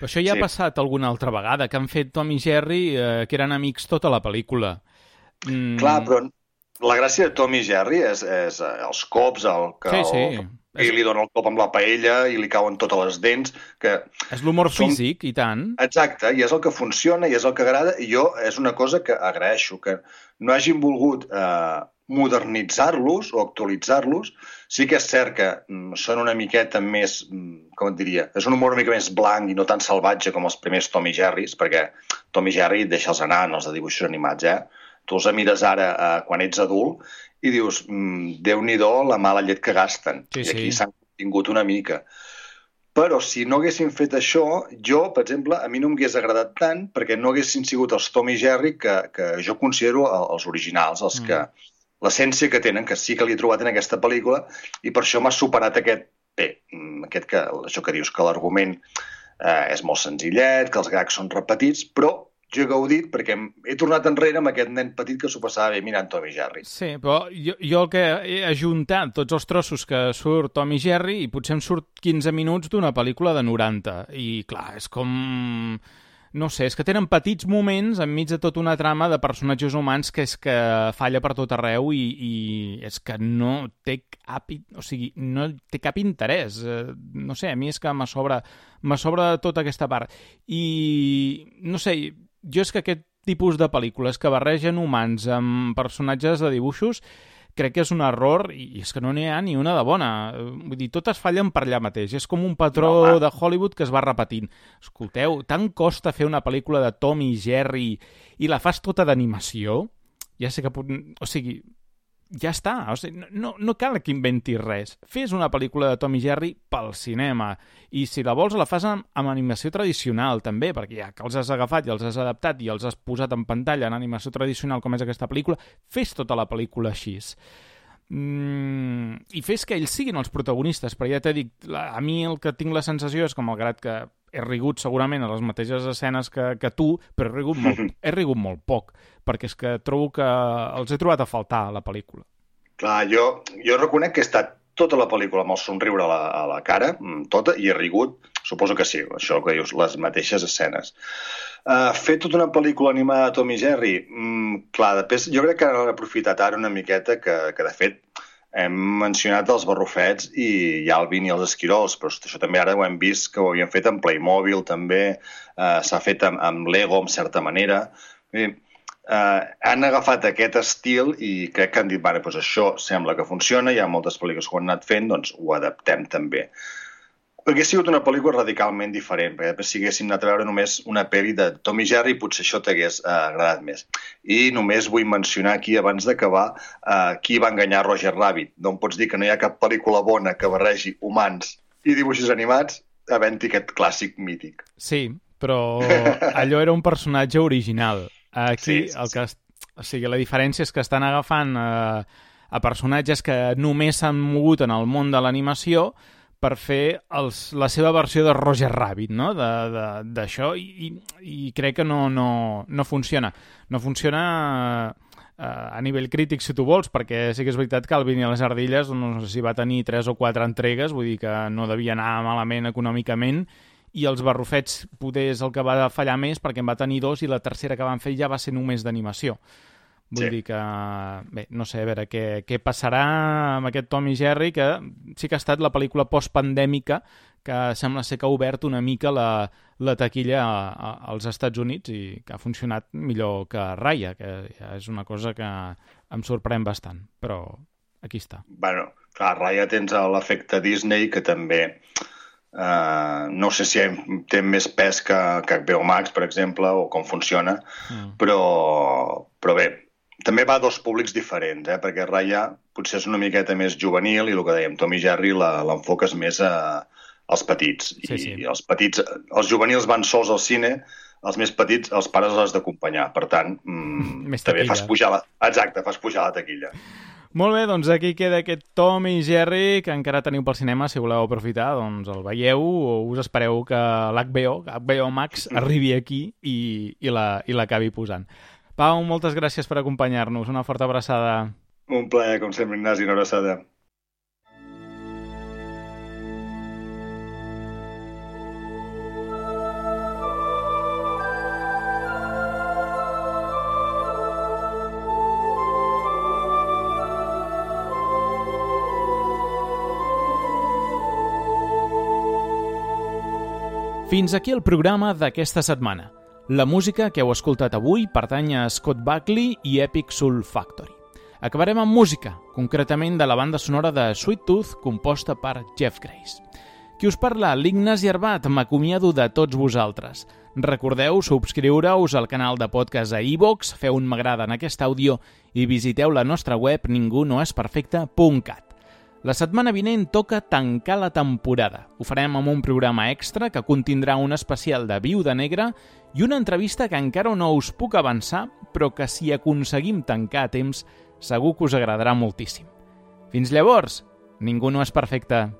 Però això ja ha passat alguna altra vegada, que han fet Tom i Jerry que eren amics tota la pel·lícula. Clar, però la gràcia de Tom i Jerry és els cops, i li dona el cop amb la paella i li cauen totes les dents. És l'humor físic, i tant. Exacte, i és el que funciona i és el que agrada, i jo és una cosa que agraeixo, que no hagin volgut modernitzar-los o actualitzar-los. Sí que és cert que són una miqueta més, com et diria, és un humor una mica més blanc i no tan salvatge com els primers Tom i Jerrys, perquè Tom i Jerry deixa'ls anar en els de dibuixos animats, Tu els mires ara quan ets adult i dius, Déu-n'hi-do la mala llet que gasten. I aquí s'han contingut una mica. Però si no haguessin fet això, jo, per exemple, a mi no m'hagués agradat tant perquè no haguessin sigut els Tom i Jerry que jo considero els originals, els que l'essència que tenen, que sí que l'he trobat en aquesta pel·lícula, i per això m'ha superat això que dius, que l'argument és molt senzillet, que els gags són repetits, però jo he gaudit perquè he tornat enrere amb aquest nen petit que s'ho passava bé mirant Tom i Jerry. Sí, però jo el que he ajuntat tots els trossos que surt Tom i Jerry i potser em surt 15 minuts d'una pel·lícula de 90. I clar, és com... no sé, és que tenen petits moments enmig de tota una trama de personatges humans que és que falla per tot arreu i és que no té cap, no té cap interès. No sé, a mi és que me sobra tota aquesta part. I, no sé, jo és que aquest tipus de pel·lícules que barregen humans amb personatges de dibuixos crec que és un error i és que no n'hi ha ni una de bona. Vull dir, totes fallen per allà mateix. És com un patró de Hollywood que es va repetint. Escolteu, tant costa fer una pel·lícula de Tom i Jerry i la fas tota d'animació? Ja sé que... O sigui, ja està. O sigui, no cal que inventis res. Fes una pel·lícula de Tom i Jerry pel cinema. I si la vols, la fas amb animació tradicional, també, perquè ja que els has agafat i els has adaptat i els has posat en pantalla en animació tradicional com és aquesta pel·lícula, fes tota la pel·lícula així. I fes que ells siguin els protagonistes, però ja t'he dit, a mi el que tinc la sensació és que, malgrat que he rigut segurament a les mateixes escenes que tu, però he rigut molt poc, perquè és que trobo que els he trobat a faltar a la pel·lícula. Clar, jo reconec que he estat tota la pel·lícula amb el somriure a la cara, tota, i he rigut, suposo que sí, això que dius, les mateixes escenes. Fer tota una pel·lícula animada de Tom i Jerry, clar, després jo crec que han aprofitat ara una miqueta que de fet hem mencionat els barrufets i Alvin i els esquirols, però això també ara ho hem vist que ho havien fet amb Playmobil també, s'ha fet amb Lego en certa manera. Han agafat aquest estil i crec que han dit, doncs això sembla que funciona, hi ha moltes pel·lícules que ho han anat fent, doncs ho adaptem també. Hauria sigut una pel·lícula radicalment diferent, perquè si haguéssim anat a veure només una pel·li de Tom i Jerry, potser això t'hagués agradat més. I només vull mencionar aquí, abans d'acabar, qui va enganyar Roger Rabbit. No em pots dir que no hi ha cap pel·lícula bona que barregi humans i dibuixos animats, havent-hi aquest clàssic mític. Sí, però allò era un personatge original. Aquí la diferència és que estan agafant a personatges que només s'han mogut en el món de l'animació per fer la seva versió de Roger Rabbit, no? D'això, i crec que no funciona. No funciona a nivell crític, si tu vols, perquè sí que és veritat que Alvin i les ardilles, no sé si va tenir 3 o 4 entregues, vull dir que no devia anar malament econòmicament, i els barrufets poder és el que va fallar més perquè en va tenir 2 i la tercera que van fer ja va ser només d'animació. Vull dir que, bé, no sé, a veure què passarà amb aquest Tom i Jerry, que sí que ha estat la pel·lícula postpandèmica que sembla ser que ha obert una mica la taquilla als Estats Units i que ha funcionat millor que Raya, que ja és una cosa que em sorprèn bastant, però aquí està. Bueno, clar, Raya tens l'efecte Disney, que també... no sé si té més pes que HBO Max, per exemple, o com funciona, però bé, també va a 2 públics diferents, perquè Raya potser és una miqueta més juvenil i el que dèiem, Tom i Jerry l'enfoques més als petits. I els petits, els juvenils van sols al cine, els més petits, els pares els has d'acompanyar. Per tant, també fas pujar la taquilla. Molt bé, doncs aquí queda aquest Tom i Jerry, que encara teniu pel cinema, si voleu aprofitar, doncs el veieu o us espereu que l'HBO Max arribi aquí i l'acabi posant. Pau, moltes gràcies per acompanyar-nos. Una forta abraçada. Un plaer, com sempre, Ignasi, una abraçada. Fins aquí el programa d'aquesta setmana. La música que heu escoltat avui pertany a Scott Buckley i Epic Soul Factory. Acabarem amb música, concretament de la banda sonora de Sweet Tooth, composta per Jeff Grace. Qui us parla, l'Ignasi Arbat, m'acomiado de tots vosaltres. Recordeu subscriure-us al canal de podcast a iVoox, feu un m'agrada en aquest àudio i visiteu la nostra web ningunoesperfecte.cat. La setmana vinent toca tancar la temporada. Ho farem amb un programa extra que contindrà un especial de Viuda Negra i una entrevista que encara no us puc avançar, però que si aconseguim tancar a temps, segur que us agradarà moltíssim. Fins llavors, ningú no és perfecte.